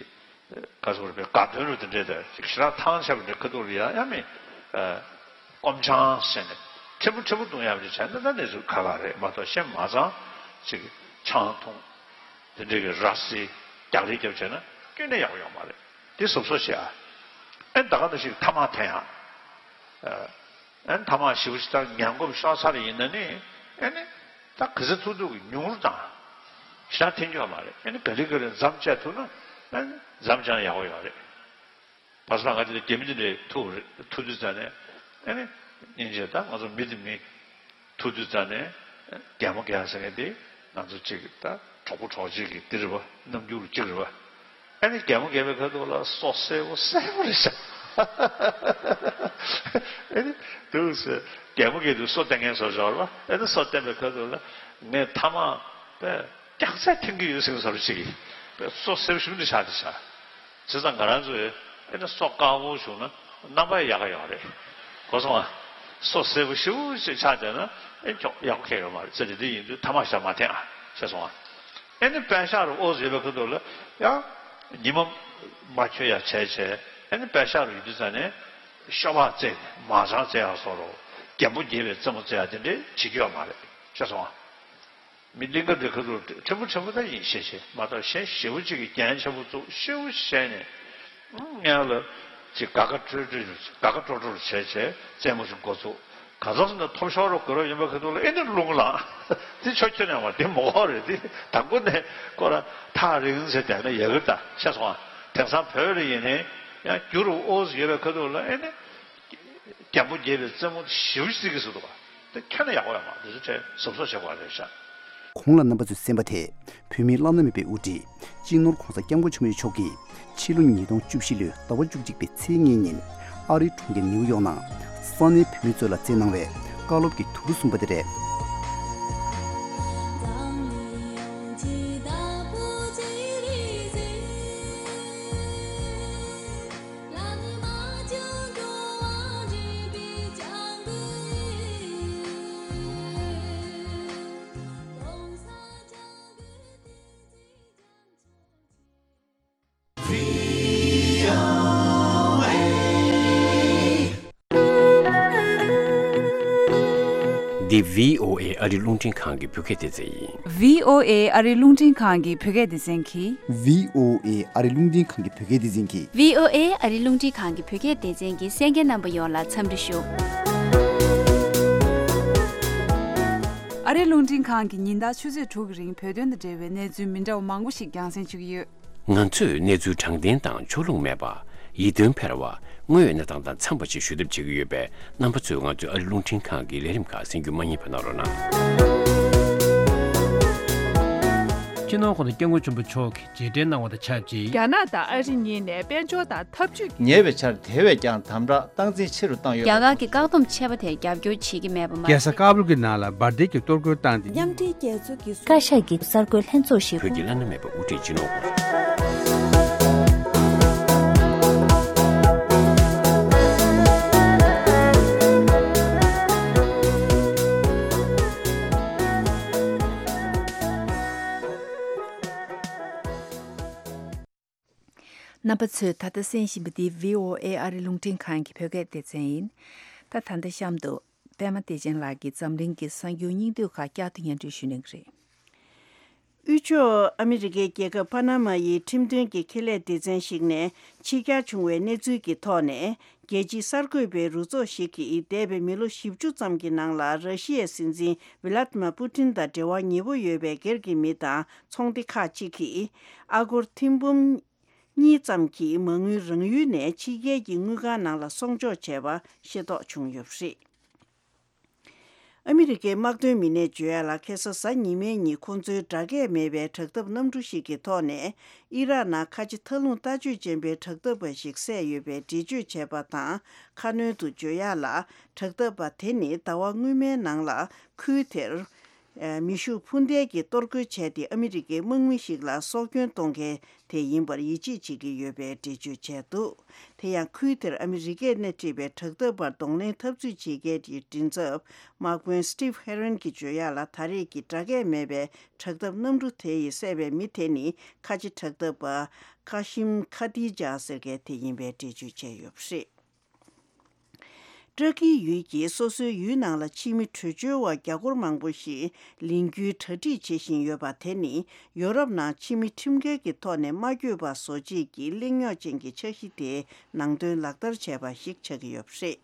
ག་ཚོད་རེད་པས་དགའ་སྟོན་རུ་དེ་འདྲས་དང་ཅིག་ཞེ་དྲག་ཐང་ཆད་པ་འདྲ་ཁ་ཐུག་ལ་ཡ་ཡ་མི། སྐོམ་ཆང་ཟེར་ནས་ཕྲན་བུ་ཕྲན་བུ་བཏུང་ཡག་ཅིག་བྱས་ན་ད་གནས་ཚུལ་ཁག་ཁག་རེད་མ་གཏོགས་གཞན་མ་ཚང་ཅིག་ཆང་འཐུང་། དེ་འདྲས་ཀྱི་ར་བཟི་རྒྱག་རེས་རྒྱབ་བྱས་ན་སྐྱོན་ནས་ཡག་པོ་ཡོད་མ་རེད། དེ་གཟབ་གཟབ་བྱེད་ཨ། ཨེ་ད་ག་ནང་བཞིན་ཐ་མག་འཐེན་ཡག་ཨེ་ཐ་མག་ཞེ་པོ་ཅིག་ད་ངན་གོམས་ཤོར་ཚར་ཡིན་ན་ནི་ཨེ་ནི་ད་ག་ཚོད་ཐུབ་ཐུབ་ཀྱི་ཉུང་རུ་བཏང་། ཞེ་དྲག་འཐེན་རྒྱུ་ཡོད་མ་རེད། ཨེ་ནི་ག་ལེ་ག་ལེ་མཚམས་བཅད་ཐུབ་ན་ཨེ་ནི་མཚམས་བཅད་ན་ཡག་པོ་ཡོད་རེད། བར་སྐབས་ང་དེ་ལ་རྒྱ་མི་དེ་འདྲས་ཐུག་རེད། ཐུག་དུས་ཙ་ནས་ཨེ་ནི་སྙིང་རྗེ་ད་ང་ཚོ་མི་དེ་མི། ཐུག་དུས་ཙ་ནས་གད་མོ་བགད་ཟེར་མཁན་དེ་ང་ཚོ་གཅིག་ད་གྲོགས་པོ་གྲོགས་མཆེད་ཀྱི་འདི་རེད་པ། རྣམ་འགྱུར་གཅིག་རེད་པ། ཨ་ནི་གད་མོ་བགད་པའི་ཁ་ཐུག་ལ་སོ་སེར་པོ་སེར་པོ་རེད་ཤག་ཨ་ནི་དུས་སུ་གད་མོ་བགད་དུས་སོ་བསྟན་མཁན་བཟོ་འདྲ་པོ་རེད་པ། ཨ་ནི་སོ་བསྟན་པའི་ཁ་ཐུག་ལ་ངས་ཐ་མག་པས་སྐྱག་རྫས་འཐེན་གྱི་ཡོད་ཟེར་མཁན་བཟོ་འདྲ་ཅིག་གིས་སོ་སེར་པོ་ཞེ་པོ་འདི་ཆགས་བསྡད་ཤག་བྱས་ཙང་ང་རང་ཚོས་ཨེ་ནི་སོ་དཀར་པོ་བྱུང་ན་རྣམ་པ་ཡག་ག་ཡོད་རེད། གོ་སོང་ཨ། སོ་སེར་པོ་ཞེ་པོ་ཞིག་ཆགས་བསྡད་ན་ཨེ་ཁྱོ་ཡག་པོ་གང་ཡོད་མ་རེད། ཟེར་དེ་འདི་ཡིན་དུས་ཐ་མག་ཞག་མ་འཐེན་ཨ། ཤེས་སོང་ཨ། ཨེ་ནི་པད་ཤག་རུ་ཨོ་ཟེར་བའི་ཁ་ཐུག་ལ་ཡང་ཉི་མ་མ་འཁྱོལ་ཡ་བྱས་བྱས་ཨེ་ནི་པད་ཤག་རུ་ཡིན་དུས་ཙ་ནས་ཤོ་སྦག་རྩེ་ནས་མ་ཅང་རྩེ་ཡག་བཟོ་འདྲ་རྒན་པོ་རྒས་པའི་རྩེད་མོ་རྩེ་ཡག་དེ་འདྲས་བྱེད་རྒྱུ་ཡོད་མ་རེད། ཤེས་སོང་ཨ། མི་གླིང་ག་འདི་ཁ་ཐུག་ཕྲན་བུ་ཕྲན་བུ་ད་ཡིན་ཤེས་ཤེས་མ་གཏོགས་གཞན་ཞེ་པོ་ཅིག་གིས་འགན་ཆེན་པོ་བཙུགས་ཤེའུ་བཤད་ནས་ཨང་ངས་ལ་ཅིག་དགའ་དགའ་སྤྲོ་སྤྲོ་དགའ་དགའ་སྤྲོ་སྤྲོ་བྱས་བྱས་རྩེད་མོ་ཞིག་འགོ་ཚུགས། ག་ཚོད་སོང་ན་ཐོབ་ཤོར་རོ་དགོས་རོ་ཡིན་པ་ཁ་ཐུག་ལ་ཨེ་ནི་རླུང་ལངས། དེ་ཆོ་ཁྱོད་ནས་མ་དེ་མོ་གོ་རེད། དེ་དང་པོ་ནས་ཁོ་ར་ཐག་རིང་ཟེར་བསྡད་ན་ཡག་གི་ད་ཤེས་སོང་ཨ། དེང་སང་བོད་ལ་ཡིན་ནའི་ཡང་རྒྱུ་རུ་ཨོ་ཟེར་ཡོད་པའི་ཁ་ཐུག་ལ་ཨེ་ནི། རྒན་པོ་རྒས་པའི་རྩེད་མོ་ཞེ་པོ་ཅིག་རྩེ་གི་ཟེར་འདུག་པ། དེ་ཁྱོན་ནས་ཡག་པོ་ཡོད་མ་རེད། དེ་ཚོ་གཟབ་གཟབ་བྱེད་དགོས་རེད་ཤག་གོང་ལ་རྣམ་པ་ཚོས་གསན་པ་དེ་བོད་མིའི་བླ་ན་མེད་པའི་དབུ་ཁྲིད་སྤྱི་ནོར་༧གོང་ས་༧སྐྱབས་མགོན་ཆེན་པོ་མཆོག་གིས་ཕྱི་ལོ་ཉིས་སྟོང་བཅུ་བཞི་ལོའི་ཟླ་བ་བཅུ་གཅིག་པའི་ཚེས་ལྔའི་ཉིན་ཨ་རིའི་གྲོང་ཁྱེར་ནིའུ་ཡོག་ནང་ས་གནས་བོད་མི་ཚོ་ལ་སྩལ་གནང་བའི་བཀའ་སློབ་ཀྱི་དུམ་བུ་གསུམ་པ་དེ་རེད། འདི་བྷི་ཨོ་ཨེ་ཨ་རིའི་རླུང་འཕྲིན་ཁང་གི་བོད་སྐད་སྡེ་ཚན་ཡིན། བྷི་ཨོ་ཨེ་ཨ་རིའི་རླུང་འཕྲིན་ཁང་གི་བོད་སྐད་སྡེ་ཚན་གྱིས། བྷི་ཨོ་ཨེ་ཨ་རིའི་རླུང་འཕྲིན་ཁང་གི་བོད་སྐད་སྡེ་ཚན་གྱིས། བྷི་ཨོ་ཨེ་ཨ་རིའི་རླུང་འཕྲིན་ཁང་གི་བོད་སྐད་སྡེ་ཚན་གྱི་གསན་མཁན་རྣམ་པ་ཡོངས་ལ་འཚམས་འདྲི་ཞུ། ཨ་རིའི་རླུང་འཕྲིན་ཁང་གིས་ཉིན་ལྟར་ཆུ་ཚོད་དྲུག་གི་རིང་བོད་དོན་དང་འབྲེལ་བའི་གནས་ཚུལ་མི་འདྲ་བ་མང་པོ་ཞིག་རྒྱང་སྲིང་བྱེད་ཀྱི་ཡོད། ང་ཚོས་གནས་ཚུལ་དྲང་བདེན་དང་ཕྱོགས་ལྷུང་མེད་པ། ཡིད་རྟོན་འཕེར་བ། དངོས་ཡོད་གནས་སྟངས་དང་འཚམས་པ་ཞིག་ཞུ་ཐབས་བྱེད་ཀྱི་ཡོད་པས། རྣམ་པ་ཚོས་ང་ཚོའི་ཨ་རིའི་རླུང་འཕྲིན་ཁང་གི་ལས་རིམ་ཁག་གསན་རྒྱུ་མ་བསྙེལ་བ་གནང་རོགས་གནང་། སྤྱི་ནོར་༸གོང་ས་༸སྐྱབས་མགོན་ཆེན་པོ་མཆོག་གིས་རྗེས་དྲན་གནང་བ་དང་ཆབས་ཅིག་རྒྱ་ནག་དང་ཨ་རི་གཉིས་ནས་དཔལ་འབྱོར་དང་འཐབ་ཇུས་ཀྱི། ཉེ་བའི་ཆར་དེ་བས་ཀྱང་དམ་དྲག་སྟངས་འཛིན་ཆེ་རུ་བཏང་ཡོད་པ། རྒྱ་གར་གྱི་བཀག་སྡོམ་ཆད་པ་དེར་རྒྱབ་སྐྱོར་བྱེད་ཀྱི་མེད་པ་མ་རྒྱལ་ས་ཀ་བུལ་གྱི་ནང་ལ་འབར་མདེལ་གྱི་གཏོར་རྒོལ་བཏང་སྟེ། མཉམ་འབྲེལ་རྒྱལ་ཚོགས་ཀྱི། བཀའ་ཤག་གི་གསར་འགོད་ལྷན་ཚོགས་ཤིག་བོད་ཀྱི་བླ་ན་མེད་པ་དབུ་ཁྲིད་སྤྱི་ནོར་༸གོང་ས། རྣམ་པ་ཚོས་ད་ལྟ་གསན་བཞིན་པ་འདི་བྷི་ཨོ་ཨེ་ཨ་རིའི་རླུང་འཕྲིན་ཁང་གི་བོད་སྐད་སྡེ་ཚན་ཡིན། ད་ད་ལྟ་གཤམ་དུ་པད་མ་བདེ་ཆེན་ལགས་ཀྱིས་འཛམ་གླིང་གི་གསར་འགྱུར་སྙིང་བསྡུས་ཁག་བསྐྱར་དུ་སྙན་སྒྲོན་ཞུ་གནང་གི་རེད། དབུས་ཕྱོགས་ཨ་མི་རི་ཀའི་རྒྱལ་ཁབ་པ་ན་མ་ཡི་ཁྲིམས་དོན་གྱི་ཁེ་ལས་སྡེ་ཚན་ཞིག་ནས་ཕྱི་གྱར་བྱུང་བའི་གནས་ཚུལ་གྱི་ཐོག་ནས། རྒྱལ་སྤྱིའི་གསར་འགོད་པའི་རུ་ཚོགས་ཤིག་གིས་འདས་པའི་མི་ལོ་བཞི་བཅུ་ཙམ་གྱི་ནང་ལ་ར་ཤི་ཡའི་སྲིད་འཛིན་ཝི་ལ་ཏི་མ་པུ་ཏིན་དང་འབྲེལ་བ་ཉེ་པོ་ཡོད་པའི་སྒེར་གྱི་མི་དང་ཚོང་སྡེ་ཁག་ཅིག་གིས་ཨ་སྒོར་ཐེར་འབུམ་གཉིས་ཙམ་གྱི་མ་དངུལ་རང་ཡུལ་ནས་ཕྱི་རྒྱལ་གྱི་དངུལ་ཁང་ནང་ལ་སྲུང་སྐྱོབ་བྱས་པ་ཤེས་རྟོགས་བྱུང་ཡོད་པ་རེད། ཨ་མི་རི་ཀའི་དམག་དོན་མི་སྣས་བརྗོད་ཡ་ལ། ཁ་སང་གཟའ་ཉི་མའི་ཉིན་ཁོང་ཚོའི་སྒྲ་སྐད་མེད་པའི་དྲག་འཐབ་གནམ་གྲུ་ཞིག་གི་ཐོག་ནས་ཨི་རག་ནང་ཁ་ཆེ་མཐའ་ལྷུང་ལྟ་སྤྱོད་ཅན་པའི་དྲག་འཐབ་པ་ཞིག་བསད་ཡོད་པའི་འགྲེལ་བརྗོད་བྱས་པ་དང་། ཁ་སྣོན་དུ་བརྗོད་ཡ་ལ། དྲག་འཐབ་པ་དེ་ནི་ཟླ་བ་སྔོན་མའི་ནང་ལ་ཁུལ་དེར་མེ་ཤུགས་འཕུར་མདེལ་གྱིས་གཏོར་རྒོལ་བྱས་ཏེ། ཨ་མི་རི་ཀའི་དམག་མི་ཞིག་ལ་སྲོག་སྐྱོན་གཏོང་མཁན་དེ་ཡིན་པར་ཡིད་ཆེས་བྱེད་ཀྱི་ཡོད་པའི་འགྲེལ་བརྗོད་བྱས་འདུག་དེ་ཡང་ཁུལ་དེར་ཨ་མི་རི་ཀས་སྣེ་ཁྲིད་པའི་དྲག་འཐབ་པར་གདོང་ལེན་འཐབ་རྩོད་བྱེད་མཁན་གྱི་མགྲིན་ཚབ་དམག་དཔོན་Steve Herron གྱིས་བརྗོད་ཡ་ལ། ད་རེས་ཀྱི་སྒྲ་སྐད་མེད་པའི་དྲག་འཐབ་གནམ་གྲུ་དེ་ཡིས་བསད་པའི་མི་དེ་ནི་ཁ་ཆེ་དྲག་འཐབ་པ་ཀ་ཤིམ་ཁ་ཏི་ཇ་ཟེར་མཁན་དེ་ཡིན་པའི་འགྲེལ་བརྗོད་བྱས་ཡོད་པ་རེད། ཏྲ་ཀིའི་ཡུལ་གྱིས་སོ་སོའི་ཡུལ་ནང་ལ་ཕྱི་མི་བྲོས་བྱོལ་བ་རྒྱ་སྒོར་མང་པོ་ཞིག་ལེན་རྒྱུའི་གྲ་སྒྲིག་བྱེད་བཞིན་ཡོད་པ་དེ་ནི། ཡོ་རོབ་ནང་ཕྱི་མི་ཁྲིམས་འགལ་གྱི་ཐོག་ནས་མ་བསྐྱོད་པ་བཟོ་བྱེད་ཀྱི་གླེང་རྙོག་ཅན་གྱི་འཆར་གཞི་དེའི་ནང་དོན་ལག་བསྟར་བྱས་པ་ཞིག་ཆགས་ཀྱི་ཡོད་པ་རེད།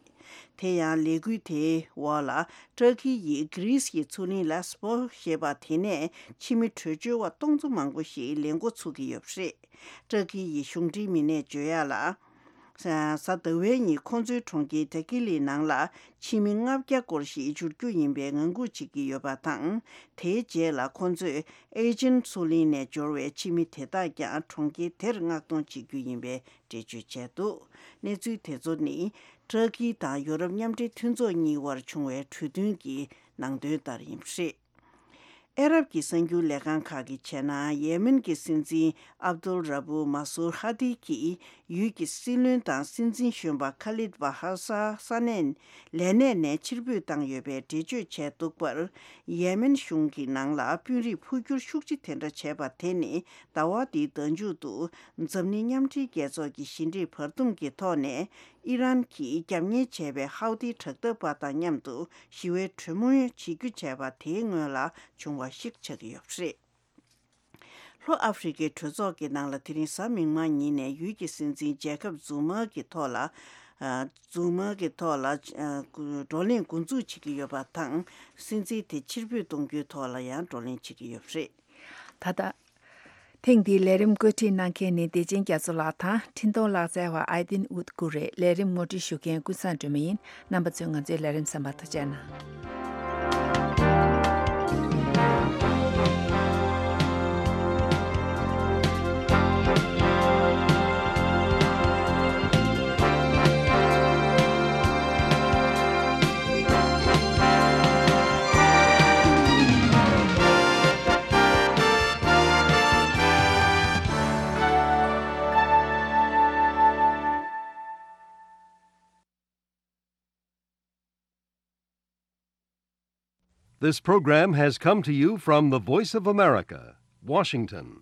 དེ་ཡང་ལས་འགུལ་དེའི་འོག་ལ། ཏྲ་ཀི་ཡིས་གྷི་རིས་ཀྱི་མཚོ་གླིང་ལེ་སི་པོ་ཞེས་པ་དེ་ནས་ཕྱི་མི་བྲོས་བྱོལ་བ་སྟོང་ཚོ་མང་པོ་ཞིག་ལེན་འགོ་ཚུགས་ཀྱི་ཡོད་པ་རེད། ཏྲ་ཀི་ཡི་གཞུང་འབྲེལ་མི་སྣས་བརྗོད་ཡ་ལ། གཟའ་ཟླ་བའི་ཉིན་ཁོང་ཚོའི་གྲོང་ཁྱེར་ཐེ་ཀི་ལི་ནང་ལ་ཕྱི་མི་ལྔ་བརྒྱ་སྐོར་ཞིག་འབྱོར་རྒྱུ་ཡིན་པའི་ངང་སྒུག་བྱེད་ཀྱི་ཡོད་པ་དང་། དེའི་རྗེས་ལ་ཁོང་ཚོས་ཨེ་ཇེན་མཚོ་གླིང་ནས་འབྱོར་བའི་ཕྱི་མི་དེ་དག་ཀྱང་གྲོང་ཁྱེར་དེར་མངགས་གཏོང་བྱེད་རྒྱུ་ཡིན་པའི་འགྲེལ་བརྗོད་བྱས་འདུག་གནས་ཚུལ་དེ་ཚོ་ནི་ཏྲ་ཀི་དང་ཡོ་རོབ་མཉམ་འབྲེལ་མཐུན་ཚོགས་གཉིས་དབར་བྱུང་བའི་གྲོས་མཐུན་གྱི་ནང་དོན་ལྟར་ཡིན་པ་རེད། ཨ་རབ་ཀྱི་གསར་འགྱུར་ལས་ཁང་ཁག་གིས་བྱས་ན། ཡེ་མེན་གྱི་སྲིད་འཛིན་ཨབ་དུལ་ར་བུ་མ་སུར་ཧ་དི་གིས་ཡུལ་གྱི་སྲིད་བློན་དང་སྲིད་འཛིན་གཞོན་པ་ཁ་ལིད་བྷ་ཧ་ས་ས་གནས་ལས་གནས་ནས་ཕྱིར་འབུད་བཏང་ཡོད་པའི་འགྲེལ་བརྗོད་བྱས་འདུག་པར། ཡེ་མེན་གཞུང་གི་ནང་ལ་དཔོན་རིགས་འཕོ་འགྱུར་ཤུགས་ཆེ་དེ་འདྲ་བྱས་པ་དེ་ནི། ཟླ་བ་འདིའི་ཟླ་མཇུག་ཏུ་འཛམ་གླིང་མཉམ་འབྲེལ་རྒྱལ་ཚོགས་ཀྱི་ཞི་འགྲིག་བར་འདུམ་གྱི་ཐོག་ནས། ཨི་རན་གྱིས་རྒྱབ་གཉེར་བྱས་པའི་ཧའུ་ཏི་དྲག་འཐབ་པ་དང་མཉམ་དུ་ཞི་བའི་གྲོས་མོལ་བྱེད་རྒྱུ་བྱས་པ་དེའི་སྔོན་ལ་བྱུང་བ་ཞིག་ཆགས་ཀྱི་ཡོད་པ་རེད། ལྷོ་ཨ་ཧྥེ་རི་ཁའི་གྲོས་ཚོགས་ཀྱི་ནང་ལ་དེ་རིང་གཟའ་མིག་དམར་ཉིན་ནས་ཡུལ་གྱི་སྲིད་འཛིན་ཇེ་ཁབ་ཛུ་མ་གི་ཐོག་ལ། ཨ། ཛུ་མ་གི་ཐོག་ལ། ཨ། བགྲོ་གླེང་འགོ་འཛུགས་བྱེད་ཀྱི་ཡོད་པ་དང་། སྲིད་འཛིན་དེ་ཕྱིར་འབུད་གཏོང་རྒྱུའི་ཐོག་ལ་ཡང་བགྲོ་གླེང་བྱེད་ཀྱི་ཡོད་པ་རེད། ད་ལྟ། ཐེངས་འདིའི་ལས་རིམ་བཀོད་སྒྲིག་གནང་མཁན་ནི་བདེ་ཆེན་རྒྱ་མཚོ་ལགས་དང་། འཕྲིན་གཏོང་ལག་རྩལ་བ་ཨའི་ཏིན་ཨུད་ཀུ་རེད། ལས་རིམ་ངོ་སྤྲོད་ཞུ་མཁན་ཀུན་བཟང་སྒྲོལ་མ་ཡིན། རྣམ་པ་ཚོས་ང་ཚོའི་ལས་རིམ་གསན་པར་ཐུགས་རྗེ་གནང་། This program has come to you from the Voice of America, Washington.